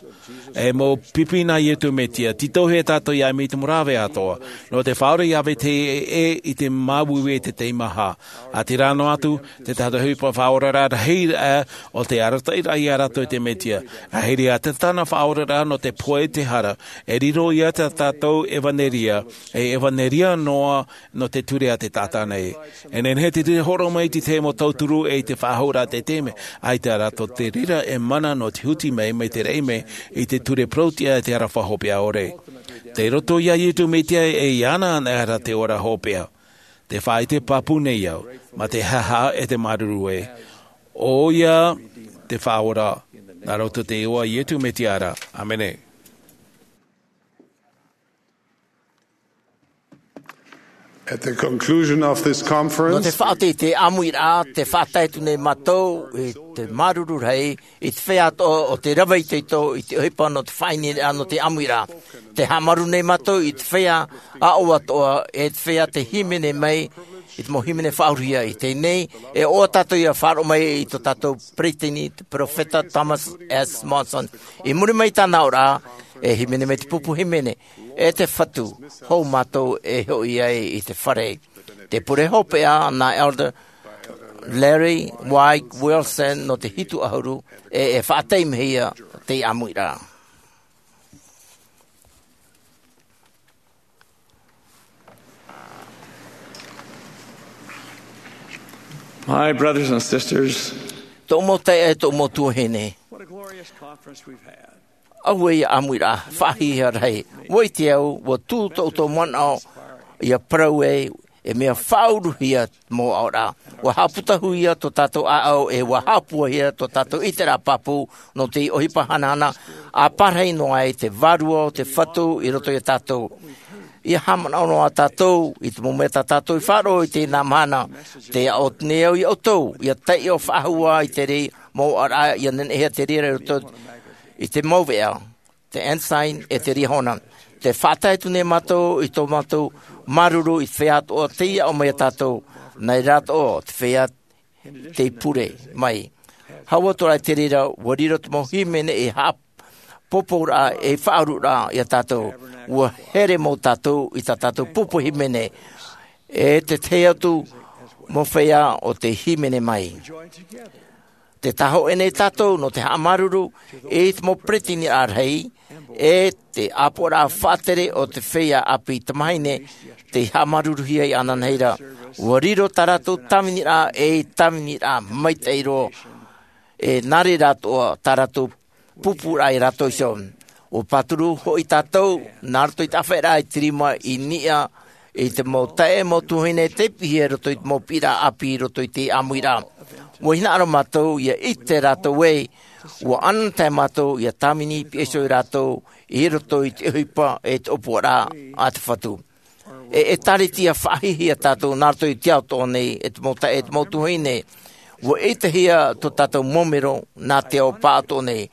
E mau pipi nā Iesu Mesia, tītauhia tātou ʻia ʻimi i te mau rave atoʻa, nō te faʻaora ʻia vetahi ʻē i te māuiui i te tahi maha. ʻA terā noa atu, te tahi ʻohipa faʻaoraraʻa rahi aʻe, ʻo te arataʻiraʻa iā rātou i te Mesia. ʻA hiri ā te tāna faʻaoraraʻa nō te pohe i te hara, e riro ia tā tātou ʻevanelia, e ʻevanelia noa nō te ture a te taʻata nei. E nehenehe te ture hōroʻa mai i te tahi mau tauturu ʻe i te faʻahouraʻa i te taime, ʻaita rā tō te reira e mana nō te huti mai, mai te raʻi mai i te ture parau-tiʻa e te aroha hopeʻa ʻore. Tei roto iā Iesu Mesia ʻe iāna anaʻe rā te ora hopeʻa. Tē faʻaʻite pāpū nei au, mā te haʻehaʻa ʻe te māuruuru ē. ʻOia te Faʻaora, nā roto i te iʻoa o Iesu Mesia ra. ʻĀmene. At the conclusion of this conference, nō te faʻaoti i te ʻāmuiraʻa, tē faʻatae atu nei mātou i te māuruuru rahi, i te feiā atoʻa o te rave itoito i te ʻohipa nō te faʻaineineraʻa nō te ʻāmuiraʻa. Tē haʻamaru nei mātou i te feiā aʻo atoʻa, e te feiā tei hīmene mai, i te mau hīmene faʻahou i teie nei, e ʻoaʻoa tātou ʻia faʻaroʻo mai i tō tātou peresideni, te Perofeta Thomas S. Monson. I muri mai i tāna aʻoraʻa, e hīmene mai te pupu hīmene, e te Fatu, hou mātou e hoʻi ai i te fare. Te pure hopeʻa nā Elder Larry White Wilson nō te hitu ʻahuru, e, e faʻataimehia te ʻāmuiraʻa. My brothers and sisters, tōʻu mau taeaʻe, tōʻu mau tuahine. What a glorious conference we've had. Auē ia ʻāmuiraʻa faʻahiahia rahi. ʻUa ʻite au, ʻua tū tōʻu manaʻo ʻia parau ai, e mea faʻauruhia mau aʻoraʻa. ʻUa haʻaputahūhia tō tātou ʻāʻau, e ʻua haʻapūaihia tō tātou ʻiteraʻa pāpū nō te ʻohipa hanahana, ʻa pārahi noa ai te Vārua o te Fatu i roto ia tātou. Ia haʻamanaʻo noa tātou i te mau mea tā tātou i faʻaroʻo i teie mahana. Te aʻo nei au iā ʻoutou ia taiʻo faʻahou i te reira mau ʻaraʻa ia nehenehe te reira i roto i te mau veʻa, te Ensign e te Liahona. Te faʻatae atu nei mātou i tō mātou māuruuru i te feiā atoʻa tei aʻo mai iā tātou. Nā reira atoʻa te feiā tei pure mai. Hau atu rā i te reira ua riro te mau hīmene e haʻapōpōraʻa e faʻaururaʻa iā tātou. Ua here mau tātou i tā tātou pupu hīmene e te tahi atu mau feiā o te hīmene mai. Te tāhoʻo nei tātou nō te haʻamāuruuru i te mau peretiteniraʻa rahi e te ʻāpoʻoraʻa faʻatere o te feiā ʻāpī tamāhine tei haʻamāuruuruhia iāna nei ra. Ua riro tā rātou tāviniraʻa ei tāviniraʻa maitaʻi roa. E nā reira atoʻa tā rātou pupuraʻa iā rātou iho. Ua pāturu hoʻi tātou nā roto i te ʻāfaʻiraʻa i te rima i niʻa i te mau taeaʻe mau tuahine tei piʻihia i roto i te mau piʻiraʻa ʻāpī i roto i te ʻāmuiraʻa. Ua hinaʻaro mātou ia ʻite rātou ē ua ʻanaʻanatae mātou ia tāvini piha iho iā rātou i roto i te ʻohipa e te ʻōpuaraʻa a te Fatu. E ʻĒtārētia faʻahiahia tātou nā roto i te ao atoʻa nei e te mau taeaʻe e te mau tuahine. Ua ʻitehia tō tātou mau mero nā te ao pāʻatoʻa nei.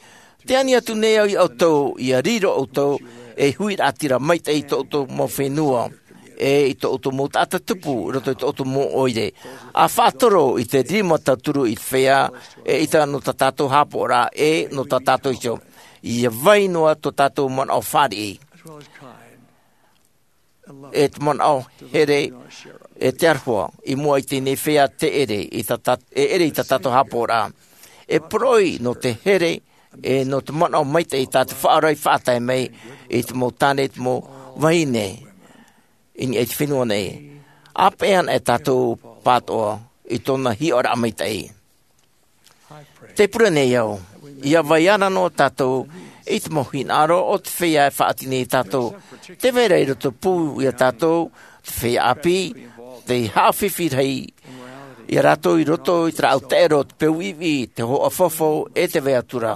Te ani atu nei au iā ʻoutou ia riro ʻoutou ei huiraʻatira maitaʻi i tō ʻoutou mau fenua e i tō ʻoutou mau taʻata tupu i roto i tō ʻoutou mau ʻoire. A faʻatoro i te rima tauturu i te feiā e ʻita nō tā tātou haʻapaʻoraʻa e nō tā tātou iho. Ia vai noa tō tātou manaʻo fāriʻi e te manaʻo here e te aroha i mua i teie nei feiā te ʻere i tā tā- e ʻere i tā tātou haʻapaʻoraʻa. E poroʻi nō te here e nō te manaʻo maitaʻi tā te faʻaora i faʻatae mai i te mau tāne e te mau vahine i niʻa i te fenua nei. A peʻe ana e tātou pāʻatoʻa i tōna hiʻoraʻa maitaʻi. Te pure nei au ia vai ana noa tātou i te mau hinaʻaro o te feiā e faʻaʻite nei iā tātou. Te vai ra i roto pū iā tātou te feiā ʻāpī tei haʻafifi rahi iā rātou i roto i te rāʻau taʻero, te peu ʻivi, te hoʻa faufaʻa e te vai atu ra.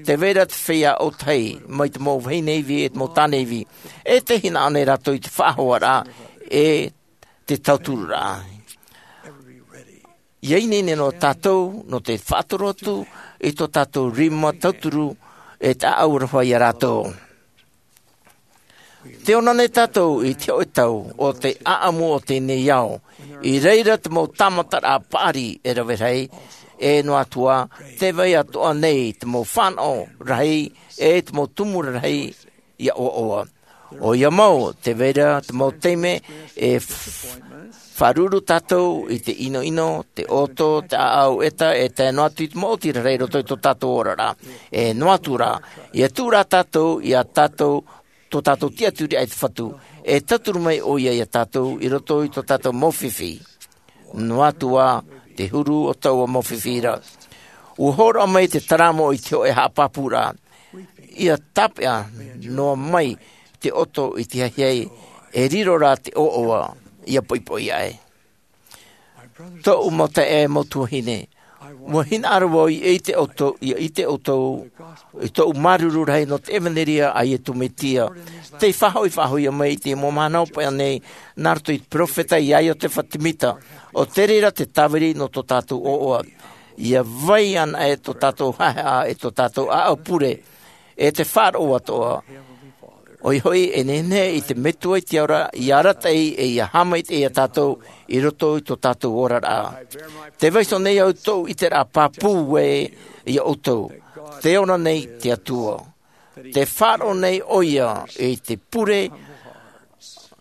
Te vai ra te feiā ʻōtahi mai te mau vahine ivi e te mau tāne ivi e te hinaʻaro nei rātou i te faʻahoaraʻa e te tautururaʻa. Ia ineine noa tātou nō te faʻatoro atu i tō tātou rima tauturu e te ʻāʻau aroha iā rātou. Te ora nei tātou i te hoʻe tau o te ʻaʻamu o teie nei ao. I reira te mau tāmataraʻa paʻari e rave rahi e noa atu ā te vai atoʻa nei te mau fānaʻo rahi e te mau tumu rahi ia ʻoaʻoa. ʻOia mau te vai ra te mau taime e faʻaruʻuru tātou i te ʻinoʻino, te ʻoto, te ʻāʻau ʻeta e tae noa atu i te mau ʻōtiraʻa i roto i tō tātou oraraʻa. E noa atu rā ia tuʻu rā tātou iā tātou tō tātou tiʻaturiraʻa i te Fatu e tauturu mai ʻoia iā tātou i roto i tō tātou mau fifi. Noa atu ā te huru o taua mau fifi ra. Ua hōroʻa mai te taramo i te hoʻe haʻapāpūraʻa ia tāpeʻa noa mai te ʻoto i te haʻehaʻa e riro rā te ʻoaʻoa ia poʻipoʻi aʻe. Tōʻu mau taeaʻe mau tuahine, ua hinaʻaro vau ia ʻite ʻoutou ia ʻite ʻoutou i tōʻu māuruuru rahi nō te ʻevanelia a iesu mesia tei faʻahoʻi faʻahou mai i te mau mahana hopeʻa nei nā roto i te peropheta iā iosefa semita. ʻO te reira te tāviri nō tō tātou ʻoaʻoa. Ia vai ana e tō tātou haʻehaʻa e tō tātou ʻāʻau pure e te faʻaroʻo atoʻa. ʻOia hoʻi e nehenehe i te metua i te ao ra ia arataʻi e ia haʻamaitaʻi iā tātou i roto i tō tātou oraraʻa. Te vaiiho nei au tōʻu ʻiteraʻa pāpū ē iā ʻoutou. Te ora nei te atua te faʻaroʻo nei ʻoia i te pure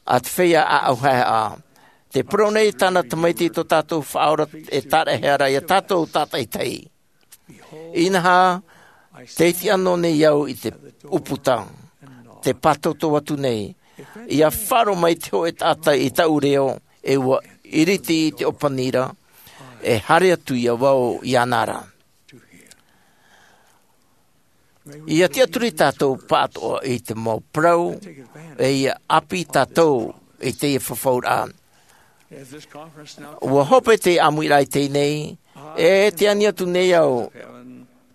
a te feiā ʻāʻau haʻehaʻa. Te parau nei tāna tamaiti tō tātou faʻaora e tāraʻehia ra iā tātou tātaitahi. Inaha te iti ʻano nei au i te ʻūputa te pātoutou atu nei ia faʻaroʻo mai te hoʻe taʻata i taʻu reo e ua iriti i te ʻōpani ra e haere atu iā vau iāna ra. Ia tiʻaturi tātou pāʻatoʻa i te mau parau e ia ʻāpī tātou i teie fafauraʻa. Ua hope te ʻāmuiraʻa i teie nei e te ani atu nei au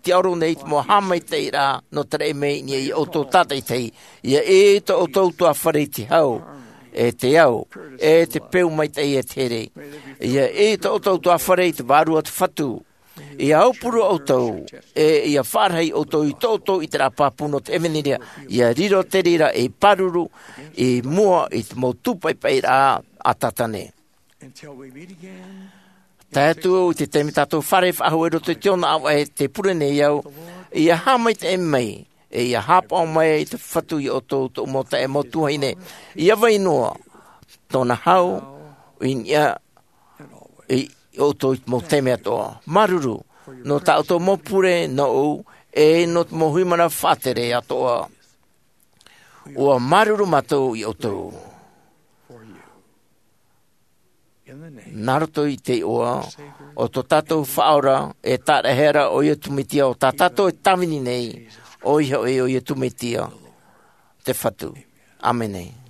te ʻauro nei i te mau haʻamaitaʻiraʻa nō te raʻi mai i niʻa iā ʻoutou tātaitahi ia ʻī i tō ʻoutou tuafare i te hau e te ao, e te peu maitaʻi e te here. ʻIa ʻī tō ʻoutou ʻutuāfare i te vārua o te Fatu. ʻIa aupuru ʻoutou, e ʻia faʻarahi ʻoutou i tō ʻoutou ʻiteraʻa pāpū nō te ʻevanelia, ʻia riro te reira ei pāruru i mua i te mau tūpaʻipaʻiraʻa a Tātane. Tae atu i te taime tātou fārerei faʻahou i roto i te ʻōnaʻa ʻāvaʻe, tē pure nei au, ʻia haʻamaitaʻi mai, e ʻia haʻapaʻo mai te Fatu iā ʻoutou, tōʻu mau taeaʻe, mau tuahine, ʻia vai noa tōna hau i niʻa iā ʻoutou i te mau taime atoʻa. Māuruuru nō tā ʻoutou mau pure nōʻu, e nō te mau huiraʻatira faʻatere atoʻa. ʻUa māuruuru mātou iā ʻoutou. Nā roto i te iʻoa o tō tātou Faʻaora e Tāraʻehara, ʻo Iesu Mesia, ʻo tā tātou e tāvini nei, ʻoia hoʻi ʻo Iesu Mesia te Fatu. ʻĀmene.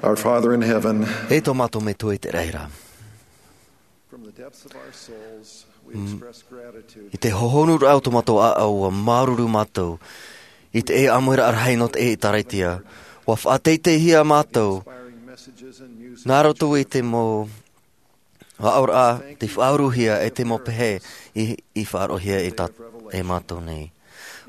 Our Father in heaven, E tō mātou Metua i te raʻi ra. From the depths of our souls, we express gratitude. I te hōhonuraʻa o tō mātou ʻāʻau, ʻua māuruuru mātou i te ʻāmuiraʻa rahi nō te ʻĒtārētia. ʻUa faʻateiteihia mātou nā roto i te mau Aʻoraʻa te faʻauruhia e te mau pehe i faʻaroʻohia e mātou nei.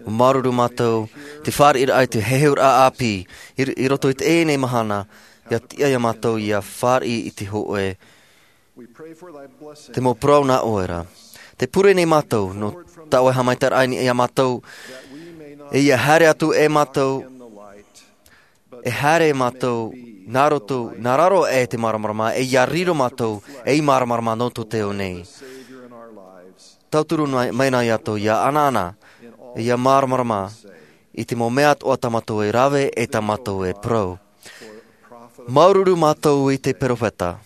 Ua māuruuru mātou te fāriʻiraʻa i te heheuraʻa ʻāpī i roto i teie nei mahana. Ia tiʻa iā mātou ia fāriʻi i te hoʻe te mau parau nā ʻoe ra. Te pure nei mātou nō taua haʻamaitaʻiraʻa iā mātou, e ia haere atu e mātou e haere mātou nā roto nā raro e te māramarama e ia riro mātou ei māramarama nō tō te ao nei. Tauturu mai nā iā tō ia anaana e ia māramarama i te mau mea atoʻa tā mātou e rave e tā mātou e parau. Māuruuru mātou i te peropheta.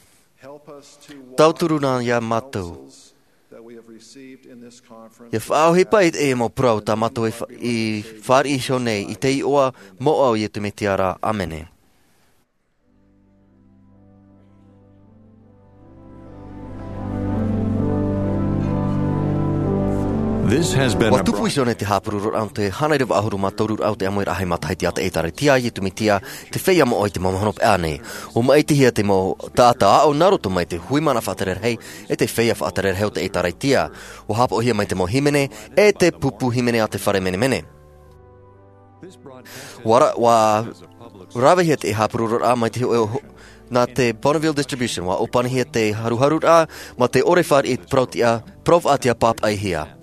Tauturu nā iā mātou ia faʻaʻohipa i te mau parau tā mātou i fāriʻi iho nei i te iʻoa moʻa o iesu mesia ra, ʻāmene. Ua tupu iho nei te hāpuru roraʻa o te hānere vaʻahuru mā toru raʻa o te ʻāmuiraʻa hai matahiti a te ʻēkālesia a iesu mesia, te feiā moʻa i te mau mahana peʻa nei. Ua maʻitihia te mau taʻata aʻo nā roto mai te hui mana faʻatere rahi e te feiā faʻatere rahi o te ʻēkālesia. Ua hāpaʻohia mai te mau hīmene e te pupu hīmene a te fare menemene. Ua ravehia te hāpuru roraʻa mai te hoʻe nā te bonneville distribution. Ua ʻōpanihia te haruharuraʻa mā te ʻore fāriʻi parau faʻatiʻa pāpaʻihia.